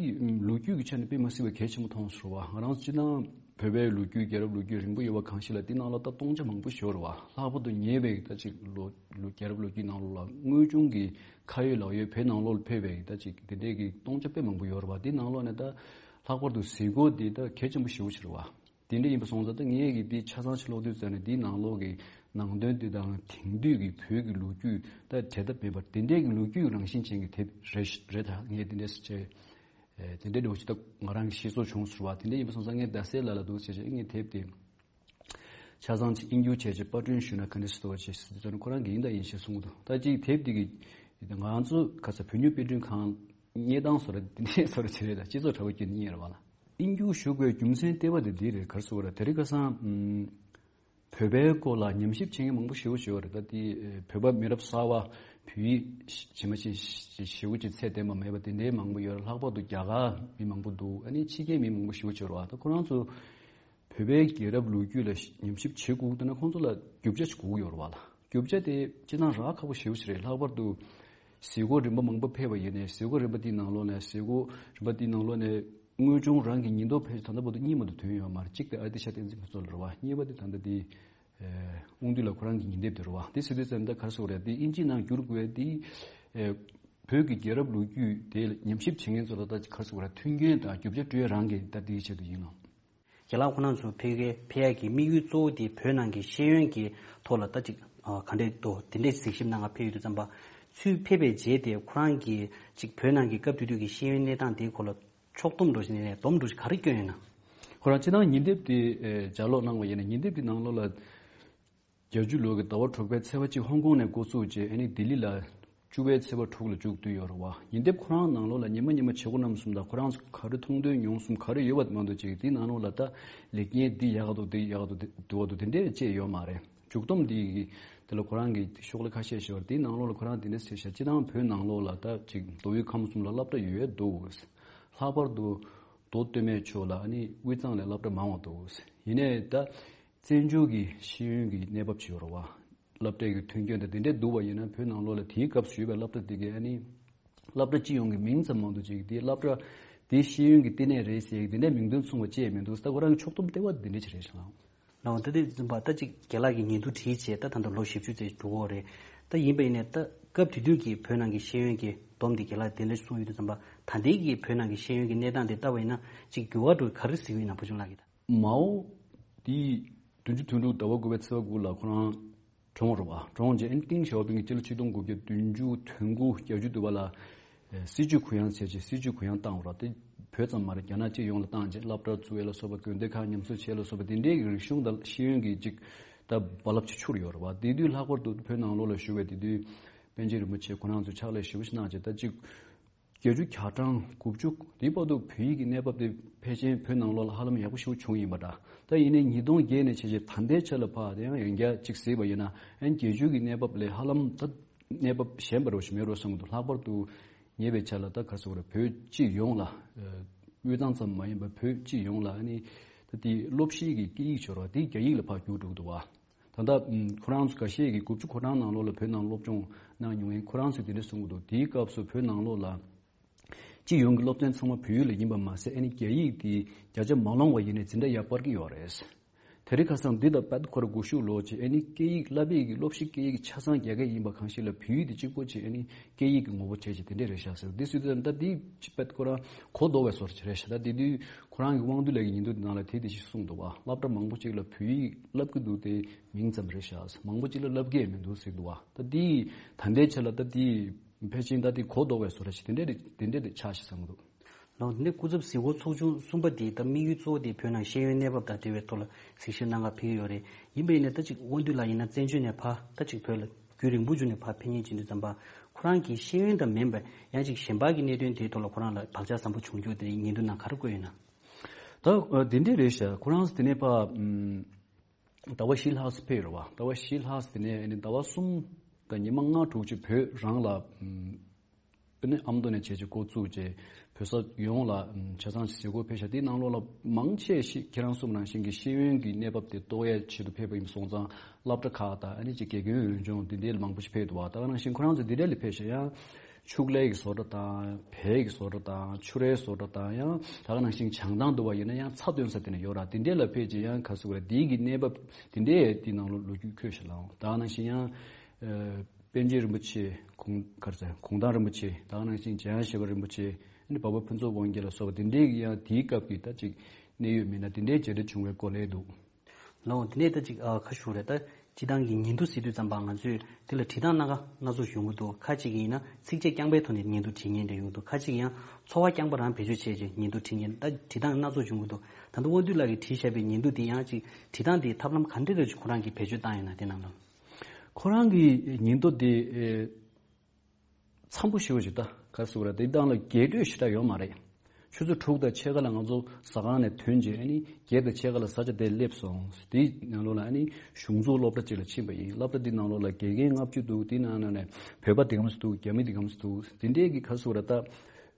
ལོ་རྒྱུས་ཀྱི་ཆ་ནས་དཔེ་མི་སྲིད་པ་གལ་ཆེན་པོ་མཐོང་སོང་བ། ང་རང་ཚོ་སྤྱིར་བཏང་བོད་པའི་ལོ་རྒྱུས་རྒྱལ་རབས་ལོ་རྒྱུས་རིང་པོ་ཡོད་པ་གང་ཞིག་ལ་དེ་ནང་ལ་ད་སྟོང་ཆ་མང་པོ་ཞིག་ཡོད་རེད་བ། ལྷག་པར་དུ་ཉེ་བའི་ད་ཅིག་ལོ་ལོ་རྒྱལ་རབས་ལོ་རྒྱུས་ནང་ལོགས་ལ་དངོས་བྱུང་གི་ཁ་ཡོད་ལག་ཡོད་བོད་ནང་ལོགས་ལ་ཕེབས་པའི་ད་ཅིག་དེ་འདྲའི་གི་སྟོང་ཆ་དཔེ་མང་པོ་ཡོད་རེད་བ། དེ་ནང་ལོགས་ནས་ད་ལྷག་པར་དུ་གཟིགས་སྐོར་དེ་ད་གལ་ཆེན་པོ་ཞེ་པོ་ཅིག་རེད་བ། དེ་འདྲ་ཡིན་པ་སོང་ཙང་ད་ངས་ཀྱི་འདི་ཆ་ཚང་ཞིག་ཀློག་དུས་ཙམ་ནས་འདིའི་ནང་ལོགས་ཀྱི་ནང་དོན་འདི་དང་དེང་དུས་ཀྱི་བོད་ཀྱི་ལོ་རྒྱུས་ད་བྲལ་ཐབས་མེད་པར་དེ་འདྲའི་གི་ལོ་རྒྱུས་རང་བཞིན་ཅན་གྱི་དེབ་རེད་རེད། ད་ངས་དེ་འདྲ་ཟེར་བྱས་དེ་འདྲའི་འདྲ་བོ་ཞིག་ད་ང་རང་གི་ཤེས་ཚོར་བྱུང་ཟེར་བ། དེ་འདྲ་ཡིན་པ་སོང་ཙང་ངས་རྡ་སའི་ལ་ལ་འདུག་ཟེར་བྱས་ངས་དེབ་དེ་ཆ་ཚང་ཅིག་དབྱིན་སྒྱུར་བྱས་བྱས་པར་སྐྲུན་ཞུས་ན་ག་འདྲ་ཞིག་འདུག་བྱས་ཟེར་དུས་ཙམ་ནས་ཁོ་རང་གིས་ཡིན་དང་ཡིན་ཞེས་གསུངས་འདུག་ད་ཅིག་དེབ་འདི་གི་ང་ཚོ་ག་ས་བོད་ཉིད་དཔེ་སྐྲུན་ཁང་རྙེད་སྟངས་བཟོ་འདྲ་འདི་འདྲའི་བཟོ་འདྲ་བྱེད་རེད། ད་སྤྱི་ཚོགས་དྲ་བ་བརྒྱུད་ནས་རྙེད་རེད་བ་ལ། དབྱིན་སྒྱུར་ཞུ་དགོས་རྒྱུ་མཚན་ལྟེ་བ་དེ་འདི་རེད། ག་རེ་ཟེར་དགོས་རེད། དེ་རིང་ཁ་སང་ཨམ། བོད་པའི་སྐོར་ལ་ཉམས་ཞིབ་བྱེད་མཁན་མང་པོ་ཞེ་པོ་ཅིག་ཡོད་རེད། ད་དེ་བོད་པ་མི་རབས་གསར་པ་བོད་ཡིག་ཇི་མ་ཇི་ཞེ་པོ་ཅིག་ཚད་ལྡན་པ་མེད་པ་དེ་འདྲའི་མང་པོ་ཡོད་རེད། ལྷག་པར་དུ་རྒྱ་གར་མི་མང་པོ་འདུག་ཨ་ནི་ཕྱི་རྒྱལ་མི་མང་པོ་ཞེ་པོ་ཅིག་ཡོད་རེད་བ། ད་ཁོ་རང་ཚོ་བོད་པའི་རྒྱལ་རབས་ལོ་རྒྱུས་ལ་ཉམས་ཞིབ་བྱེད་དགོས་དེ་ན་ཁོང་ཚོ་ལ་རྒྱུ་ཆ་ཞིག་དགོས་ཀྱི་ཡོད་རེད་བ་ལ། རྒྱུ་ཆ་དེ་སྤྱིར་བཏང་རག་ཁག་པོ་ཞེ་པོ་ཅིག་རེད། ལྷག་པར་དུ་གཟིགས་སྐོར་རིམ་པ་མང་པོ་ཕེབས་པ་ཡིན་ནའི་གཟིགས་སྐོར་རིམ་པ་དེའི་ནང་ལོགས་ནས་གཟིགས་སྐོར་རིམ་པ་དེའི་ནང་ལོགས་ནས་དངོས་བྱུང་རང་གི་ཉིན་ཐོ་ཕལ་ཆེར་ད་ལྟ་བར་དུ་གཉིས་མ་གཏོགས་ཐོན་ཡོད་མ་རེད། གཅིག་དེ་ཨ་ཏི་ཤ་བསྟན་འཛིན་ཕུན་ཚོགས་ལགས་རེད་བ། གཉིས་པ་དེ་ད་ལྟ་དེ་དབང་འདུས་ལགས་ཁོ་རང་གི་ཉིན་དེབ་དེ་རེད་བ། དེ་ཟེར་དུས་ཙམ་ད་ག་རེ་ཟེར་དགོས་རེད། དེ་དབྱིན་ཇིའི་ནང་བསྒྱུར་དགོས་དེ་བོད་ཀྱི་རྒྱལ་རབས་ལོ་རྒྱུས་དེ་ཉམས་ཞིབ་བྱེད་མཁན་ཚོ་ལ་ད་ག་རེ་ཟེར་དགོས་རེད། མཐུན་རྐྱེན་དང་རྒྱུ་ཆ་སྤྲོད་རང་གི་ད་དེའི་ཆེད་དུ་ཡིན་ནོ། རྒན་ལགས་ཁོང་རྣམ་ཚོ་ཕ་གིར་ཕེབས་ཡག་གི་དམིགས་ཡུལ་གཙོ་བོ་དེ་བོད་ནང་གི་ཤེས་ཡོན་གྱི་ཐོག་ལ་ད་ཅིག་ཨ་ག་འདྲས་འདུག་དེ་འདྲས་གཟིགས་ཞིབ་གནང་ག་ཕེབས་ཡོད་དུས་ཙམ་པ། ཚུར་ཕེབས་པའི་རྗེས་དེ་ཁོ་རང་གིས་ཅིག་བོད་ནང་གི་སྐབས་དེ་དུས་ཀྱི་ཤེས་ཡོན་གནས་སྟངས་དེའི་སྐོར་ལ་ཕྱོགས་བསྡོམས་འདྲ་ཞིག་ནས་སྡོམ་འདྲ་ཞིག་ག་རེ་བསྐྱོན་ཡོད་ན། ཁོ་རང་སྤྱིར་བཏང་ཉིན་དེབ་དེ་ཨེ་ལྗགས་ཀློག་གནང་བ་ཡིན་ན་ཉིན་དེབ་དེ་ནང་ལོགས་ལ། བརྒྱད་ཅུ་ལོ་གི་ཟླ་བ་དྲུག་པའི་ཚེས་པ་གཅིག་ཧོང་ཀོང་ནས་འགོ་བཙུགས་རྗེས་ཨ་ནི་ལྡི་ལི་ལ་བཅུ་པའི་ཚེས་པ་དྲུག་ལ་མཇུག་བསྡུས་ཡོད་རེད་བ། ཉིན་དེབ་ཁོ་རང་ནང་ལོགས་ལ་ཉི་མ་ཉི་མ་བྱེད་སྒོ་རྣམ་གསུམ་དང་ཁོ་རང་ཚོ་ག་རེ་མཐོང་ཐོས་མྱོང་གསུམ་ག་རེ་ཡོད་པ་མ་གཏོགས་ཅིག་དེའི་ནང་ལོགས་ལ་ད་ལེགས་ཉེས་འདི་ཡག་ག་འདུག་འདི་ཡག་ག་འདུག་འདི་འདུག་ག་འདུག་དེ་འདྲས་ཅིག་ཡོད་མ་རེད། མཇུག་བསྡོམས་འདི་གི་དེ་ལ་ཁོ་རང་གི་ཤོག་ལྷེ་ཁ་ཤས་ཤིག་ཡོད་རེད། དེའི་ནང་ལོགས་ལ་ཁོ་རང་དེ་འདྲས་ཟེར་ཤག་སྤྱིར་བཏང་བོད་ནང་ལོགས་ལ་ད་ཅིག་མདོ་དབུས་ཁམས་གསུམ་ལ་སློབ་གྲྭ་ཡོད་འདུག་ལྷག་པར་དུ་མདོ་སྟོད་སྨད་ཕྱོགས་ལ་ཨ་ནི་དབུས་གཙང་ལ་སློབ་གྲྭ་མང་བ་འདུག་ཡིན་ནའི་ད། བཙན་བྱོལ་གྱི་ཤེས་ཡོན་གྱི་གནས་བབ་ཅིག་ཡོད་རེད་བ། སློབ་གྲྭའི་གི་མཐུན་རྐྱེན་དང་དེ་འདྲའི་འདུག་པ་ཡིན་ན་བོད་ནང་ལོགས་ལ་དེའི་སྐབས་སུ་ཡོད་པའི་སློབ་གྲྭ་དེ་གའི་ཨ་ནི་སློབ་གྲྭ་སྤྱི་ཡོངས་ཀྱི་མིང་ཙམ་མ་གཏོགས་ཅིག་དེའི་སློབ་གྲྭ་དེ་ཤེས་ཡོན་གྱི་བསྟི་གནས་རེད་ཟེར་གྱི་དེ་འདྲའི་མིང་དོན་མཚུངས་པ་ཅིག་མི་འདུག་ད་ཁོ་རང་གི་ཕྱོགས་བསྡོམས་ལྟེ་བ་དེ་འདྲ་ཅིག་རེད་ཤག་ལགས། ལགས་འོང་། ད་དེ་ཙམ་པ་ད་ཅིག་རྒན་ལགས་ཀྱིས་ཉིན་ཐོ་བྲིས་བྱས་ད་ད་ལྟ་ལོ་བཞི་བཅུ་ཙམ་འགྲོ་གི་ཡོད་རེད། ད་ཡིན་པ་ཡིན་ནའི་ད་སྐབས་དེ་དུས་ཀྱི་བོད་ནང་གི་ཤེས་ཡོན་གྱི་སྡོམ་དེ་རྒན་ལགས་དེ་འདྲ་གསུངས་ཡོད་དུས་ཙམ་པ་ད་ལྟའི་གི་བོད་ནང་གི་ཤེས་ཡོན་གྱི་གནས་སྟངས་དེ་ལྟ་བ་ཡིན་ན་ཅིག་འགྱུར་བ་འགྲོ་ག་རེ་གཟིགས་ཡོད་ན་བུ་ཆུང་ལགས་ཀྱིས་ད། མའོ་དེ་བདུན་ཅུ་དོན་དྲུག་ཟླ་བ་དགུ་པའི་ཚེས་པ་དགུ་ལ་ཁོ་རང་གྲོངས་རེད་བ། གྲོངས་རྗེས་ཨན་ཏིང་ཞའོ་ཕིང་གིས་སྤྱི་ལོ་ཆིག་སྟོང་དགུ་བརྒྱ་བདུན་ཅུ་དོན་དགུ་བརྒྱད་ཅུ་དུ་བ་ལ་ཨེ་སྲིད་བྱུས་གུ་ཡངས་ཟེར་བྱས་སྲིད་བྱུས་གུ་ཡངས་བཏང་བ་རེད། དེ་བོད་ཙམ་མ་རེད། རྒྱ་ནག་སྤྱི་ཡོངས་ལ་བཏང་རྗེས་སློབ་གྲྭ་བཙུགས་ཡས་ལ་སོགས་པ་དགོན་སྡེ་ཁག་ཉམས་གསོ་བྱས་ལ་སོགས་པ་དེ་འདྲའི་གི་རིག་གཞུང་དང་ཤེས་ཡོན་གྱི་ཅིག་ད་རྦ་རླབས་ཅིག་འཕྱུར་ཡོད་རེད་བ། དེ་དུས་ལྷག་པར་དུ་བོད་ནང་ལོགས་ལ་བཞུགས་པའི་དེ་དུས་པཎ་ཆེན་རིན་པོ་ཆེ་ཁོ་རང་ཚོས་ཕྱག་ལས་ཞེ་པོ་ཞིག་གནང་རྗེས་ད་ཅིག་བརྒྱད་ཅུ་གྱ་གྲངས་དགུ་བཅུ་དེའི་བར་དུ་བོད་ཡིག་གི་གནས་བབ་དེ་ཕལ་ཆེར་བོད་ནང་ལོགས་ལ་ཧ་ལམ་ཡག་པོ་ཞེ་པོ་བྱུང་ཡིན་པ་འདྲ། ད་ཡིན་ནའི་ཉིས་སྟོང་བརྒྱད་ནས་བྱས་རྗེས་ད་ལྟའི་ཆ་ལ་ཕར་དེ་ཡང་ཡང་བསྐྱར་གཅིག་གཟིགས་པ་ཡིན་ན་ཨན་བརྒྱད་ཅུ་གི་གནས་བབ་ལས་ཧ་ལམ་ད་གནས་བབ་ཞན་པ་རོ་ཞིག་མེད་རོ་བསམ་གྱི་འདུག་ལྷག་པར་དུ་ངེས་པའི་ཆ་ལ་ད་ག་རེ་ཟེར་དགོས་རེད། བོད་སྤྱི་ཡོངས་ལ་དབུས་གཙང་ཙམ་མ་ཡིན་པར་བོད་སྤྱི་ཡོངས་ལ་ཨ་ནི་ད་དེ་སློབ་གཞིའི་གི་སྐད་ཡིག་ཤོར་བ་དེ་རྒྱ་ཡིག་ལ་ཕར་བསྒྱུར་འགྲོ་གི་འདུག་བ། ད་ལྟ་ཁོ་རང་ཚོ་འགའ་ཤས་ཀྱིས་དགུ་བཅུ་གོ་གྲངས་ནང་ལོགས་ལ་བོད་ནང་སློབ་སྦྱོང་གནང་མྱོང་མཁན་ཁོ་རང་ཚོས་དེ་འདྲ་གསུང་གི་འདུག་དེའི་སྐབས་སུ་བོད་ནང་ལོགས་ལ་སྤྱི་ཡོངས་ཀྱི་སློབ་ཚན་ཚང་མ་བོད་ཡིག་ལ་ཡིན་པ་མ་ཟད་ཨ་ནི་རྒྱ་ཡིག་དེ་བརྒྱ་ཆ་མ་ལོངས་པ་ཡིན་ནའི་འཛིན་གྲྭ་ཡར་སྤར་གྱི་ཡོད་རེད། དེ་རིང་ཁ་སང་འདི་དང་དཔེ་ཁོ་ར་སྒུལ་ཤུགས་ལོག་ཅིག་ཨ་ནི་སྐད་ཡིག་བསླབ་པའི་གི་སློབ་གཞི་སྐད་ཡིག་ཆ་ཚང་རྒྱ་སྐད་ཡིན་པ་གང་ཞིག་ལ་བོད་ཡིག་དེ་གཅིག་པོ་ཅིག་ཨ་ནི་སྐད་ཡིག་གི་ངོ་བོ་བྱས་ཅིག་དེ་འདྲས་རེད་ཤག་ཟེར། འདི་སུས་ད་ལྟ་འདི་དཔེ་ཁོ་རང་གོ་ལྡོག་པའི་བཟོ་འདྲ་ཅིག་རེད་ཤག་ད་དེ་དུས་ཁོ་རང་གི་དབང་འདུས་ལགས་ཀྱི་ཉིན་ཐོ་དེ་ནང་ལ་དེ་དེ་ཞིག་གསུངས་འདུག་བ། སློབ་གྲྭ་མང་པོ་ཅིག་ལ་བོད་ཡིག་བསླབ་ཀྱི་འདུག་དེ་མིང་ཙམ་རེད་ཤག་མང་པོ་ཅིག་ལ་བསླབ་ཀྱི་མི་འདུག་ཟེར་འདུག་བ། ད་འདི་ད་ལྟའི་ཆ་ལ་ད་འདི་ཕལ་ཆེར་ད་འདི་གོ་ལྡོག་པའི་བཟོ་འདྲ་ཞིག་དེ་འདྲས་དེ་འདྲས་དེ་ཆགས་ཤག་བསམ་གྱི་འདུག་ལགས་འདི་ནས་སྐུ་ཚབ་གཟིགས་སྐོར་ཚོགས་ཆུང་གསུམ་པ་དེ་ད་དམིགས་ཡུལ་གཙོ་བོ་དེ་བོད་ནང་ཤེས་ཡོན་གནས་བབ་དང་འབྲེལ་བའི་ཐོག་ལ་གཟིགས་ཞིབ་གནང་གར་ཕེབས་ཀྱི་ཡོད་རེད། ཡིན་པ་ཡིན་ན་ད་ཅིག་དབང་འདུས་ལགས་ཡིན་ན་བཙན་བྱོལ་ནས་ཕར་ད་ཅིག་བོད་ལ་རྒྱུན་རིང་པོ་བྱུང་ནས་ཕར་ཕེབས་མཁན་ཅིག་ཡིན་དུས་ཙམ་པ་ཁོ་རང་གི་ཤེས་ཡོན་དང་མིན་པ་ཡང་ཅིག་གཞན་པ་གི་གནད་དོན་དེའི་ཐོག་ལ་ཁོ་རང་ལ་བག་ཆགས་བཟང་པོ་བྱུང་རྒྱུ་དེ་ཉིན་ཐོ་ནང་ག་རེ་བཀོད་ཡོད་ན། ད་འདི་འདྲས་རེད་ཤག་ཁོ་རང་དེ་ནས་ཕར། ཟླ་བ་བཞི་ལྷག་ཙམ་ཕེབས་རེད་བ། ཟླ་བ་བཞི་ལྷག་ཙམ་དེ་ནས་ཨ་ནི་ཟླ་བ་གསུམ་དང་ཉི་མ་ལྔ་དྲུག་ཅིག་བོད་རང་ལ་ཨ་ནི་ཨ་མདོ་ནས་བྱས་བྱས་འགོ་བཙུགས་བྱས་བོད་ས་ཡོངས་ལ་ཆ་ཚང་ཞིག་གཟིགས་སྐོར་ཕེབས་ཤག་དེའི་ནང་ལོགས་ལ་མང་ཆེ་ཞིག་ཁྱེད་རང་གསུངས་ནང་བཞིན་གྱི་ཤེས་ཡོན་གྱི་གནས་བབ་དེ་རྟོགས་ཡས་ཆེད་དུ་ཕེབས་པ་ཡིན་སོང་ཙང་སློབ་གྲྭ་ཁག་དང་ཨ་ནི་ཅིག་དགེ་རྒན་འོས་སྦྱོང་དེ་འདྲའི་ལ་མང་པོ་ཞིག་ཕེབས་འདུག་བ། ད་ག་ནང་བཞིན་ཁོ་རང་ཚོ་འདི་འདྲ་ལ་ཕེབས་ཤག་ཡང་ཕྱུགས་ལས་ཀྱི་བཟོ་གྲྭ་དང་བལ་གྱི་བཟོ་གྲྭ་དང་ཕྱུ་རའི་བཟོ་གྲྭ་དང་ཡང་ད་ག་ནང་བཞིན་བྱང་ཐང་འདུག་བ་ཡིན་ན་ཡང་ཚྭ་བཏོན་ས་དེ་ནས་ཡོད་ར། དེ་འདྲའི་ལ་ཕེབས་ཀྱི་ཡང་ག་ཟེར་བ་རེད། དེའི་གི་གནས་བབ་དེ་འདྲའི་དེའི་ནང་ལོ་ལོ་རྒྱུས་འཁོད་ཤག་ལགས། ད་ག་ནང་བཞིན་ཡང་ཨ་པཎ་ཆེན་རིན་པོ་ཆེ་གུང་ག་རེ་ཟེར་གུང་ཐང་རིན་པོ་ཆེ་ད་ག་ནང་བཞིན་འཇམ་དབྱངས་བཞད་པ་རིན་པོ་ཆེ་ཨ་ནི་འཕགས་པ་ཕུན་ཚོགས་དབང་རྒྱལ་ལ་སོགས་པ་དེ་འདྲའི་གི་ཡང་དེའི་སྐབས་ཀྱི་ད་ཅིག་ གནད་ཡོད་མི་སྣ་དེ་འདྲའི་མཇལ་འཕྲད་བྱུང་བའི་སྐོར་ལས་འདུག་ལའོ། དེ་ནས་ད་ཅིག་ཨ་ཁ་ཤུ་རེད། ད་སྤྱི་བཏང་གི་ཉིན་ཐོ་ཟེར་དུས་ཙམ་པ་ང་ཚོས་དེ་ལ་བྲིས་སྟངས་སྣ་ཁ་སྣ་ཚོགས་ཡོང་གི་འདུག་ཁ་ཅིག་ཡིན་ན་ཚིགས་བཅད་རྐྱང་པའི་ཐོག་ནས་ཉིན་ཐོ་བྲིས་མཁན་འདྲ་ཡོང་གི་འདུག་ཁ་ཅིག་ཡང་ཚོར་བ་རྐྱང་པ་རང་བེད་སྤྱོད་བྱས་རྗེས་ཉིན་ཐོ་བྲིས་མཁན། ད་བྲིས་སྟངས་སྣ་ཚོགས་ཡོང་གི་འདུག་ད་ལྟ་དབང་འདུས་ལགས་ཀྱིས་བྲིས་བཞག་པའི་ཉིན་ཐོ་དེ་ཡང་ཅིག་བྲིས་སྟངས་དེའི་ཐབས་ལམ་ག་འདྲ་རེ་ཅིག་ཁོ་རང་གིས་བེད་སྤྱོད་བཏང་ཡོད་ན་དེ་རྣམས་ལ། ཁོ་རང་གི་ཉིན་ཐོ་དེ་ཨེ། འཚམ་པོ་ཞེ་པོ་ཞིག་ད་ག་རེ་ཟེར་དགོས་རེད། དེ་སྟེང་ལ་རྒྱས་སྤྲོས་ཞེ་དྲག་ཡོད་མ་རེད། ཆུ་ཚོད་དྲུག་དང་ཕྱེད་ཀ་ལ་ང་ཚོ་ཟ་ཁང་ནས་ཐོན་རྗེས་ཨ་ནི་བརྒྱད་དང་ཕྱེད་ཀ་ལ་ས་ཆ་དེར་སླེབས་སོང་། དེའི་ནང་ལོགས་ལ་ཨ་ནི་གཞུང་འཛུགས་སློབ་གྲྭ་གཅིག་ལ་ཕྱིན་པ་ཡིན། སློབ་གྲྭ་དེའི་ནང་ལོགས་ལ་དགེ་རྒན་ལྔ་བཅུ་འདུག་དེའི་ནང་ལོགས་ནས་བོད་པ་དེ་ག་ཙམ་འདུག་རྒྱ་མི་དེ་ག་ཙམ་འདུག་དེ་འདྲའི་གི་ག་རེ་ཟེར་དགོས་རེད། ད་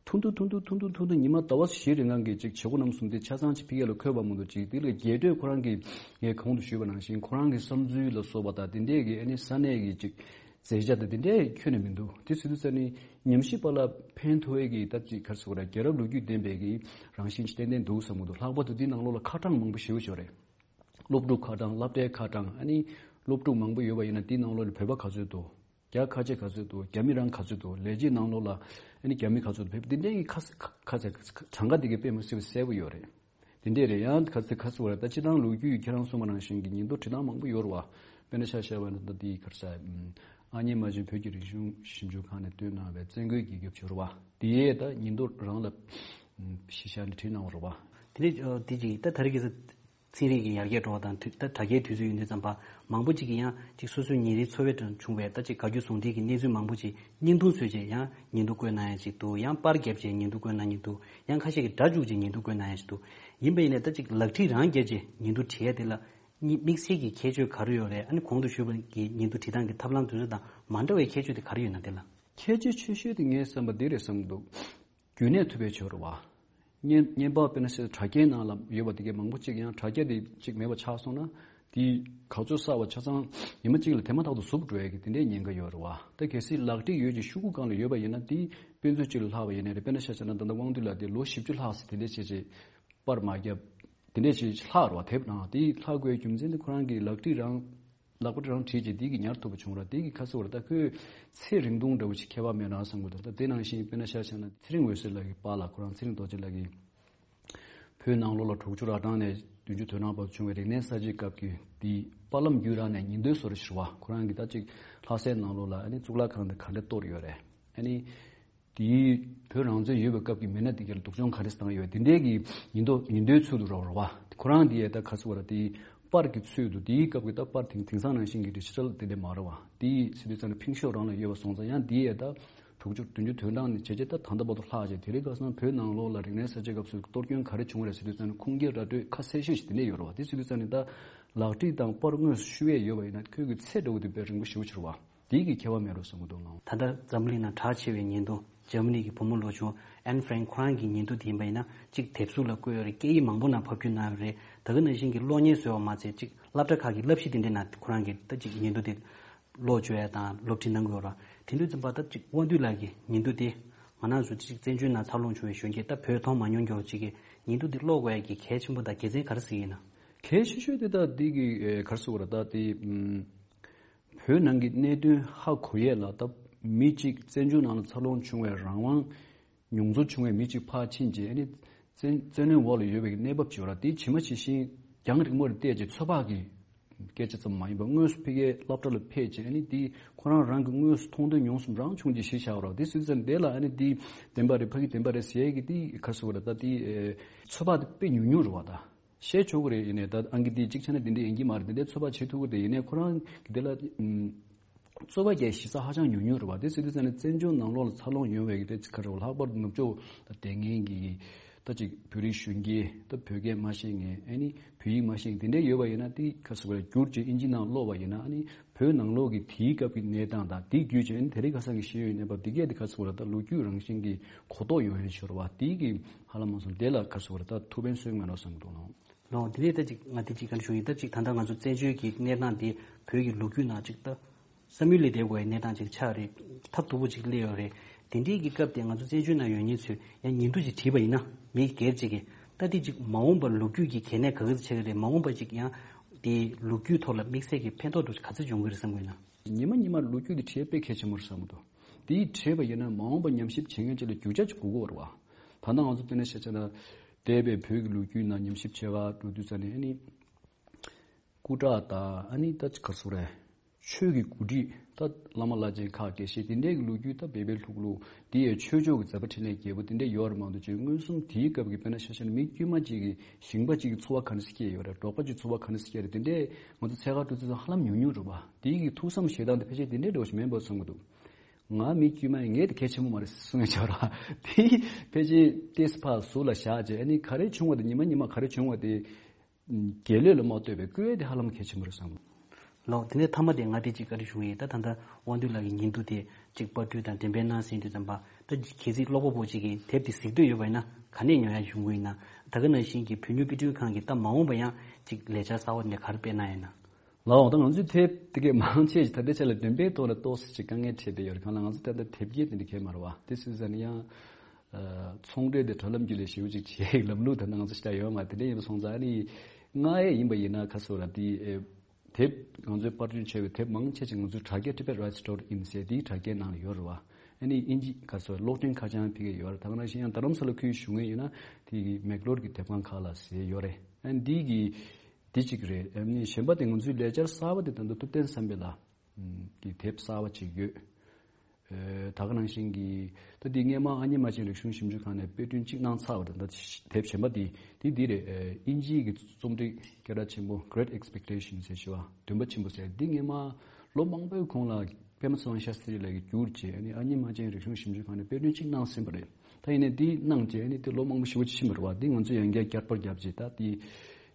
ཐུང་ཐུང་ཐུང་ཐུང་ཐུང་ཐུང་ཐུང་ཐུང་ཉི་མ་ཟླ་བ་བཞི་རིང་ལ་གི་ཅིག་བྱེད་སྒོ་རྣམ་གསུམ་དེ་ཆ་ཚང་ཅིག་ཕ་གི་ལ་འཁོད་པ་མ་གཏོགས། ཅིག་དེ་ལ་རྒྱས་སྤྲོས་ཁོ་རང་གིས་ངས་གོང་དུ་ཞུས་པ་ནང་བཞིན་ཁོ་རང་གི་བསམ་ཚུལ་ལ་སོགས་པ་དང་དེ་འདྲས་ཀྱི་ཨ་ནི་ས་གནས་ཀྱི་ཅིག་མཛད་བྱ་དང་དེ་འདྲས་ཁྱོན་ནས་མི་འདུག་དེ་ཟེར་དུས་ཙ་ནི་ཉམས་ཞིབ་པ་ལ་ཕན་ཐོགས་ཡས་ཀྱི་ད་ཅིག་ག་རེ་ཟེར་དགོས་རེད། རྒྱལ་རབས་ལོ་རྒྱུས་ལྡན་པའི་གི་རང་བཞིན་ཅིག་ཏན་ཏན་འདུག་བསམ་གྱི་འདུག་ལྷག་པར་དུ་དེའི་ནང་ལོགས་ལ་ཁ་གྲངས་མང་པོ་ཞེ་པོ་ཅིག་ཡོད་རེད། སློབ་ཕྲུག་ཁ་གྲངས། སློབ་གྲྭའི་ཁ་གྲངས། ཨ་ནི་སློབ་ཕྲུག་མང་པོ་ཡོད་པ་ཡིན་ན་དེའི་ནང་ལོགས་ལ་བོད་པ་ག་ཚོད་འདུག་རྒྱ་ཁ་ཆེ་ག་ཚོད་འདུག་རྒྱ་མི་རང་ག་ཚོད་འདུག་ལས་བྱེད་ནང་ལོགས་ལ་ཨ་ནི་རྒྱ་མི་ག་ཚོད་འདུག་བོད་པ་འདི་འདྲའི་གི་ཁ་ཁ་ཚ་གྲངས་ཀ་འདི་གའི་དཔེ་མི་སྲིད་པ་གསལ་པོ་ཡོད་རེད། འདི་འདྲས་རེད། ཡང་ག་ཚོད་ག་ཚོད་རེད། ད་སྤྱི་བཏང་ལོ་རྒྱུས་ཀྱི་ཁྱེད་རང་གསུངས་པ་ནང་བཞིན་གྱི་ཉིན་ཐོ་བྲིས་སྟངས་མང་པོ་ཡོད་རེད་བ། དཔེར་ན་ཆ་བཞག་པ་ན་ད་འདི་ག་རེ་ཟེར། ཨ་མྱེས་རྨ་ཆེན་བོད་ཀྱི་རིག་གཞུང་ཞིབ་འཇུག་ཁང་ནས་བཏོན་གནང་བའི་བཙན་རྒོལ་གྱི་རྒྱབ་ཕྱོགས་རེད་བ། དེའི་ད་ཉིན་ཐོ་རང་ལ་གཞི་བཞག་ནས་བྲིས་གནང་བ་རེད་བ། དེ་ནས་ཨ་དེ་ཅིག་ད་ད་རེས་ཀྱི་ཚན་རིག་གི་ཡར་རྒྱས་འགྲོ་བ་དང་དུས་ད་དྲ་རྒྱའི་དུས་ཚོད་ཡིན་དུས་ཙམ་པ་མང་པོ་ཅིག་གིས་ཡང་ཅིག་སོ་སོའི་ཉིན་རེའི་འཚོ་བའི་དང་བྱུང་བའི་ད་ཅིག་དགའ་སྐྱོ་ཟུང་འབྲེལ་གྱི་གནས་ཚུལ་མང་པོ་ཅིག་བརྙན་ཐུང་བཟོས་རྗེས་ཡང་ཉིན་ཐོ་བཀོད་གནང་ཡ་ཅིག་འདུག་ཡང་པར་བརྒྱབ་རྗེས་ཉིན་ཐོ་བཀོད་གནང་མཁན་འདུག་ཡང་ཁ་ཤས་ཀྱིས་སྒྲ་བཅུག་རྗེས་ཉིན་ཐོ་བཀོད་གནང་ཡ་ཅིག་འདུག་ཡིན་པ་ཡིན་ནའི་ད་ཅིག་ལག་བྲིས་རང་བརྒྱབ་རྗེས་ཉིན་ཐོ་བྲིས་ཡ་དེ་ལ་དམིགས་བསལ་གྱི་ཁྱད་ཆོས་ག་རེ་ཡོད་རེད། ཨ་ནི་གོང་དུ་ཞུས་པ་གི་ཉིན་ཐོ་བྲིས་སྟངས་ཀྱི་ཐབས་ལམ་དེ་ཚོ་དང་མ་འདྲ་བའི་ཁྱད་ཆོས་དེ་ག་རེ་ཡོད་ན་དེ་ལ། ཁྱད་ཆོས་ཆེ་ཤོས་དེ་ངས་བསམ་པ་འདི་རེད་བསམ་གྱི་འདུག་རྒྱུན་གནས་ཐུབ་པའི་ཕྱོགས་རེད་བ། བརྙན་བརྙན་པར་དཔེར་ན་ཆ་དྲ་རྒྱའི་ནང་ལ་ཡོད་པ་དེ་གའི་མང་པོ་གཅིག་ཡང་དྲ་རྒྱ་དེ་གཅིག་མེད་པ་ཆགས་སོང་ན་དེ་ག་ཚོད་གསར་བ་ཆ་ཚང་ཉི་མ་གཅིག་ལ་དེ་མ་ཐག་ཏུ་ཟུག་འགྲོ་ཡ་གི་དེ་འདྲའི་ཉེན་ཁ་ཡོད་རེད་བ། ད་གལ་སྲིད་ལག་བྲིས་ཡོད་ཀྱི་ཤོག་གུ་སྒང་ལ་ཡོད་པ་ཡིན་ན་དེ་དཔེ་མཛོད་གཅིག་ལ་ལྷག་པ་ཡིན་ནའི་རེད། དཔེར་ན་ཆ་བཞག་ན་ད་ལྟ་དབང་འདུས་ལགས་དེ་ལོ་བཞི་བཅུ་ལྷག་ཙམ་དེ་འདྲའི་བྱས་རྗེས་པར་མ་བརྒྱབ། དེ་འདྲས་ཞིག་ལྷག་རེད་བ། དེབ་ནང་དེ་ལྷག་དགོས་རྒྱུ་མཚན་དེ་ཁོ་རང་གིས་ལག་བྲིས་རང་ལག་པ་རང་བྲིས་རྗེས་དེ་གི་ཉར་ཐུབ་པ་བྱུང་ར། དེ་གི་ཁ་གསོ་ར། ད་ཁོས་ཚེ་རིང་ཐུང་འདྲ་བོ་ཞིག་ཁྱད་པར་མེད་རང་བསམ་གྱི་འདུག་ད་དེ་ནང་བཞིན་དཔེར་ན་ཆ་བཞག་ན་ཚེ་རིང་འོད་ཟེར་ལགས་ཀྱི་པཱ་ལགས། ཁོ་རང་ཚེ་རིང་རྡོ་རྗེ་ལགས་ཀྱིས་བོད་ནང་ལོགས་ལ་དྲུག་ཅུ་རེ་གྲངས་ནས་བདུན་ཅུ་དོན་གྲངས་བར་བྱུང་བའི་རིག་གནས་གསར་བརྗེའི་སྐབས་ཀྱི་དེ་པར་ལམ་བརྒྱུད་རང་ནས་ཉིན་ཐོའི་བཟོ་འདྲ་ཞིག་རེད་བ། ཁོ་རང་གིས་ད་ཅིག་ལྷ་སའི་ནང་ལོགས་ལ་ཨ་ནི་གཙུག་ལག་ཁང་དེ་ག་འདྲ་གཏོར་ཡོད་རེད། ཨ་ནི། དེའི་བོད་རང་བཙན་ཡོད་པའི་སྐབས་ཀྱི་མི་སྣ་དེ་གར་སྡུག་སྦྱོང་ག་རེ་བཏང་ཡོད་དེ་འདྲའི་གི་ཉིན་ཐོ་ཉིན་ཐོའི་ཚུལ་དུ་རོགས་རོགས་བ། ཁོ་རང་དེ་ཡས་ད་ག་ཚོད་བར་དེའི་པར་གྱི་ཚུལ་དུ། དེའི་སྐབས་ཀྱི་ད་པར་དེང་དེང་སང་ནང་བཞིན་གྱི་ཌི་ཇི་ཊལ་དེ་འདྲ་མ་རེད་བ། དེའི་ཟེར་དུས་ཙམ་ནས་ཕིང་ཤོག་རང་ལ་ཡོད་པ་སོང་ཙང་ཡང་དེ་ཡས་ད་དྲུག་ཅུ་བདུན་ཅུ་དོན་གྲངས་ནས་བྱས་རྗེས་ད་ད་ལྟ་བར་དུ་ལྷག་བྱས། དེ་རིང་ཁ་སང་བོད་ནང་ལོགས་ལ་རིག་གནས་གསར་བརྗེ་སྐབས་སུ་གཏོར་སྐྱོན་ག་རེ་བྱུང་བ་རེད་ཟེར་དུས་ཙམ་ནས་ཁུངས་སྐྱེལ་ར་སྤྲོད་ཁ་གསལ་ཤོས་ཤིག་དེ་འདྲ་ཡོད་རེད་བ། དེ་ཟེར་དུས་ཙམ་ནས་ད་ལག་བྲིས་དང་པར་དངོས་སུ་ཤུལ་བས་ཡོད་པ་ཡིན་ན་ཁོས་གི་ཚད་འདྲ་བོ་དེ་དཔེ་རིང་པོ་ཞེ་པོ་ཅིག་རེད་བ། དེའི་གི་ཁྱད་པར་མེད་རོ་བསམ་གྱི་འདུག་ལགས། ད་ལྟ་འཛམ་གླིང་ནང་གྲགས་ཆེ་བའི་ཉིན་ཐོ་འཇར་མ་ནི་གི་བུ་མོ་ལོ་ཆུང་ཨན་ཧྥ་རན་ཁོ་རང་གི་ཉིན་ཐོ་དེ་ཡིན་པ་ཡིན་ན་གཅིག་དེབ་གཟུགས་ལ་བཀོད་ཡོད་རེད། སྐད་ཡིག་མང་པོ་ནང་ཕབ་བསྒྱུར་གནང་ཡོད་རེད། ད་ག་ནང་བཞིན་གྱི་གློག་བརྙན་བཟོས་པ་མ་ཚད་གཅིག་སློབ་གྲྭ་ཁག་གི་བསླབ་གཞི་དེ་འདྲའི་ནང་ཁོ་རང་གིས་ད་གཅིག་ཉིན་ཐོ་དེ་ཀློག་བཅུག་ཡ་དང་སློབ་ཁྲིད་གནང་གི་ཡོད་རེད། དེ་དུས་ཙམ་པ་ད་གཅིག་དབང་འདུས་ལགས་ཀྱི་ཉིན་ཐོ་དེ་ང་རང་ཚོ་གཅིག་བཙན་བྱོལ་ནང་འཚར་ལོངས་བྱུང་བའི་གཞོན་སྐྱེས་ད་བོད་མཐོང་མ་མྱོང་མཁན་གཅིག་གིས་ཉིན་ཐོ་དེ་ཀློག་དགོས་ཡ་གི་གལ་ཆེན་པོ་དང་དགེ་མཚན་ག་རེ་གཟིགས་ཡིན་ན། གལ་ཆེ་ཤོས་དེ་ད་འདི་གི་ཨེ་ག་རེ་ཟེར་དགོས་རེད། ད་དེ་ཨམ། བོད་ནང་གི་གནད་དོན་ཧ་གོ་ཡས་ལ་ད་མི་གཅིག་བཙན་བྱོལ་ནང་ལ་འཚར་ལོངས་བྱུང་བའི་རང་དབང་མྱོང་ཚོར་བྱུང་བའི་མི་གཅིག་ཕར་ཕྱིན་རྗེས་ཨ་ནི་བཙན་བཙན་གནོན་འོག་ལ་ཡོད་པའི་གནས་བབ་ཅིག་ཡོད་ར། དེ་ཇི་མ་ཇི་བཞིན་རྒྱང་རིང་མོ་ལ་བལྟས་རྗེས་ཚོད་དཔག་གི་སྐད་ཆ་ཙམ་མ་ཡིན་པར་དངོས་སུ་ཕ་གིའི་སློབ་གྲྭ་ལ་ཕེབས་རྗེས་ཨ་ནི་དེ་ཁོ་རང་རང་གི་དངོས་སུ་མཐོང་ཐོས་མྱོང་གསུམ་རང་བྱུང་རྗེས་གཞི་བཞག་པ་ར། དེ་སྲིད་ཙམ་དེ་ལ་ཨ་ནི་དེ་བདེན་པ་རེད་ཕ་གི་བདེན་པ་རེད་ཟེར་ཡས་ཀྱི་དེ་ག་རེ་ཟེར་དགོས་རེད། ད་དེ་ཚོད་དཔག་དེ་དཔེ་ཉུང་ཉུང་རེད་བ། ད། བཤད་ཆོག་གི་རེད། ཡིན་ནའི་ད་ཨང་ཀི་འདི་གཅིག་ཆ་ནས་འདི་འདྲ་ཡིན་གྱི་མ་རེད། འདི་འདྲའི་ཚོད་དཔག་བྱེད་ཐུབ་ཀྱི་རེད། ཡིན་ནའི་ཁོ་རང་གི་དེ་ལ་ཨམ། རྩོད་པ་རྒྱག་གཞི་རྩ་ཧ་ཅང་ཉུང་ཉུང་རེད་བ། དེ་ཟེར་དུས་ཙམ་ནས་བཙན་བྱོལ་ནང་ལོགས་ལ་འཚར་ལོངས་ཡོང་བའི་གི་དེ་ཚིག་ཁ་རེད་བ། ལྷག་པར་དུ་ནུབ་ཕྱོགས་ལ་བསྡད་མཁན་གྱི་ད་ཅིག་བོད་རིགས་གཞོན་སྐྱེས་ད་བོད་སྐད་མ་ཤེས་མཁན་ཨ་ནི་བོད་ཡིག་མ་ཤེས་མཁན་དེ་འདྲ་ཡོད་པ་ཡིན་ན། དེ་ག་ཟེར་བ་རེད། བསྒྱུར་རྗེས་ཨིན་ཇི་ནང་ཀློག་པ་ཡིན་ན་ཨ་ནི་བོད་ནང་ལོགས་ཀྱི་དེའི་སྐབས་ཀྱི་གནས་སྟངས་དང་དེ་བརྒྱུད་བྱས་ཨ་ནི་དེ་རིང་ཁ་སང་གི་ཤེས་ཡོན་གནས་བབ་འདི་གས་དེ་ག་ཟེར་བ་རེད། ད་ལོ་རྒྱུས་རང་བཞིན་གྱི་གོ་རྟོགས་ཡོང་ཡ་ཞིག་རེད་བ། དེའི་གི་ཧ་ལམ་མ་སོང་དེ་ལ་ག་ཟེར་བ་རེད། ད་ཐུགས་ཕན་གསོས་མེད་ནོ་བསམ་འདུག་ལགས། ལོ། དེ་ནས་ད་ཅིག་ང་དེ་ཅིག་ག་རེ་ཞུ་ཡིན། ད་ཅིག་ད་ལྟ་ང་ཚོ་བཙན་བྱོལ་གྱི་གནས་སྟངས་དེ་བོད་ཀྱི་ལོ་རྒྱུས་ནང་ཅིག་ད་བསམ་ཡུལ་ལས་འདས་དགོས་པའི་གནས་སྟངས་ཅིག་ཆགས་རེད། ཐབས་སྡུག་པོ་ཅིག་སླེབས་ཡོད་རེད། དེ་འདྲའི་གི་སྐབས་དེ་ང་ཚོ་བཙན་བྱོལ་ནང་ཡོད་མཁན་ཚོས་ཡང་ཉིན་ཐོ་ཅིག་བྲིས་པ་ཡིན་ན་མི་སྒེར་ཅིག་གིས་ད་དེ་ཅིག་མ་འོངས་པར་ལོ་རྒྱུས་ཀྱི་གལ་གནད་ག་ག་ཚོད་ཆགས་ཀྱི་རེད། མ་འོངས་པར་ཅིག་ཡང་དེ་ལོ་རྒྱུས་ཐོག་ལ་དམིགས་བསལ་གྱི་ཕན་ཐོགས་འདྲ་ག་ཚོད་འབྱུང་གི་རེད་བསམ་གྱི་ཡོད་ན། ཉི་མ་ཉི་མར་ལོ་རྒྱུས་དེ་བྲིས་དཔེ་གལ་ཆེན་པོ་རེད་བསམ་གྱི་འདུག་དེ་བྲིས་པ་ཡིན་ན་མ་འོངས་པ་ཉམས་ཞིབ་བྱེད་མཁན་ཅིག་ལ་རྒྱུ་ཆ་ཅིག་དགོས་ཀྱི་ཡོད་རེད་བ། ད་ལྟ་ང་ཚོ་དེ་ནས་བཤད་བྱས་ན། འདས་པའི་བོད་ཀྱི་ལོ་རྒྱུས་ནང་ཉམས་ཞིབ་བྱེད་ག་འགྲོ་དུས་ཙ་ནས་ཨ་ནི། སྐུ་དྲག་དང་ཨ་ནི་ད་ག་སོ་རེད། ཆོས་ཀྱི་འགོ་ཁྲིད་ད་བླ་མ་བླ་ཆེན་ཁག་དགེ་བཤེས་དེ་འདྲས་ཀྱི་ལོ་རྒྱུས་ད་བོད་པའི་ལྷུག་ལྷུག་དེ་ཡང་ཆོས་ཕྱོགས་ཀྱི་མཛད་པ་འཕྲིན་ལས་རྒྱས་པོ་དེ་འདྲས་ཡོད་རེད་མ་གཏོགས་ཅིག་མངོན་སུམ་དེའི་སྐབས་ཀྱི་དཔེར་ན་ཤ་ཤ་ནི་མི་དཀྱུས་མ་གཅིག་གི་ཞིང་པ་གཅིག་གི་འཚོ་བ་ག་འདྲ་སེ་སྐྱེལ་ཡོད་རེད། འབྲོག་པ་གཅིག་འཚོ་བ་ག་འདྲ་སེ་སྐྱེལ་རེད། དེ་འདྲས་ང་ཚོ་འཚོལ་ག་འགྲོ་དུས་ཙང་ཧ་ལམ་ཉུང་ཉུང་རེད་པ། དེའི་གི་ཐུགས་བསམ་བཞེས་སྟངས་དེ་ཕལ་ཆེར་དེ་འདྲས་འདྲ་བོ་ཞིག་མིན་པ་བསམ་གྱི་འདུག་ང་མི་དཀྱུས་མ་ཡིན། ངས་དེ་གལ་ཆེན་པོ་མ་རེད་གསུང་ཡ་ཆོག་ར། དེ་ཕལ་ཆེར་ཏེས་ཕར་ཟུར་ལ་བཞག་བྱས་ཨ་ནི་ག་རེ་བྱུང་བ་དེ་ཉི་མ་ཉི་མ་ག་རེ་བྱུང་བ་དེ། རྒྱལ་ལོས་ལ་མ་ལྟོས་པའི་བཀོད་དེ་ཧ་ལམ་གལ་ཆེན་པོ་རེད་བསམ། ལགས། དེ་ནས་མཐའ་མ་དེ་ང་དེ་གཅིག་བཀའ་འདྲི་ཞུ་གི་ཡིན། ད་ད་ལྟ་དབང་འདུས་ལགས་ཀྱི་ཉིན་ཐོ་དེ་གཅིག་པར་སྐྲུན་དང་འགྲེམས་སྤེལ་གནང་ཟིན་དུས་ཙམ་པ་ད་གལ་སྲིད་ཀློག་པ་པོ་གཅིག་གིས་དེབ་དེ་གཟིགས་འདོད་ཡོད་པ་ཡིན་ན་ག་ནས་ཉོ་ཡ་ཡོང་གི་ཡིན་ན། ད་ག་ནང་བཞིན་གྱི་བོད་མྱུར་དཔེ་སྐྲུན་ཁང་གིས་ད་མ་འོངས་པ་ཡང་གཅིག་ལས་འཆར་གསར་བ་དེ་ག་རེ་སྤེལ་གནང་ཡིན་ན། ལགས། ད་ང་ཚོའི་དེབ་དེ་གའི་མང་ཆེ་ཞིག་ད་ལྟའི་ཆ་ལ་འགྲེམས་སྤེལ་ཐོག་ལ་ཏོག་ཙམ་ཅིག་དཀའ་ངལ་འཕྲད་བསྡད་ཡོད་རེད། གང་ལ་ང་ཚོ་ད་ལྟ་དེབ་སྐྱེལ་དེ་འདྲ་གས་མ་རེད་བ། དེ་སྲིད་ས་ནས་ཡང་། ཚོང་འབྲེལ་དེ་དྲ་ལམ་བརྒྱུད་ལས་ཞེ་པོ་ཅིག་བྱེད་ལམ་ལུགས་ད་ང་ཚོ་ཞེ་དྲག་ཡོད་མ་རེད། དེ་འདྲ་ཡིན་པ་སོང་ཙང་ཨ་ནི་ང་ཡས་ཡིན་པ་ཡིན་ན་ཁ་སོ་ར་དེ་དེབ་ང་ཚོའི་པར་སྐྲུན་བྱས་པའི་དེབ་མང་ཆེ་ཆེ་ང་ཚོའི་དྲ་རྒྱ་Tibet Rights dot in ཟེར་དེའི་དྲ་རྒྱའི་ནང་ལ་ཡོད་རེད་བ། ཨ་ནི་ཨིན་ཇི་ཁ་སོ་གློག་འཕྲིན་ཁ་བྱང་ཕ་གིར་ཡོད་རེད། ད་ག་ནང་བཞིན་ཡང་རྡ་རམ་ས་ལ་ཁུལ་བཞུགས་མཁན་ཡིན་ན་དེ་གི་མེག་ལོར་གྱི་དེབ་ཁང་ཁག་ལ་ཟེར་ཡོད་རེད། ཨ་ནི་དེ་གི་དེ་གཅིག་རེད། ཨ་ནི་གཞན་པ་དེ་ང་ཚོའི་ལས་འཆར་གསར་པ་དེ་ད་ལྟ་ཐུབ་བསྟན་བསམ་འཕེལ་ལགས་ཀྱི་དེབ་གསར་པ་ཅིག་ཡོད། ཨེ། ད་ག་ནང་བཞིན་གྱི་ད་འདི་སྔས་མ་ཨ་མྱེས་རྨ་ཆེན་རིག་གཞུང་ཞིབ་འཇུག་ཁང་ནས་དཔེ་སྐྲུན་གཅིག་གནང་ཚར་བ་དང་ད་དེབ་གཞན་པ་འདི་འདི་འདི་རེད། ཨེ། དབྱིན་ཇིའི་གི་རྩོམ་སྒྲིག་སྐད་གྲགས་ཆེན་པོ་Great Expectations ཟེར་ཞུ་བ་འདུན་པ་ཆེན་པོ་ཟེར་འདི་སྔས་མ་ལོ་མང་པོའི་གོང་ལ་པདྨ་ཚེ་དབང་ཤཱསྟྲི་ལགས་ཀྱིས་བསྒྱུར་བྱས་ཨ་ནི་ཨ་མྱེས་རྨ་ཆེན་རིག་གཞུང་ཞིབ་འཇུག་ཁང་ནས་དཔེ་སྐྲུན་གཅིག་གནང་ཟིན་པ་རེད། ད་ཡིན་ནའི་འདི་གནང་བྱས་ཨ་ནི་འདི་ལོ་མང་པོ་ཞེ་པོ་ཅིག་ཕྱིན་པ་རེད་བ། འདི་ང་ཚོས་ཡང་བསྐྱར་བསྐྱར་བརྒྱབ་བྱས་ད་འདི་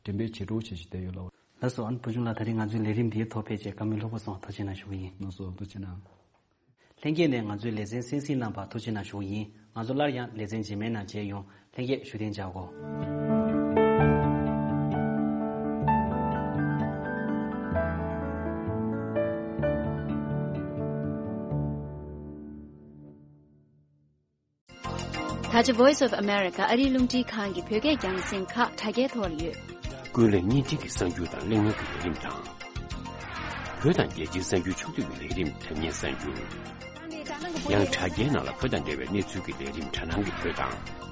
འགྲེམས་སྤེལ་བྱེད་རོགས་བྱེད་ཅིག་བསྡད་ཡོད་ལ། ལགས་སོ། ཨ་ནི་བུ་ཆུང་ལགས་ད་རེས་ང་ཚོའི་ལས་རིམ་འདིའི་ཐོག་ཕེབས་བྱས་བཀའ་མོལ་ལྷུག་པོ་གསུངས་ཐུགས་རྗེ་གནང་ཞུ་གི་ཡིན། ལགས་སོ་ཐུགས་རྗེ་གནང་། ལྷན་རྒྱས་ནས་ང་ཚོའི་ལེ་ཚན་གསན་གཟིགས་གནང་བར་ཐུགས་རྗེ་གནང་ཞུ་གི་ཡིན། ང་ཚོ་སླར་ཡང་ལེ་ཚན་རྗེས་མའི་ནང་མཇལ་ཡོང་། ལྷན་རྒྱས་བཞུགས་གདན་འཇགས་དགོས། ད་ཆ་Voice of America ཨ་རིའི་རླུང་འཕྲིན་ཁང་གི་བོད་སྐད་རྒྱང་སྲིང་ཁག་དྲ་རྒྱའི་ཐོག་ལ་ཡོད། ཀུན་གླེང་བརྙན་འཕྲིན་གྱི་གསར་འགྱུར་དང་གླེང་མོལ་གྱི་ལས་རིམ་དང་། བོད་དང་རྒྱལ་སྤྱིའི་གསར་འགྱུར་ཕྱོགས་བསྡུས་ཀྱི་ལས་རིམ་དྲ་བརྙན་གསར་འགྱུར། ཡང་དྲ་རྒྱའི་ནང་ལ་བོད་དང་འབྲེལ་བའི་གནས་ཚུལ་གྱི་ལས་རིམ་དྲ་སྣང་གི་བོད་དང་།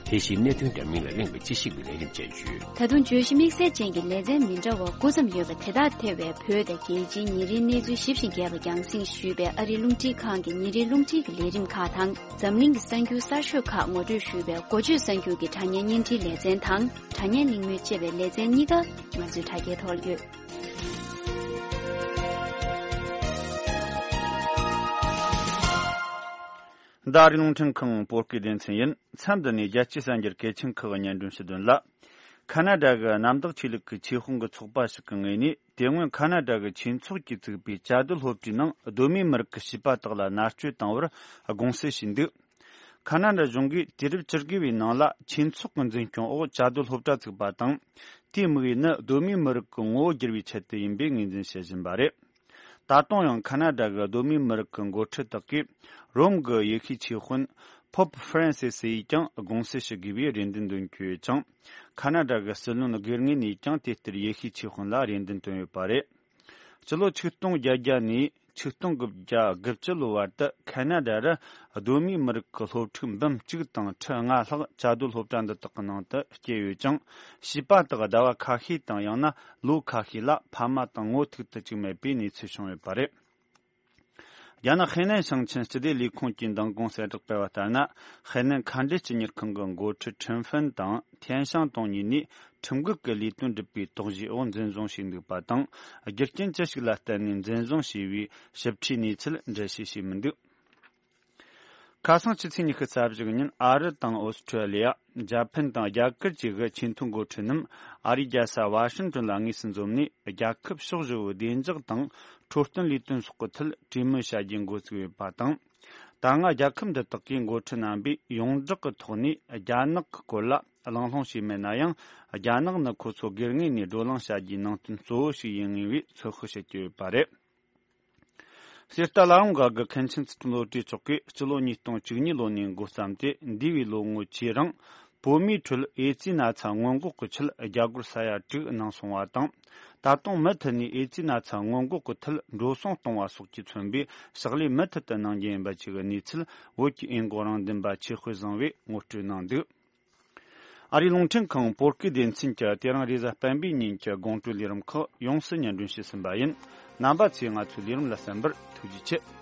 དེ་བཞིན་གནད་དོན་འདྲ་མིན་ལ་གླེང་བའི་དཔྱད་ཞིབ་ཀྱི་ལས་རིམ་བཅས་ཡོད། ད་དུང་བརྗོད་གཞི་དམིགས་བསལ་ཅན་གྱི་ལེ་ཚན་མི་འདྲ་བ་དགུ་ཙམ་ཡོད་པ་དེ་དག་ཐེ་བའི་བོད་དང་རྒྱལ་སྤྱིའི་ཉིན་རེའི་གནས་ཚུལ་ཞིབ་ཅིང་རྒྱས་པ་རྒྱང་སྲིང་ཞུས་པའི་ཨ་རིའི་རླུང་འཕྲིན་ཁང་གི་ཉིན་རེའི་རླུང་འཕྲིན་གྱི་ལས་རིམ་ཁག་དང་། འཛམ་གླིང་གི་གསར་འགྱུར་གསར་ཤོས་ཁག་ངོ་སྤྲོད་ཞུས་པའི་འགོ་བརྗོད་གསར་འགྱུར་གྱི་དྲ་བརྙན་བརྙན་འཕྲིན་ལེ་ཚན་དང་། དྲ་བརྙན་གླེང་མོལ་ཅེས་པའི་ལེ་ཚན་གཉིས་ཀ་ང་ཚོའི་དྲ་རྒྱའི་ཐོག་ཡོད། འདི་ཨ་རིའི་རླུང་འཕྲིན་ཁང་བོད་སྐད་སྡེ་ཚན་ཡིན། མཚམས་འདི་ནས་རྒྱལ་སྤྱིའི་གསར་འགྱུར་གལ་ཆེན་ཁག་སྙན་སྒྲོན་ཞུ་དོན་ལ། ཁ་ན་ཌ་གི་གནམ་བདག་ཆོས་ལུགས་ཀྱི་ཆོས་དཔོན་གྱི་ཚོགས་པ་ཞིག་གི་ངོས་ནས། དེ་སྔོན་ཁ་ན་ཌ་གི་ཆོས་ཚོགས་ཀྱིས་བཙུགས་པའི་བཅའ་སྡོད་སློབ་གྲྭའི་ནང་གདོད་མའི་མི་རིགས་ཀྱི་བྱིས་པ་དག་ལ་མནར་གཅོད་བཏང་བར་དགོངས་སེལ་ཞུས་འདུག་ཁ་ན་ཌ་གཞུང་གིས་དུས་རབས་བཅུ་དགུ་བའི་ནང་ལ་ཆོས་ཚོགས་ཀྱི་འཛིན་སྐྱོང་འོག་བཅའ་སྡོད་སློབ་གྲྭ་བཙུགས་པ་དང་། དེའི་དམིགས་ཡུལ་ནི་གདོད་མའི་མི་རིགས་ཀྱི་ངོ་བོ་བསྒྱུར་བའི་ཆེད་དུ་ཡིན་པའི་ངོས་འཛིན་བྱེད་བཞིན་པ་རེད། ད་དུང་ཡང་ཁ་ན་ཌ་གི་གདོད་མའི་མི་རིགས་ཀྱི་འགོ་ཁྲིད་དག་གིས་རོམ་གྱི་ཡེ་ཤུའི་ཆོས་དཔོན་Pope Francis ཡིས་ཀྱང་དགོངས་སེལ་ཞུ་དགོས་པའི་རེ་འདུན་འདོན་གྱི་ཡོད་ཅིང་། ཁ་ན་ཌ་གི་སྲིད་བློན་སྒེར་ངོས་ནས་ཀྱང་དེ་ལྟར་ཡེ་ཤུའི་ཆོས་དཔོན་ལ་རེ་འདུན་བཏོན་ཡོད་པ་རེད། སྤྱི་ལོ་ཆིག་སྟོང་བརྒྱད་བརྒྱ་ནས་ཆིག་སྟོང་དགུ་བརྒྱ་དགུ་བཅུ་ལོའི་བར་དུ་ཁ་ན་ཌ་རུ་གདོད་མའི་མི་རིགས་ཀྱི་སློབ་ཕྲུག་འབུམ་གཅིག་དང་ཁྲི་ལྔ་ལྷག་བཅའ་སྡོད་སློབ་གྲྭ་འདི་དག་གི་ནང་དུ་སྐྱེས་ཡོད་ཅིང་། བྱིས་པ་དག་ཟླ་བ་ཁ་ཤས་དང་ཡང་ན་ལོ་ཁ་ཤས་ལ་ཕ་མ་དང་ངོ་ཐུག་ཏུ་བཅུག་མེད་པའི་གནས་ཚུལ་བྱུང་ཡོད་པ་རེད། རྒྱ་ནག་ཧེ་ནན་ཞིང་ཆེན་སྤྱི་བདེ་ལས་ཁུངས་ཀྱིས་འདིང་དགོངས་གསལ་བསྒྲགས་སྤེལ་བ་ལྟར་ན། ཧེ་ནན་མཁའ་འགྲུལ་སྤྱི་གཉེར་ཁང་གི་འགོ་ཁྲིད་ཁྲིན་ཧྥིན་དང་ཐན་ཤང་ཏུང་གཉིས་ནས་ཁྲིམས་འགལ་གྱི་ལས་དོན་སྒྲུབ་པའི་དོགས་གཞིའི་འོག་འཛིན་བཟུང་བྱས་འདུག་པ་དང་། རྒྱུ་རྐྱེན་ཅི་ཞིག་ལ་བརྟེན་ནས་འཛིན་བཟུང་བྱས་པའི་ཞིབ་ཕྲའི་གནས་ཚུལ་འགྲེལ་བཤད་བྱས་མི་འདུག་ཁ་སང་ཕྱི་ཚེས་ཉི་ཤུ་རྩ་བཞི་ཉིན་ཨ་རི་དང་ཨོ་སི་ཁྲུ་ལི་ཡ། འཇར་པན་དང་རྒྱ་གར་བཅས་ཀྱི་ཆེས་མཐོའི་འགོ་ཁྲིད་རྣམས་ཨ་རིའི་རྒྱལ་ས་ཝ་ཤིང་ཏོན་ལ་དངོས་སུ་འཛོམས་ནས། རྒྱལ་ཁབ་ཕྱོགས་བཞི་བོའི་བདེ་འཇགས་དང་འཕྲོད་བསྟེན་ལས་དོན་སོགས་ཀྱི་ཐད་གྲོས་མོལ་བྱ་རྒྱུའི་འགོ་བཙུགས་ཡོད་པ་དང་། ད་སྔ་རྒྱལ་ཁབ་འདི་དག་གི་འགོ་ཁྲིད་རྣམ་པས་ཡོངས་གྲགས་ཀྱི་ཐོག་ནས་རྒྱ་ནག་གི་སྐོར་ལ་གླེང་སློང་བྱས་མེད་ན་ཡང་། རྒྱ་ནག་ནི་ཁོ་ཚོ་སྒེར་ངོས་ནས་བགྲོ་གླེང་བྱ་རྒྱུའི་ནང་དོན་གཙོ་བོ་ཞིག་ཡིན་ངེས་པའི་ཚོད་དཔག་བྱེད་ཀྱི་ཡོད་པ་རེད། གསེར་རྟ་བླ་བྲང་སྒར་གྱི་མཁན་ཆེན་ཚུལ་ཁྲིམས་བློ་གྲོས་མཆོག་གིས་སྤྱི་ལོ་ཉིས་སྟོང་བཅུ་གཉིས་ལོ་ནས་འགོ་བརྩམས་ཏེ། འདས་པའི་ལོ་ངོ་བཅུའི་རིང་བོད་མིའི་ཁྲོད་ཨེ་ཙི་ན་ཚ་སྔོན་འགོག་གི་ཆེད་རྒྱ་སྒོར་ས་ཡ་དྲུག་གནང་སོང་བ་དང་། ད་དུང་མུ་མཐུད་ནས་ཨེ་ཙི་ན་ཚ་སྔོན་འགོག་གི་ཐད་འགྲོ་སོང་གཏོང་བ་སོགས་ཀྱིས་མཚོན་པའི་ཕྱག་ལས་མུ་མཐུད་དུ་གནང་རྒྱུ་ཡིན་པ་བཅས་ཀྱི་གནས་ཚུལ་བོད་ཀྱི་ཨེ་འགོག་རང་བདེན་པ་ཆོས་དཔལ་བཟང་བས་ངོ་སྤྲོད་གནང་འདུག་ཨ་རིའི་རླུང་འཕྲིན་ཁང་བོད་སྐད་སྡེ་ཚན་གྱིས་དེ་རིང་རེས་གཟའ་སྤེན་པའི་ཉིན་གྱི་དགོང་དྲོའི་ལས་རིམ་ཁག་ཡོངས་སུ་སྙན་སྒྲོན་ཞུས་ཟིན་པ་ཡིན། རྣམ་པ་ཚོས་ང་ཚོའི་ལས་རིམ་ལ་གསན་པར་ཐུགས་རྗེ་ཆེ།